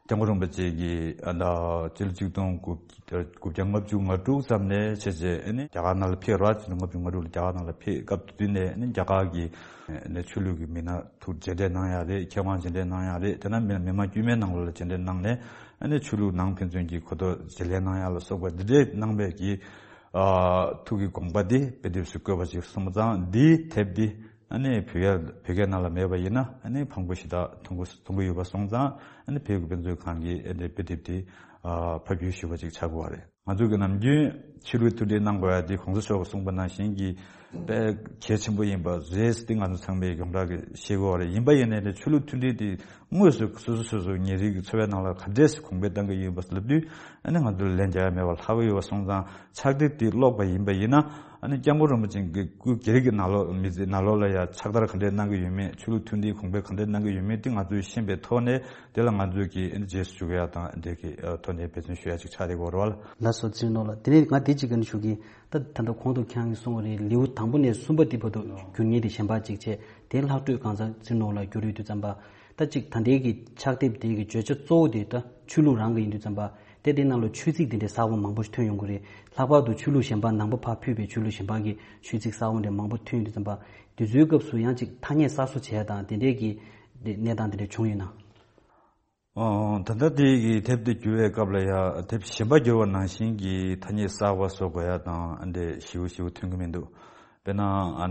སྐྱབས་མགོན་རིན་པོ་ཆེ་གིས་ཨ་ད་སྤྱི་ལོ་ཆིག་སྟོང་དགུ་དགུ་བརྒྱ་ལྔ་བཅུ་ང་དྲུག་ཙམ་ནས་བྱས་རྗེས་ཨ་ནི་རྒྱ་གར་ནང་ལ་ཕེབས་ར། ཆིག་སྟོང་ལྔ་བཅུ་ང་དྲུག་ལ་རྒྱ་གར་ནང་ལ་ཕེབས་སྐབས་དེ་དུས་ནས་ཨ་ནི་རྒྱ་གར་གྱི་ཨ་ནི་ཆོས་ལུགས་ཀྱི་མི་སྣ་ཐུག་མཇལ་འཕྲད་གནང་ཡག་རེད། མཁས་དབང་མཇལ་འཕྲད་གནང་ཡག་རེད། དེ་ནས་མི་མི་མང་དཀྱུས་མའི་ནང་ལོགས་ལ་མཇལ་འཕྲད་གནང་ནས་ཨ་ནི་ཆོས་ལུགས་ནང་ཕན་ཚུན་གྱི་གོ་རྟོགས་བརྗེ་ལེན་གནང་ཡག་ལ་སོགས་པ་འདི་འདྲའི་གནང་བའི་གི་ཨ་ཐུགས་ཀྱི་དགོངས་པ་འདི་དཔེ་དེབ་སུ་བཀོད་པ་ཞིག་སོང་ཙང་། འདིའི་དེབ་འདི་ཨ་ནི་བོད་ཡ་བོད་སྐད་ནང་ལ་མེད་པ་ཡིན་ན་ཨ་ནི་ཕངས་པོ་ཞེ་དྲག་མཐོང་གི་མཐོང་གི་ཡོད་པ་སོང་ཙང་། ཨ་ནི་བོད་ཀྱི་དཔེ་མཛོད་ཁང་གིས་ཨ་ནི་དཔེ་དེབ་འདི་ ཕབ་སྒྱུར་ཞུས་པ་ཅིག་ཆགས་དགོས་པ་རེད། ང་ཚོ་གི་ནམ་རྒྱུན་ཆོས་ལུགས་མཐུན་སྒྲིལ་གནང་དགོས་ཡ་དེ་གོང་ས་མཆོག་གིས་གསུངས་པ་ནང་བཞིན་གྱི་དཔེ་གལ་ཆེན་པོ་ཡིན་པ་རེད་ཟེར་ཏེ་ང་ཚོ་ཚང་མས་ཡོངས་གྲགས་ཀྱི་ཤེས་དགོས་པ་རེད། ཡིན་པ་ཡིན་ནའི་ཆོས་ལུགས་མཐུན་སྒྲིལ་དེ་དངོས་སུ་སོ་སོ་སོ་སོ་ཉིན་རེའི་གི་འཚོ་བའི་ནང་ལ་ག་འདྲས་སེ་གོང་འཕེལ་གཏང་གི་ཡོད་པ་ལབ་དུས་ཨ་ནི་ང་ཚོ་ལ་ལན་རྒྱག་ཡ་མེད་པ་ལྷག་གི་ཡོད་པ་སོང་ཙང་ཕྱག་དེབ་དེ་ཀློག་པ་ཡིན་པ་ཡིན་ན་ཨ་ནི་སྐྱབས་མགོན་རིན་པོ་ཆེ་གི་སྐུ་སྒེར་གྱི་ནང་ལོགས་མི་ཚེ་ནང་ལོགས་ལ་ཡ་ཕྱག་བསྟར་ག་འདྲས་གནང་གི་ཡོད་མེད་ཆོས་ལུགས་མཐུན་སྒྲིལ་གོང་འཕེལ་ག་འདྲས་གནང་གི་ཡོད་མེད་དེ་ང་ཚོས་ཤེས་པའི་ཐོག་ནས། དེ་ལ་ང་ཚོས་ཀྱི་རྗེས་སུ་འཇུག་ཡ་དང་འདི་གི་ཐོག་ནས་འབད་བརྩོན་ཞུ་ཡ་ཅིག་ཆགས་བསྡད་ཡོད་རེད་བ། ལགས་སོ། ཚེ་རིང་ལགས། དེ་ནས་ང་འདི་གཅིག་ག་ནས་ཞུ་གི། ད་ད་ལྟ་གོང་དུ་ཁྱེད་རང་གིས་གསུངས་པ་རེད། ལེའུ་དང་པོ་ནས་གསུམ་པ་འདི་བར་དུ་བསྒྱུར་མཁན་དེ་གཞན་པ་གཅིག་བྱས། དེ་ལྷག་འཕྲོས་གང་ཟག་ཚེ་རིང་ལགས་ལ་བསྒྱུར་ཡོད་དུས་ཙམ་པ། ད་གཅིག་ད་ལྟའི་གི་ཕྱག་དེབ་དེ་གི་བརྗོད་བྱ་གཙོ་བོ་དེ་ད་ཆོས་ལུགས་རང་གི་ཡིན་དུས་ཙམ་པ། དེ་དེ་ནང་ལ་ཆོས་ཚིག་དེ་འདྲའི་གསར་པ་མང་པོ་ཞིག་ཐོན་ཡོང་གི་རེད། ལྷག་པར་དུ་ཆོས་ལུགས་གཞན་པ་ནང་པ་ཕར་ཕུད་པའི་ཆོས་ལུགས་གཞན་པ་གི་ཆོས་ཚིག་གསར་པ་འདྲ་མང་པོ་ཐོན་ཡོང་དུས་ཙམ་པ། དེ་ཚོའི་སྐབས་སུ་ཡང་གཅིག་ཐ་སྙད་གསར་བཟོ་བྱས་དང་དེ་འདྲའི་གི་དེ་གནས་སྟངས་དེ་འདྲ་བྱུང་ཡོད་ན། ཨོ། ད་ལྟ་དེ་གི་དེབ་དེ་བསྒྱུར་བའི་སྐབས་ལ་ཡ་དེབ་གཞན་པ་བསྒྱུར་བ་ནང་བཞིན་གྱི་ཐ་སྙད་གསར་པ་བཟོ་དགོས་ཡ་དང་ཨ་འདྲས་ཞེ་པོ་ཞེ་པོ་ཐོན་གི་མི་འདུག་དཔེར་ན་ཨ་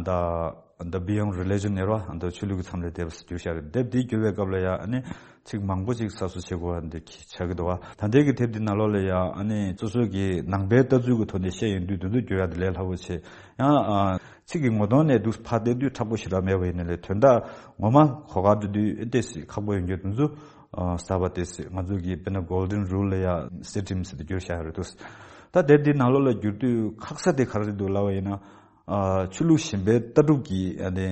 ད་The Beyond Religion ནས་རོ་ཨ་ད་ཆོས་ལུགས་ཀྱི་མཚམས་ལས་འདས་པ་ཟེར་བསྒྱུར་བཞག་རེད། དེབ་དེ་བསྒྱུར་བའི་སྐབས་ལ་ཡ་ཨ་ནི་ཚིག་མང་པོ་ཅིག་གསར་བཟོ་བྱེད་དགོས་པ་འདི་ཆགས་ཀྱི་འདུག་བ། ད་ལྟའི་གི་དེབ་དེ་ནང་ལོགས་ལ་ཡ་ཨ་ནི་སོ་སོ་གི་ནང་པའི་ལྟ་ཚུལ་གྱི་ཐོག་ནས་བཤད་ཡོང་དུས་དེ་ཚོ་བསྒྱུར་ཡ་དེ་ལས་སླ་པོ་ཆེ། ཡང་ཨ་ཚིག་གི་ངོ་གདོང་ནས་འདུག་ཕར་བལྟས་དུས་ཁག་པོ་ཞེ་དྲག་མེད་པ་ཡིན་ན་ལས་དོན་དག་ངོ་མ་གོ་སྐབས་འགྲོ་དུས་ཨེ་ཏོག་ཙམ་ཁག་པོ་ཡོང་རྒྱུ་དེ་ཚོ། ཨ་གསར་པ་ཏོག་ཙམ་ང་ཚོ་གི་དཔེར་ན་Golden Rule ལ་ཡ་སེ་ཊིམ་ཟེར་ཏེ་བསྒྱུར་བཞག་ཡོད་རེད་འདུག་ད་དེབ་འདི་ནང་ལོགས་ལ་བསྒྱུར་དུས་ཁག་ས་དེ་ག་རེ་རེད་འདུག་ལབ་པ་ཡིན་ན། ཨ་ཆོས་ལུགས་གཞན་པའི་ལྟ་གྲུབ་ཀྱི་ཨ་ནི་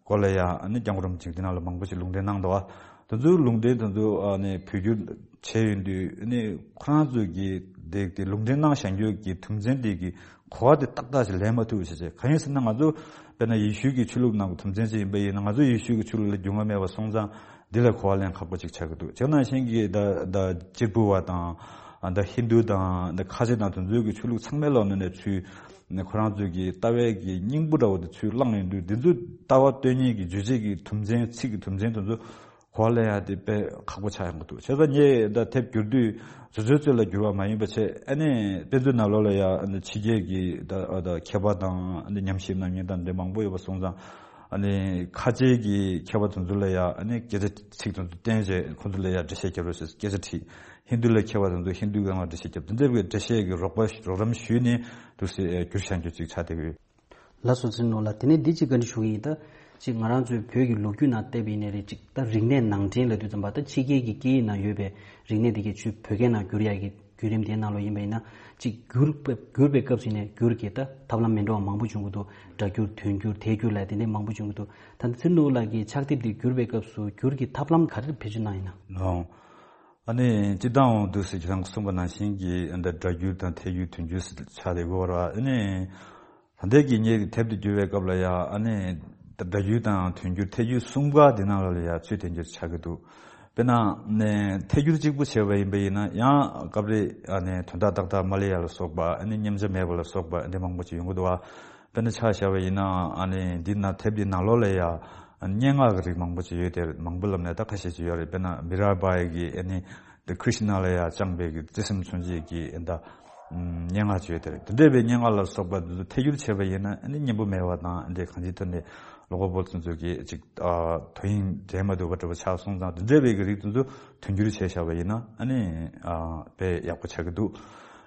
སྐོར་ལ་ཡ་ཨ་ནི་སྐྱབས་མགོན་རིན་པོ་ཆེ་འདི་ནང་ལ་མང་པོ་ཞིག་ལུང་འདྲེན་གནང་འདུག་བ། དེ་ཚོའི་ལུང་འདྲེན་དེ་ཚོ་ཨ་ནི་བོད་བསྒྱུར་བྱས་ཡོང་དུས་ཨ་ནི་ཁོ་རང་ཚོ་གི་དེ་དེ་ལུང་འདྲེན་གནང་བཞག་རྒྱུ་གི་དོན་ཚན་དེ་གི་གོ་བ་དེ་ཏག་ཏག་ཞིག་ལེན་མ་ཐུབ་པ་ཞིག་བྱས། གང་ཡིན་ཟེར་ན་ང་ཚོ་དཔེར་ན་ཡེ་ཤུ་གི་ཆོས་ལུགས་ནང་གི་དོན་ཚན་ཅིག་ཡིན་པ་ཡིན་ན་ང་ཚོ་ཡེ་ཤུ་གི་ཆོས་ལུགས་ལ་རྒྱུས་མངའ་མེད་པ་སོང་ཙང་འདི་ལ་གོ་བ་ལེན་ཁག་པོ་ཅིག་ཆགས་ཀྱི་འདུག་བྱས་ན་ཤིང་གི་ད་ད་གཅེར་བུ་བ་དང་ད་ཧིན་དུ་དང་ད་ཁ་ཆེ་དང་དེ་ཚོའི་གི་ཆོས་ལུགས་ཚང་མའི་ལོག་ནས་ནས་ཚུལ་ནས་ཁོ་རང་ཚོའི་གི་ལྟ་བའི་གི་སྙིང་པོ་འདྲ་བོ་དེ་ཚུལ་བླངས་ཡོང་དུས་འདི་ཚོ་ལྟ་བ་སྟོན་མཁན་གི་རྗོད་བྱེད་ཀྱི་དོན་ཚན་ཚིག་གི་དོན་ཚན་དེ་ཚོ་གོ་བ་ལེན་ཡ་དེ་དཔེ་ཁག་པོ་ཆགས་ཡོང་གི་འདུག་བྱས་ཙང་ངས་ད་དེབ་བསྒྱུར་དུས་བཟོ་བཟོའི་ཚོད་ལ་བསྒྱུར་བ་མ་ཡིན་པ་བྱས་ཨ་ནི་དཔེ་མཛོད་ནང་ལོགས་ལ་ཡ་ཨ་ནི་ཕྱི་རྒྱལ་གྱི་ད་ད་མཁས་པ་དང་ཨ་ནི་ཉམས་ཞིབ་གནང་མཁན་དང་འདི་མང་པོ་ཡོད་པ་སོང་ཙང་ཨ་ནི་ཁ་ཆེ་གི་མཁས་པ་དེ་ཚོ་ལ་ཡ་ཨ་ནི་སྐད་ཆ་ཚིག་དེ་ཚོ་བསྟན་བྱས་ཁོ་ཚོ་ལ་ཡ་འགྲེལ་བཤད་རྒྱབ་རོགས་ཞེས་སྐད་ཆ་དྲིས། ཧིན་དུ་ལ་མཁས་པ་དེ་ཚོ་ཧིན་དུའི་སྒང་ལ་འགྲེལ་བཤད་རྒྱབ་དེ་འདྲ་བའི་འགྲེལ་བཤད་ཀྱི་རོགས་པ་རོགས་རམ་ཞུས་ནས་འདུག་སེ་བསྒྱུར་བཞག་རྒྱུ་ཅིག་ཆགས་བསྡད་ཀྱི་ཡོད། ལགས་སོ། ཚེ་རིང་ལགས། དེ་ནས་འདི་གཅིག་བཀའ་འདྲི་ཞུ་གི་ཡིན། ད་གཅིག་ང་རང་ཚོའི་བོད་ཀྱི་ལོ་རྒྱུས་ནང་བལྟས་པ་ཡིན་ན་རེད། གཅིག་ད་རིག་གནས་ནང་འདྲེན་ལབ་དུས་ཙམ་པ་ད་ཕྱི་རྒྱལ་གྱི་སྐད་ཡིག་ནང་ཡོད་པའི་རིག་གནས་དེ་གའི་ཚུར་བོད་སྐད་ནང་བསྒྱུར་ཡག་གི་བརྒྱུད་རིམ་དེའི་ནང་ལོགས་ཡིན་པ་ཡིན་ན་གཅིག་བསྒྱུར་བསྒྱུར་པའི་སྐབས་སུ་ཡིན་ནའི་བསྒྱུར་གྱི་ད་ཐབས་ལམ་མི་འདྲ་བ་མང་པོ་བྱུང་གི་འདུག་སྒྲ་བསྒྱུར་དོན་བསྒྱུར་ཐད་བསྒྱུར་ལབ་དེ་འདྲའི་མང་པོ་བྱུང་གི་འདུག་ད་ཚེ་རིང་ལགས་ཀྱི་ཕྱག་དེབ་དེ་བསྒྱུར་བའི་སྐབས་སུ་བསྒྱུར་གྱི་ཐབས་ལམ་ག་རེ་བེད་སྤྱོད་གནང་ཡིན་ན། ལགས། ཨ་ནི་སྤྱིར་བཏང་འོང་དུས་སུ་ཁྱེད་རང་གིས་གསུངས་པ་ནང་བཞིན་གྱི་ཨ་ནི་སྒྲ་བསྒྱུར་དང་ཐད་བསྒྱུར་དོན་བསྒྱུར་ཆགས་བསྡད་ཡོད་རེད་བ། ཨ་ནི། ད་ལྟའི་གི་ངས་དེབ་དེ་བསྒྱུར་བའི་སྐབས་ལ་ཡ་ཨ་ནི་སྒྲ་བསྒྱུར་དང་དོན་བསྒྱུར་ཐད་བསྒྱུར་གསུམ་ཀ་འདི་ནང་ལ་ཡ་ཚུལ་དེ་འདྲ་ཆགས་ཀྱི་འདུག་དཔེར་ན་ནས་ཐད་བསྒྱུར་གཅིག་པུ་བྱས་པ་ཡིན་པ་ཡིན་ན་ཡང་སྐབས་རེ་ཨ་ནི་དོན་དག་ཏག་ཏག་མ་སླེབས་ཡ་ལ་སོགས་པ་ཨ་ནི་མཉམ་བྱ་མེད་པ་ལ་སོགས་པ་འདི་མང་པོ་ཅིག་ཡོང་གི་འདུག་བ། དཔེར་ན་ཆ་བཞག་པ་ཡིན་ན་ཨ་ནི་འདི་ན་དེབ་འདི་ནང་ལོགས་ལ་ཡ་སྙན་ངག་གི་རིགས་མང་པོ་ཅིག་ཡོད་དེ་མང་པོ་ལབ་ནས་ད་ཁ་ཤས་ཅིག་ཡོད་རེད། དཔེར་ན་མི་ར་བྷའི་གི་ཨ་ནི། དེ་ཀྲིཤ་ན་ལ་ཡ་བཅངས་པའི་གི་བརྩེ་སེམས་མཚོན་བྱེད་ཀྱི་ཨེ་འདྲ། ཨམ། སྙན་ངག་ཅིག་ཡོད་དེ་རེད། དེ་འདྲ་བའི་སྙན་ངག་ལ་སོགས་པ་འདི་ཚོ་ཐད་བསྒྱུར་བྱས་པ་ཡིན་ན་ཨ་ནི་སྙན་པོ་མེད་པ་དང་ཨ་འདྲའི་གང་ཅིའི་ཐོག་ནས་ཀློག་པ་པོ་ཚོ་ཚོ་གིས་ཅིག་ཨ། དོ་དབྱིངས་འདྲེས་མ་ཐུབ་པ་འདྲ་པོ་ཆགས་སོང་ཙང་དེ་འདྲ་བའི་གི་རིགས་དེ་ཚོ་དོན་བསྒྱུར་བྱས་བཞག་པ་ཡིན་ན་ཨ་ནི་ཨ། དཔེ་ཡག་པོ་ཆགས་ཀྱི་འདུག་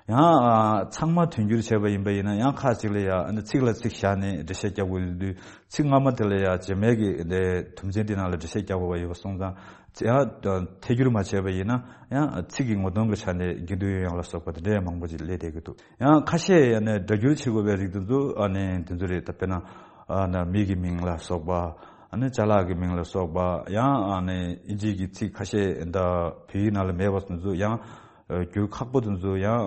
ཡང་ཨ། ཚང་མ་དོན་བསྒྱུར་བྱས་པ་ཡིན་པ་ཡིན་ན་ཡང་ཁག་ཅིག་ལ་ཡ་ཨ་ནི་ཚིག་ལ་ཚིག་བཞག་ནས་འགྲེལ་བཤད་རྒྱག་དགོས་ཡོང་དུས་ཚིག་སྔ་མ་དེ་ལ་ཡ་རྗེས་མའི་གི་དེ་དོན་ཚན་དེ་ནང་ལ་འགྲེལ་བཤད་རྒྱག་དགོས་པ་ཡོད་པ་སོང་ཙང་། ཡང་ཐད་སྒྱུར་མ་བྱས་པ་ཡིན་ན་ཡང་ཚིག་གི་ངོ་གདོང་གི་ཆ་ནས་དགེ་འདུན་ཡོན་ཡང་ལ་སོགས་པ་དེ་འདྲའི་མང་པོ་ཅིག་སླེབས་བསྡད་ཀྱི་འདུག་ཡང་ཁ་ཤས་ཡང་ནས་སྒྲ་བསྒྱུར་བྱེད་དགོས་པའི་རིགས་དེ་ཚོ་ཨ་ནི་དེ་ཚོ་རེད། ད་དཔེར་ན་ཨ་ནི་མི་གི་མིང་ལ་སོགས་པ་ཨ་ནི་ཅ་ལག་གི་མིང་ལ་སོགས་པ་ཡང་ཨ་ནི་ཨིན་ཇི་གི་ཚིག་ཁ་ཤས་ད་བོད་ཡིག་ནང་ལ་མེད་པ་དེ་ཚོ་ཡང་སྒྱུར་ཁག་པོ་དེ་ཚོ་ཡང་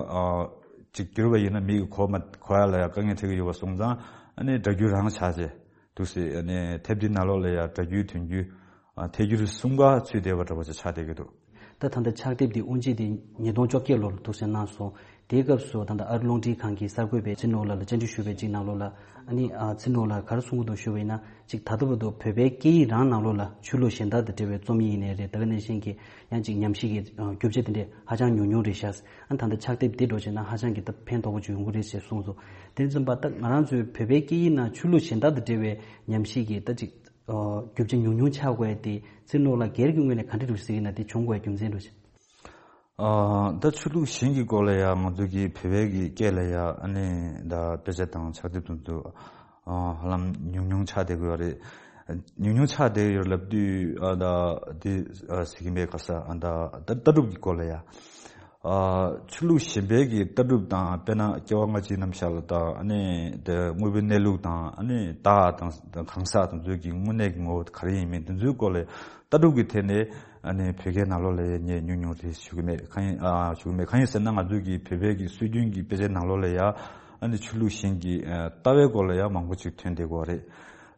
ཅིག་བསྒྱུར་བ་ཡིན་ན་མི་གི་གོ་མ་གོ་ཡ་ལ་ཡང་དཀའ་ངལ་འཕྲད་ཀྱི་ཡོད་པ་སོང་ཙང་ཨ་ནི་སྒྲ་བསྒྱུར་རང་ཆགས་བྱས། འདུག་སེ་ཨ་ནི་དེབ་འདི་ནང་ལོགས་ལ་ཡང་སྒྲ་བསྒྱུར་དོན་བསྒྱུར། ཨ། ཐད་སྒྱུར་གསུམ་ཀ་ཚུད་བསྡད་པ་འདྲ་པོ་ཅིག་ཆགས་བསྡད་ཀྱི་འདུག་ད་ད་ལྟ་ཕྱག་དེབ་འདི་དབུ་འབྱེད་དེ་ཉིས་སྟོང་བཅོ་བརྒྱད་ལོར་འདུག་སེ་གནང་སོང་། དེའི་སྐབས་སུ་ད་ལྟ་ཨ་རི་རླུང་འཕྲིན་ཁང་གི་གསར་འགོད་པས་ཚེ་རིང་ལགས་ལ་བཅར་འདྲི་ཞུས་པའི་གཅིག་ནང་ལོགས་ལ་ཨ་ནི་ཨ། ཚེ་རིང་ལགས་ག་རེ་གསུང་གི་འདུག་ཞུས་པ་ཡིན་ན་གཅིག་ད་ལྟ་བར་དུ་བོད་པའི་སྐད་ཡིག་རང་ནང་ལོགས་ལ་ཆོས་ལུགས་གཞན་དག་དང་འབྲེལ་བའི་རྩོམ་ཡིག་ཡིན་ནའི་རེད། ད་ག་ནང་བཞིན་གྱི་ཡང་གཅིག་ཉམས་ཞིབ་ཀྱི་རྒྱུ་ཆ་དེ་འདྲས་ཧ་ཅང་ཉུང་ཉུང་རེད་ཤག་ཨ་ནི་ད་ལྟ་ཕྱག་དེབ་འདི་འདྲ་བྱས་ན་ཧ་ཅང་གི་ད་ཕན་ཐོགས་པོ་ཅིག་ཡོང་གི་རེད་ཅེས་གསུངས་སོང་། དེ་ཙམ་པ་ད་ང་རང་ཚོའི་བོད་པའི་སྐད་ཡིག་ནང་ཆོས་ལུགས་གཞན་དག་དང་འབྲེལ་བའི་ཉམས་ཞིབ་ཀྱི་ད་ཅིག་རྒྱུ་ཆ་ཉུང་ཉུང་ཆགས་དགོས་ཏེ་ཚེ་རིང་ལགས་སྒེར་གྱི་ངོས་ནས་ག་འདྲ་འདུག་ཟེར་གྱི་ན་དེ་བྱུང་དགོས་རྒྱུ་མཚན་འདྲ་ཅིག་ཨ་ད་ཆོས་ལུགས་གཞན་གྱི་སྐོར་ལ་ཡང་ང་ཚོ་གི་བོད་པའི་གི་སྐད་ལ་ཡང་ཨ་ནི་ད་དཔེ་ཆ་དང་ཕྱག་དེབ་དེ་ཚོ་ཨ་ཧ་ལམ་ཉུང་ཉུང་ཆགས་བསྡད་ཀྱི་ཡོད་རེད། ཉུང་ཉུང་ཆགས་བསྡད་ཡོད་ལབ་དུས་ཨ་ད་དེ་ཨ་ཟེར་གྱི་མེད་ག་ས། ཨ་ད་ད་ལྟ་གྲུབ་ཀྱི་སྐོར་ལ་ཡང་ཨ་ཆོས་ལུགས་གཞན་པའི་གི་ལྟ་གྲུབ་དང་། དཔེར་ན་སྐྱེ་བ་སྔ་ཕྱིའི་རྣམ་གཞག་ལ་དང་། ཨ་ནི་དེ་དངོས་པོའི་གནས་ལུགས་དང་། ཨ་ནི་བདག་དང་གང་ཟག་དེ་ཚོའི་གི་དངོས་གནས་ཀྱི་ངོ་བོ་ག་རེ་ཡིན་མིན་དེ་ཚོའི་སྐོར་ལ་ལྟ་གྲུབ་ཀྱི་ཐད་ནས་ཨ་ནི་བོད་སྐད་ནང་ལོགས་ལ་ཡང་ངས་ཉུང་ཉུང་རེ་ཞུ་གི་མེད། གང་ཡིན་ཨ་ཞུ་གི་མེད། གང་ཡིན་ཟེར་ན་ང་ཚོའི་གི་བོད་པའི་གི་སྲོལ་རྒྱུན་གྱི་དཔེ་ཆའི་ནང་ལོགས་ལ་ཡང་ཨ་ནི་ཆོས་ལུགས་གཞན་གྱི་ཨ་ལྟ་བའི་སྐོར་ལ་ཡང་མང་པོ་ཅིག་ཐོན་བསྡད་ཀྱི་ཡོད་རེད།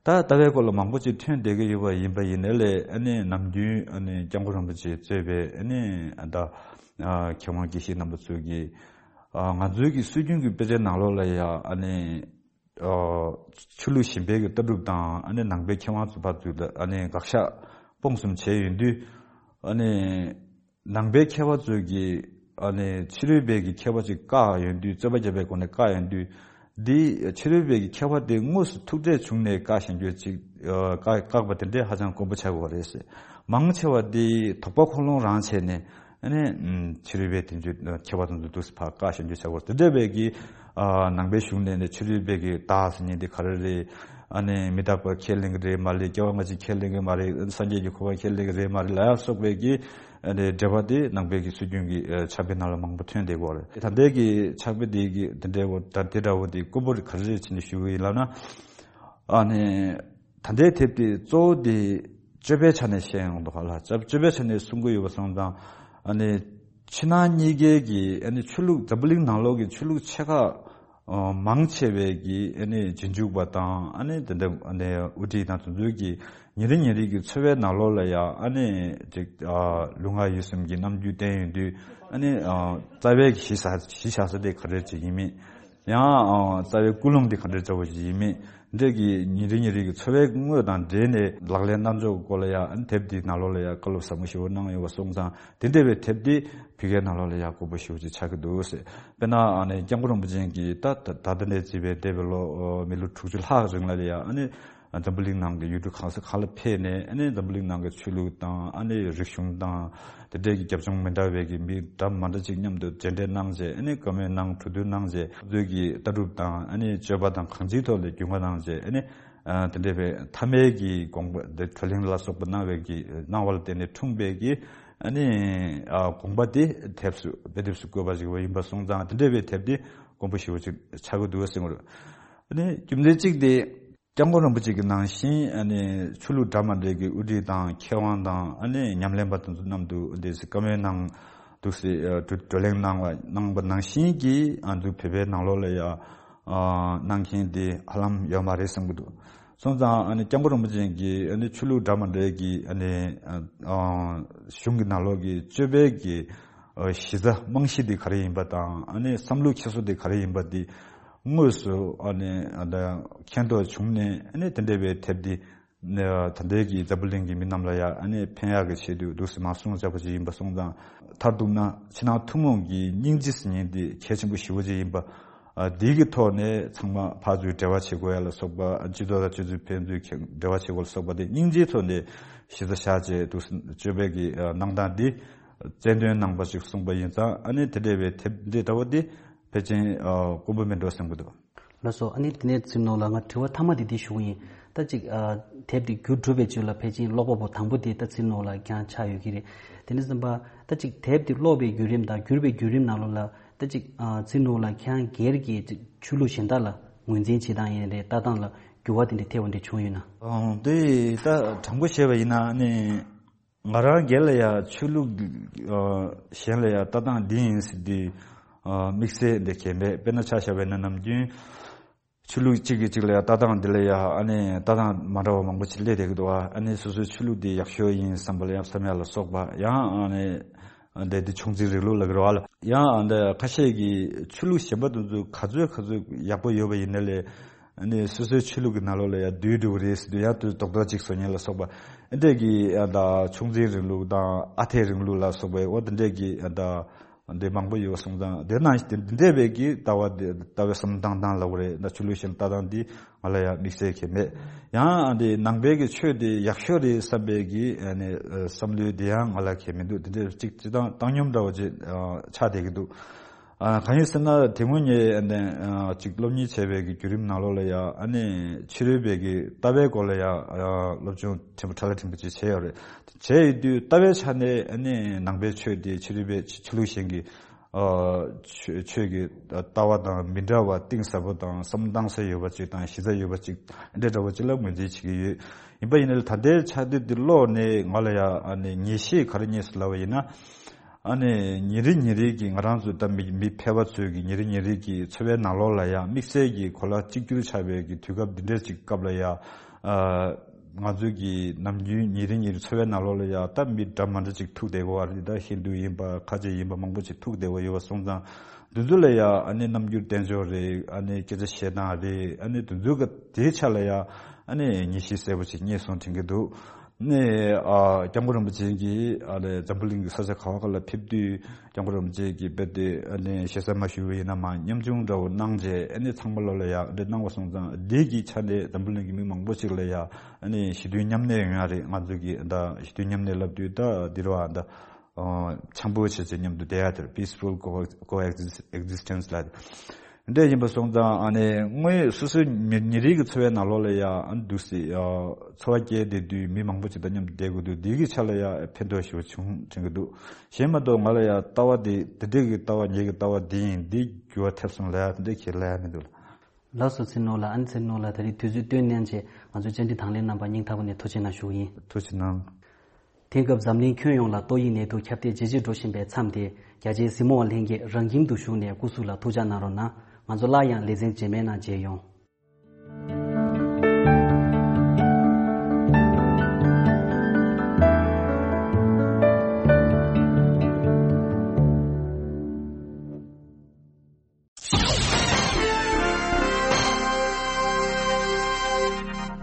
ད་ལྟ་བའི་སྐོར་ལ་མང་པོ་ཅིག་ཐོན་བསྡད་ཀྱི་ཡོད་པ་ཡིན་པ་ཡིན་ནའི་ལས། ཨ་ནི་ནམ་རྒྱུན་ཨ་ནི་སྐྱབས་མགོན་རིན་པོ་ཆེ་གཙོས་པའི་ཨ་ནི་ད་ཨ་མཁས་དབང་དགེ་བཤེས་རྣམ་པ་ཚོས་ཀྱིས་ཨ་ང་ཚོའི་གི་སྲོལ་རྒྱུན་གྱི་དཔེ་ཆའི་ནང་ལོགས་ལ་ཡ་ཨ་ནི་ཨ་ཆོས་ལུགས་གཞན་པའི་གི་ལྟ་གྲུབ་དང་། ཨ་ནི་ནང་པའི་མཁས་དབང་ཚོ་ཕར་ཚུར་ལ་ཨ་ནི་དགག་བཞག་སྤོང་གསུམ་བྱས་ཡོང་དུས། ཨ་ནི་ནང་པའི་མཁས་པ་ཚོས་ཀྱིས་ཨ་ནི་ཕྱི་རོལ་པའི་གི་མཁས་པ་ཅིག་བཀག་ཡོང་དུས། རྩོད་པ་བརྒྱབ་པའི་སྒོ་ནས་བཀག་ཡོང་དུས། འདི་ཕྱི་རོལ་པའི་གི་མཁས་པ་དེ་དངོས་སུ་ཐུག་འཕྲད་བྱུང་ནས་བཀག་བཞག་རྒྱུ་ཅིག་ཨ་བཀག་བཀག་པ་དེ་འདྲས་ཧ་ཅང་དཀོན་པོ་ཆགས་ཀྱི་ཡོད་རེད་ཟེར། མང་ཆེ་བ་དེ་དོགས་པ་ཁོ་ལོང་རང་བྱས་ནས་ཨ་ནི་ཕྱི་རོལ་པའི་དེ་ཚོའི་མཁས་པ་དེ་ཚོ་འདུག་སེ་ཕར་བཀག་བཞག་རྒྱུ་ཆགས་ཀྱི་ཡོད་རེད། དེ་འདྲ་བའི་གི་ཨ་ནང་པའི་གཞུང་ནས་ནས་ཕྱི་རོལ་པའི་གི་བདག་ཟེར་མཁན་དེ་ག་རེ་རེད། ཨ་ནི་མི་རྟག་པ་ཁས་ལེན་གྱི་རེད་མ་རེད། སྐྱེ་བ་སྔ་ཕྱི་ཁས་ལེན་གྱི་མ་རེད། སངས་རྒྱས་ཀྱི་གོ་འཕང་ཁས་ལེན་གྱི་རེད་མ་རེད་ལ་ཡ་སོགས་པའི་གི་ཨ་ནི་འགྲེལ་པ་དེ་ནང་པའི་གི་སྲོལ་རྒྱུན་གྱི་ཨ་ཕྱག་དཔེ་ནང་ལ་མང་པོ་ཐོན་བསྡད་ཀྱི་ཡོད་རེད། ད་ལྟའི་གི་ཕྱག་དཔེ་དེ་གི་དེ་འདྲའི་འོ་ད་དེ་འདྲ་བོ་དེ་དཀོན་པོ་ག་རེ་རེད་བྱས་ནས་ཞུ་གི་ཡིན་ལབ་ན། ཨ་ནི་ད་ལྟའི་དེབ་དེ་གཙོ་བོ་དེ་སྤྱོད་པའི་ཆ་ནས་བཤད་ཡོང་དུས་ཧ་ལ་སྤྱོད་པའི་ཆ་ནས་གསུང་གི་ཡོད་པ་སོང་ཙང་། ཨ་ནི་ཕྱི་ནང་གཉིས་ཀའི་གི་ཨ་ནི་ཆོས་ལུགས་འཛམ་བུ་གླིང་ནང་ལོགས་ཀྱི་ཆོས་ལུགས་ཆེ་ཁག་ཨ་མང་ཆེ་བའི་གི་ཨ་ནི་རྗེས་འཇུག་པ་དང་། ཨ་ནི་དེ་འདྲ་ཨ་ནི་དབུ་ཁྲིད་དང་དེ་ཚོའི་གི་ཉིན་རེ་ཉིན་རེ་གི་འཚོ་བའི་ནང་ལོགས་ལ་ཡང་ཨ་ནི་ཅིག་ཨ་ལུས་ངག་ཡིད་གསུམ་གྱི་རྣམ་འགྱུར་བསྟན་ཡོང་དུས། ཨ་ནི་ཨ་རྩ་བའི་གཞི་བཞག་གཞི་བཞག་ས་དེ་ག་རེ་ཅིག་ཡིན་མིན། ཡང་ཨ་རྩ་བའི་ཀུན་སློང་དེ་ག་འདྲ་འདྲ་བོ་ཞིག་ཡིན་མིན། འདྲ་གི་ཉིན་རེ་ཉིན་རེ་གི་འཚོ་བའི་དངོས་དང་འབྲེལ་ནས་ལག་ལེན་གནང་ཕྱོགས་སྐོར་ལ་ཡང་དེབ་འདིའི་ནང་ལོགས་ལ་ཡང་བཀའ་སློབ་ཟབ་མོ་ཞེ་པོ་གནང་ཡོད་པ་སོང་ཙང་། དེ་འདྲ་བའི་དེབ་འདི་བོད་སྐད་ནང་ལོགས་ལ་ཡང་དགོས་པ་ཞེ་པོ་ཅིག་ཆགས་ཀྱི་འདུག་ཟེར། དཔེར་ན་ཨ་ནི་སྐྱབས་མགོན་རིན་པོ་ཆེ་གིས་ད་ད་ད་ལྟ་ནས་བརྩིས་པའི་འདས་པའི་ལོ་མི་ལོ་དྲུག་ཅུ་ལྷག་རིང་ལ་ཡང་ཨ་ནི་འཛམ་བུ་གླིང་ནང་གི་ཡུལ་གྲུ་གང་ས་གང་ལ་ཕེབས་ནས། ཨ་ནི་འཛམ་བུ་གླིང་ནང་གི་ཆོས་ལུགས་དང་། ཨ་ནི་རིག་གཞུང་དང་། དེ་འདྲའི་གི་རྒྱབ་ལྗོངས་མི་འདྲ་བའི་གི་མི་འདྲ་མི་འདྲ་ཅིག་མཉམ་དུ་མཇལ་འཕྲད་གནང་བྱས། ཨ་ནི་བཀའ་མོལ་གནང་། གྲོས་བསྡུར་གནང་བྱས། ཁོང་ཚོའི་གི་ལྟ་གྲུབ་དང་། ཨ་ནི་སྤྱོད་པ་དང་གང་ཅིའི་ཐོག་ལ་རྒྱུས་མངའ་གནང་བྱས། ཨ་ནི་ཨ་དེ་འདྲའི་བའི་ཐ་མའི་གི་དགོངས་པ་དེ་གྲོས་གླེང་ལ་སོགས་པ་གནང་བའི་གི་གནང་བ་ལ་བརྟེན་ནས་འཁྲུངས་པའི་གི་ཨ་ནི་ཨ་དགོངས་པ་དེ་དེབ་སུ་དཔེ་དེབ་སུ་བཀོད་པ་ཞིག་ཡིན་པ་སོང་ཙང་། དེ་འདྲའི་བའི་དེབ་དེ་དཀོན་པོ་ཞེ་པོ་ཅིག་ཆགས་ཀྱི་འདུག་ཟེར་གྱི་རེད། ཨ་ནི་རྒྱུ་མཚན་གཅིག་དེ། སྐྱབས་མགོན་རིན་པོ་ཆེ་གི་ནང་བཞིན་ཨ་ནི་ཆོས་ལུགས་འདྲ་མི་འདྲ་གི་དབུ་ཁྲིད་དང་མཁས་དབང་དང་། ཨ་ནི་ཉམས་ལེན་པ་དེ་ཚོ་མཉམ་དུ་འདི་སེ་བཀའ་མོལ་གནང་འདུག་སེ། ཨ་བགྲོ་བགྲོ་གླེང་གནང་བ་གནང་བ་ནང་བཞིན་གྱི་ཨ་ཚོ་བོད་པའི་ནང་ལོགས་ལ་ཡ་ཨ་གནང་མཁན་དེ་ཧ་ལམ་ཡོད་མ་རེད་བསམ་གྱི་འདུག་སོང་ཙང་ཨ་ནི་སྐྱབས་མགོན་རིན་པོ་ཆེ་གིས་ཨ་ནི་ཆོས་ལུགས་འདྲ་མི་འདྲ་གི་ཨ་ནི་ཨ་ཨ་གཞུང་གི་ནང་ལོགས་ཀྱི་སྤྱོད་པའི་གི་ཨ་གཞི་རྩ་རྨང་གཞི་དེ་ག་རེ་ཡིན་པ་དང་། ཨ་ནི་བསམ་བློ་འཁྱེར་སོ་དེ་ག་རེ་ཡིན་པ་དེ། དངོས་སུ་ཨ་ནི་ཨ་ད་མཁྱེན་རྟོགས་བྱུང་ནས། ཨ་ནི་དེ་འདྲ་བའི་དེབ་འདི་ནི་ད་ལྟའི་གི་འཛམ་བུ་གླིང་གི་མི་རྣམས་ལ་ཡང་ཨ་ནི་ཕན་ཡག་གི་ཆེད་དུ་འདུག་སེ་མར་སྲུང་བྱས་པ་ཅིག་ཡིན་པ་སོང་ཙང་། མཐར་གཏུགས་ན་ཕྱི་ནང་ཐུན་མོང་གི་སྙིང་རྗེ་ཟེར་མཁན་འདི་གལ་ཆེན་པོ་ཞེ་པོ་ཅིག་ཡིན་པ། ཨ་འདི་གི་ཐོག་ནས་ཚང་མ་ཕར་ཚུར་འབྲེལ་བ་བྱེད་དགོས་ཡ་ལ་སོགས་པ། སྤྱི་ཚོགས་དང་སྤྱི་ཚོགས་ཕན་ཚུན་འབྲེལ་བ་བྱེད་དགོས་ལ་སོགས་པ་དེ་སྙིང་རྗེའི་ཐོག་ནས་གཞི་རྩ་བཞག་བྱས་འདུག་སེ་སྤྱོད་པའི་གི་ཨ་གནང་སྟངས་འདི་རྩལ་འདོན་གནང་བ་ཞིག་གསུངས་པ་ཡིན་ཙང་། ཨ་ནི་དེ་འདྲ་བའི་དེབ་འདི་འདྲ་བོ་འདི་ཕལ་ཆེར་ཨ་དཀོན་པོ་མིན་འགྲོ་བསམ་གྱི་འདུག་ལགས་སོ། ཨ་ནི་དེ་ནས་ཚེ་རིང་ནོར་བུ་ལགས། ང་དྲི་བ་མཐའ་མ་དེ་འདི་ཞུ་གི་ཡིན། ད་ཅིག་ཨ་དེབ་འདི་བསྒྱུར་གྲུབ་པའི་རྗེས་ལ་ཕལ་ཆེར་ཀློག་པ་པོ་དང་པོ་དེ་ད་ཚེ་རིང་ནོར་བུ་ལགས་རྐྱང་ཆགས་ཡོད་ཀྱི་རེད། དེ་ནས་བསམ་པ་ད་ཅིག་དེབ་འདི་ཀློག་པའི་བརྒྱུད་རིམ་དང་བསྒྱུར་བའི་བརྒྱུད་རིམ་ནང་ལོགས་ལ། ད་ཅིག་ཨ་ཚེ་རིང་ནོར་བུ་ལགས་ཁྱེད་རང་སྒེར་གྱི་ཅིག་ཆོས་ལུགས་གཞན་དག་ལ་ངོས་འཛིན་བྱེད་སྟངས་ཡིན་རེད། ལྟ་སྟངས་ལ་འགྱུར་བ་དེ་འདྲ་ཐེབས་པ་འདྲ་བྱུང་ཡོད་ན། ཨང་། དེ་ད་དྲང་པོ་བཤད་པ་ཡིན་ན་ནི། ང་རང་སྒེར་ལ་ཡང་ཆོས་ལུགས་ཨ་གཞན་ལ་ཡང་ལྟ་སྟངས་འདི་ཡིན་ཟེར་དུས་ཨ་དམིགས་བསལ་འདི་གལ་མེད། དཔེར་ན་ཆ་བཞག་པ་ཡིན་ན་ནམ་རྒྱུན་ཆོས་ལུགས་གཅིག་གིས་གཅིག་ལ་ཡང་ལྟ་སྟངས་འདི་ལ་ཡང་ཨ་ནི་ལྟ་སྟངས་མ་འདྲ་བ་མང་པོ་ཅིག་སླེབས་བསྡད་ཀྱི་འདུག་ཨ་ནི་སོ་སོའི་ཆོས་ལུགས་འདི་ཡག་ཤོས་ཡིན་བསམ་པ་ལ་ཡང་བསམ་ཡ་ལ་སོགས་པ། ཡང་ཨ་ནི་འདི་འདི་ཆུང་འཛིན་རིང་ལུགས་ལ་གི་རེད་བ་ལ། ཡང་ཨ་འདི་ཁ་ཤས་ཀྱིས་ཆོས་ལུགས་གཞན་པ་དེ་ཚོ་ག་ཚོད་ག་ཚོད་ཡག་པོ་ཡོད་པ་ཡིན་ན་ལས། ཨ་ནི་སོ་སོའི་ཆོས་ལུགས་ཀྱི་ནང་ལོགས་ལ་ཡང་བསྡུས་འགྲོ་གི་རེད་ཟེར་དུས། ཡང་དུ་རྡོག་རྡོག་ཅིག་བཟོ་མཁན་ལ་སོགས་པ། ཨ་འདྲས་ཀྱི་ཨ་ད་ཆུང་འཛིན་རིང་ལུགས་དང་ཨ་འཐས་རིང་ལུགས་ལ་སོགས་པའི་འོ་དེ་འདྲས་ཀྱི་ཨ་ད་ འདི་མང་པོ་ཡོད་སོང་ཙང་དེ་ནང་བཞིན་དེ་འདི་འདྲ་བའི་གི་ལྟ་བ་འདི་ལྟ་བའི་བསམ་བློ་བཏང་སྟངས་ལབ་དགོས་རེད། ད་ཆོས་ལུགས་གཞན་ལྟ་སྟངས་འདི་ང་ལ་ཡང་དམིགས་བསལ་གྱི་མེད། ཡང་འདི་ནང་པའི་གི་ཆོས་འདི་ཡག་ཤོས་རེད་བསམ་པའི་གི་ཨ་ནི་བསམ་བློ་འདི་ཡང་ང་ལ་གལ་མི་འདུག་དེ་འདྲ་གཅིག་སྤྱི་བཏང་བཏང་སྙོམས་འདྲ་བོ་ཅིག་ཆགས་བསྡད་ཀྱི་འདུག་ཨ་གང་ཡིན་ཟེར་ན་དེ་སྔོན་ངས་ཨ་ནི་ཨ་ཅིག་སློབ་གཉེར་བྱས་པའི་གི་བརྒྱུད་རིམ་ནང་ལོགས་ལ་ཡང་ཨ་ནི་ཕྱི་རོལ་པའི་གི་ལྟ་བའི་སྐོར་ལ་ཡང་ཨ་སློབ་སྦྱོང་ཕྲན་བུ་ཕྲ་ལ་ཕྲན་བུ་ཅིག་བྱས་ཡོད་རེད། བྱས་ཡོད་དུས་ལྟ་བའི་ཆ་ནས་ཨ་ནི་ནང་པའི་ཆོས་དེ་ཕྱི་རོལ་པའི་ཆོས་ཆོས་ལུགས་གཞན་གྱི་ཨ་ཆོས་ཆོས་ཀྱི་ལྟ་བ་དང་མི་འདྲ་བ་གཏིང་ཟབ་པོ་དང་བསམ་བློ་གཏང་ས་ཡོད་པ་ཅིག་དང་གཞི་རྩ་ཡོད་པ་ཅིག་འདྲ་འདྲ་བོ་ཅིག་ལ་ངོས་འཛིན་བྱེད་ཀྱི་ཡོད། ཡིན་པ་ཡིན་ན་ད་ལྟའི་ཆ་དེ་འདི་ཀློག་ནས་ང་ལ་ཡང་ཨ་ནི་ངེས་ཤེས་ག་རེ་རྙེད་སོང་ལབ་པ་ཡིན་ན། ཨ་ནི་ཉིན་རེ་ཉིན་རེ་གི་ང་རང་ཚོ་ད་མི་མི་ཕལ་པ་ཚོའི་གི་ཉིན་རེ་ཉིན་རེ་གི་འཚོ་བའི་ནང་ལོགས་ལ་ཡང་དམིགས་བསལ་གྱི་གོ་ལ་གཅིག་གྱུར་ཆགས་པའི་གི་དུས་སྐབས་འདི་འདྲའི་ཅིག་སྐབས་ལ་ཡང་ཨ་ང་ཚོའི་གི་ནམ་རྒྱུན་ཉིན་རེ་ཉིན་རེ་འཚོ་བའི་ནང་ལོགས་ལ་ཡང་ད་མི་འདྲ་མ་འདྲ་ཅིག་ཐུག་བསྡད་ཀྱི་ཡོད་རེད། ད་ཧིན་རྡུ་ཡིན་པ་ཁ་ཆེ་ཡིན་པ་མང་པོ་ཅིག་ཐུག་བསྡད་ཀྱི་ཡོད་པ་སོང་ཙང་། འདི་ཚོ་ལ་ཡང་ཨ་ནི་རྣམ་འགྱུར་བསྟན་ཕྱོགས་རེད། ཨ་ནི་སྐད་ཆ་བཤད་སྟངས་རེད། ཨ་ནི་འདི་ཚོ་གི་དེའི་ཆ་ལ་ཡང་ཨ་ནི་ངེས་ཤེས་གསལ་པོ་ཅིག་རྙེད་སོང་དྲན་གྱི་འདུག་ནས་ཨ་སྐྱབས་མགོན་རིན་པོ་ཆེ་གིས་ཨ་ནི་འཛམ་བུ་གླིང་གི་ས་ཆ་ག་བ་ག་ལ་ཕེབས་དུས་སྐྱབས་མགོན་རིན་པོ་ཆེ་གིས་རྦད་དེ་ཨ་ནི་ཞེ་ས་མ་ཞུས་པ་ཡིན་ན་མ་ཉམ་ཆུང་འདྲ་བོ་གནང་རྗེས་ཨ་ནི་ཚང་མ་ལོ་ལ་ཡག་འདྲ་གནང་བ་སོང་ཙང་འདི་གི་ཆ་ནས་འཛམ་བུ་གླིང་གི་མི་མང་པོ་ཅིག་ལ་ཡག་ཨ་ནི་ཞི་མཐུན་མཉམ་གནས་ཡོང་ཡག་རེད། ང་ཚོ་གི་ད་ཞི་མཐུན་མཉམ་གནས་ལབ་དུས་ད་འདི་རུ་ཨ་ད་འཆམ་པོ་བྱས་བྱས་མཉམ་དུ་བསྡད་ཡག་དེར་peaceful co- coexist- existence ལ། འདྲ་ཡིན་པ་སོང་ཙང་ཨ་ནི་དངོས་སོ་སོའི་མི་ཉིན་རེའི་གི་འཚོ་བའི་ནང་ལོགས་ལ་ཡང་ཨ་འདུག་སེ་འཚོ་བ་སྐྱེལ་བསྡད་དུས་མི་མང་པོ་ཅིག་དང་མཉམ་དུ་བསྡད་དགོས་འདུག་འདི་གི་ཆ་ལ་ཡང་ཕན་ཐོགས་ཞེ་པོ་བྱུང་དྲན་གྱི་འདུག་གཞན་མ་གཏོགས་ང་ལ་ཡང་ལྟ་བ་འདི་འདི་འདྲའི་གི་ལྟ་བ་ངེད་ཀྱི་ལྟ་བ་འདི་ཡིན་འདི་འགྱུར་བ་ཐེབས་སོང་ལབ་ཡག་དེ་འདྲ་ཁས་ལེན་ཡག་མི་འདུག་ལགས་སོ། ཚེ་རིང་ལགས། ཨ་ནི་ཚེ་རིང་ལགས་ད་རེས་དུས་ཚོད་བཏོན་གནང་བྱས་ང་ཚོའི་བཅར་འདྲི་དང་ལེན་གནང་བར་སྙིང་ཐག་པ་ནས་ཐུགས་རྗེ་གནང་ཞུ་གི་ཡིན། ཐུགས་རྗེ་གནང་། དེང་སྐབས་འཛམ་གླིང་ཁྱོན་ཡོངས་ལ་ཏོག་དབྱིབས་ནད་དུག་ཁྱབ་གདལ་ཇེ་ཆེར་འགྲོ་བཞིན་པའི་མཚམས་དེ། རྒྱ་ཆེའི་གཟིགས་མོ་བ་ལྷན་རྒྱས་རང་ཁྱིམ་དུ་བཞུགས་ནས་སྐུ་གཟུགས་ལ་ཐུགས་ཅག་གནང་རོགས་གནང་། ང་ཚོ་སླར་ཡང་ལེ་ཚན་རྗེས་མའི་ནང་མཇལ་ཡོང་།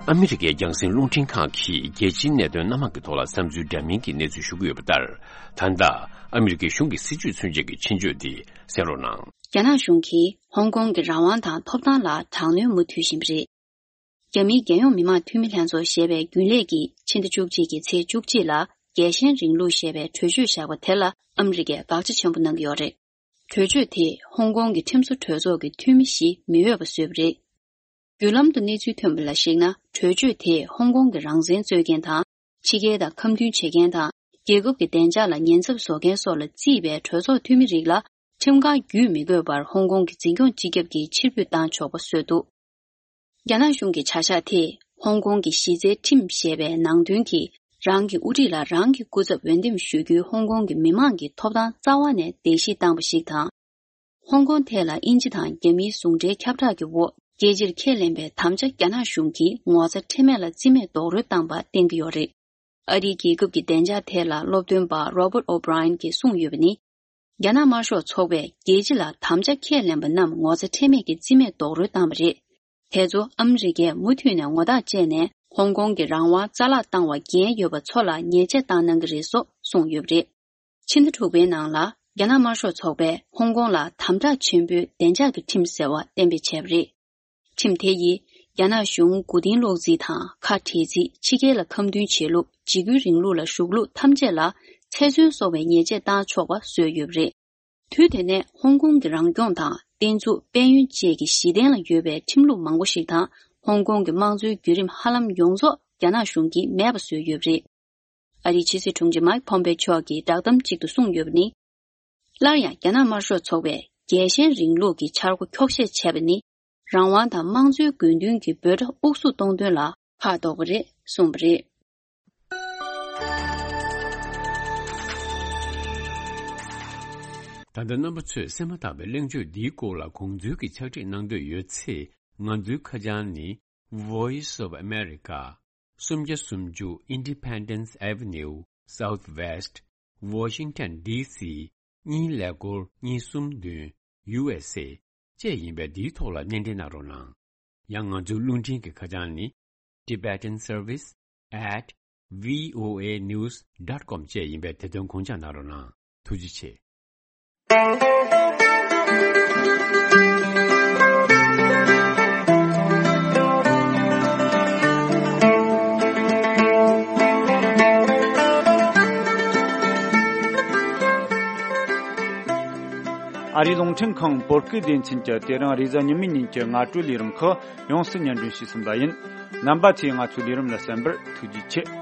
ཨ་མི་རི་ཀའི་རྒྱང་སྲིང་རླུང་འཕྲིན་ཁང་གིས་རྒྱལ་སྤྱིའི་གནད་དོན་སྣ་མང་གི་ཐོག་ལ་བསམ་ཚུལ་འདྲ་མིན་གྱི་གནས་ཚུལ་ཞུ་གི་ཡོད་པ་ལྟར། ད་ལྟ་ཨ་མི་རི་ཀའི་གཞུང་གི་སྲིད་བྱུས་མཚོན་ཆེད་ཀྱི་ཆེད་བརྗོད་འདི་གསན་རོགས་གནང་། རྒྱ་ནག་གཞུང་གིས་ཧོང་ཀོང་གི་རང་དབང་དང་ཐོབ་ཐང་ལ་དྲག་གནོན་མུ་མཐུད་བཞིན་པ་རེད། རྒྱ་མིའི་རྒྱལ་ཡོངས་མི་དམངས་འཐུས་མི་ལྷན་ཚོགས་ཞེས་པའི་རྒྱུན་ལས་ཀྱིས་ཕྱི་ཟླ་བཅུ་གཅིག་གི་ཚེས་བཅུ་གཅིག་ལ་རྒྱལ་ཞེན་རིང་ལུགས་ཞེས་པའི་གྲོས་ཆོད་བཞག་པ་དེ་ལ་ཨ་མི་རི་ཀས་དགག་བྱ་ཆེན་པོ་གནང་གི་ཡོད་རེད། གྲོས་ཆོད་དེས་ཧོང་ཀོང་གི་ཁྲིམས་བཟོ་གྲོས་ཚོགས་ཀྱི་འཐུས་མི་བཞི་མི་འོས་པ་བཟོས་པ་རེད། བརྒྱུད་ལམ་དུ་གནས་ཚུལ་ཐོན་པ་ལ་གཞིགས་ན། གྲོས་ཆོད་དེས་ཧོང་ཀོང་གི་རང་བཙན་རྩོད་མཁན་དང་། ཕྱི་རྒྱལ་དང་ཁམས་མཐུན་བྱེད་མཁན་དང་། རྒྱལ་ཁབ་ཀྱི་བདེ་འཇགས་ལ་ཉེན་ཚབས་བཟོ་མཁན་སོགས་ལ་བརྩིས་པའི་གྲོས་ཚོགས་འཐུས་མི་རིགས་ལ་ཁྲིམས་ཁང་བརྒྱུད་མི་དགོས་པར་ཧོང་ཀོང་གི་འཛིན་སྐྱོང་སྤྱི་ཁྱབ་ཀྱིས་ཕྱིར་འབུད་བཏང་ཆོག་པ་བཟོས་འདུག་རྒྱ་ནག་གཞུང་གི་བྱ་གཞག་དེས་ཧོང་ཀོང་གི་གཞི་རྩའི་ཁྲིམས་ཞེས་པའི་ནང་དོན་གྱིས་རང་གི་དབུ་ཁྲིད་ལ་རང་གི་སྐུ་ཚབ་འོས་འདེམས་ཞུ་རྒྱུའི་ཧོང་ཀོང་གི་མི་མང་གི་ཐོབ་ཐང་རྩ་བ་ནས་བརྡལ་བཤིག་བཏང་བ་ཞིག་དང་། ཧོང་ཀོང་ཐད་ལ་དབྱིན་ཇི་དང་རྒྱ་མིའི་ཟུང་འབྲེལ་ཁྱབ་བསྒྲགས་ཀྱི་འོག་རྒྱལ་སྤྱིར་ཁས་ལེན་པའི་དམ་བཅའ་རྒྱ་ནག་གཞུང་གིས་ངོ་ཚ་ཁྲེལ་མེད་ལ་རྩིས་མེད་རྡོག་རོལ་བཏང་པ་བསྟན་གྱི་ཡོད་རེད། ཨ་རིའི་རྒྱལ་ཁབ་ཀྱི་བདེ་འཇགས་ཐད་ལ་སློབ་སྟོན་པ་Robert O'Brien གྱིས་གསུངས་ཡོད་པ་ནི། རྒྱ་ནག་དམར་ཤོག་ཚོགས་པས་རྒྱལ་སྤྱི་ལ་དམ་བཅའ་ཁས་ལེན་པ་རྣམས་ངོ་ཚ་ཁྲེལ་མེད་ཀྱིས་རྩིས་མེད་རྡོག་རོལ་བཏང་བ་རེད། དེ་ཚོ་ཨ་མི་རི་ཀས་མུ་མཐུད་ནས་ངོ་རྟགས་བཅད་ནས་ཧོང་ཀོང་གི་རང་དབང་རྩ་བརླག་བཏང་བ་འགན་ཡོད་པ་ཚོ་ལ་ཉེས་ཆད་བཏང་གནང་གི་རེད་སོགས་གསུངས་ཡོད་པ་རེད། ཕྱི་ཟླ་དྲུག་པའི་ནང་ལ་རྒྱ་ནག་དམར་ཤོག་ཚོགས་པས་ཧོང་ཀོང་ལ་དམ་དྲག་ཆེན་པོའི་བདེ་འཇགས་ཀྱི་ཁྲིམས་ཟེར་བ་གཏན་འབེབས་བྱས་པ་རེད། ཁྲིམས་དེ་ཡིས་རྒྱ་ནག་གཞུང་མགོ་རྟིང་སློག་རྩིས་དང་ཁ་བྲལ་རྩིས། ཕྱི་རྒྱལ་ལ་ཁ་མཐུན་བྱེད་ལུགས། འཇིགས་སྐུལ་རིང་ལུགས་ལ་ཞུགས་ལུགས་ཐམས་ཅད་ལ་ཚེ་བཙོན་སོགས་པའི་ཉེས་ཆད་བཏང་ཆོག་པ་བཟོས་ཡོད་པ་རེད། དུས་དེ་ནས་ཧོང་ཀོང་གི་རང་སྐྱོང་དང་། བསྟན་འཛུགས། དཔལ་ཡོན་བཅས་ཀྱི་གཞི་རྟེན་ལ་ཡོད་པའི་ཁྲིམས་ལུགས་མང་པོ་ཞིག་དང་། ཧོང་ཀོང་གི་དམངས་གཙོའི་བརྒྱུད་རིམ་ཧ་ལམ་ཡོངས་རྫོགས་རྒྱ་ནག་གཞུང་གིས་མེད་པ་བཟོས་ཡོད་པ་རེད། ཨ་རིའི་ཕྱི་སྲིད་དྲུང་ཆེ་མཱིག་ཕོམ་པེ་མཆོག་གིས་བསྒྲགས་གཏམ་གཅིག་ཏུ་གསུངས་ཡོད་པ་ནི། སླར་ཡང་རྒྱ་ནག་དམར་ཤོག་ཚོགས་པས་རྒྱལ་ཞེན་རིང་ལུགས་ཀྱི་འཆར་སྒོ་འཁྱོག་བཤད་བྱས་པ་ནི། རང་དབང་དང་དམངས་གཙོའི་དགོས་འདུན་གྱི་འབོད་སྒྲ་དབུགས་སུ་གཏོང་དོན་ལ་ཕར་ལྡོག་པ་རེད་གསུངས་པ་རེད། ད་ལྟ་རྣམ་པ་ཚོས་གསན་མ་ཐག་པའི་གླེང་བརྗོད་འདིའི་སྐོར་ལ་དགོངས་ཚུལ་གྱི་ཕྱག་བྲིས་གནང་འདོད་ཡོད་ཚེ། ང་ཚོའི་ཁ་བྱང་ནི། Voice of America། སུམ་བརྒྱ་སུམ་ཅུ། Independence Avenue Southwest། Washington D C གཉིས་ཀླད་ཀོར་གཉིས་གསུམ་བདུན། U S A བཅས་ཡིན་པས། འདིའི་ཐོག་ལ་སྣེ་འདྲེན་གནང་རོགས་གནང་། ཡང་ང་ཚོའི་རླུང་འཕྲིན་གྱི་ཁ་བྱང་ནི། Tibetan Service at V O A News dot com བཅས་ཡིན་པས། དེ་དོན་དགོངས་འཇགས་གནང་རོགས་གནང་། ཐུགས་རྗེ་ཆེ། ཨ་རིའི་རླུང་འཕྲིན་ཁང་བོད་སྐད་སྡེ་ཚན་གྱི་དེ་རིང་རེས་གཟའ་ཉི་མའི་ཉིན་གྱི་སྔ་དྲོའི་ལས་རིམ་ཁག་ཡོངས་སུ་སྙན་སྒྲོན་ཞུས་ཟིན་པ་ཡིན། རྣམ་པ་ཚོས་ང་ཚོའི་ལས་རིམ་ལ་གསན་པར་ཐུགས་རྗེ་ཆེ།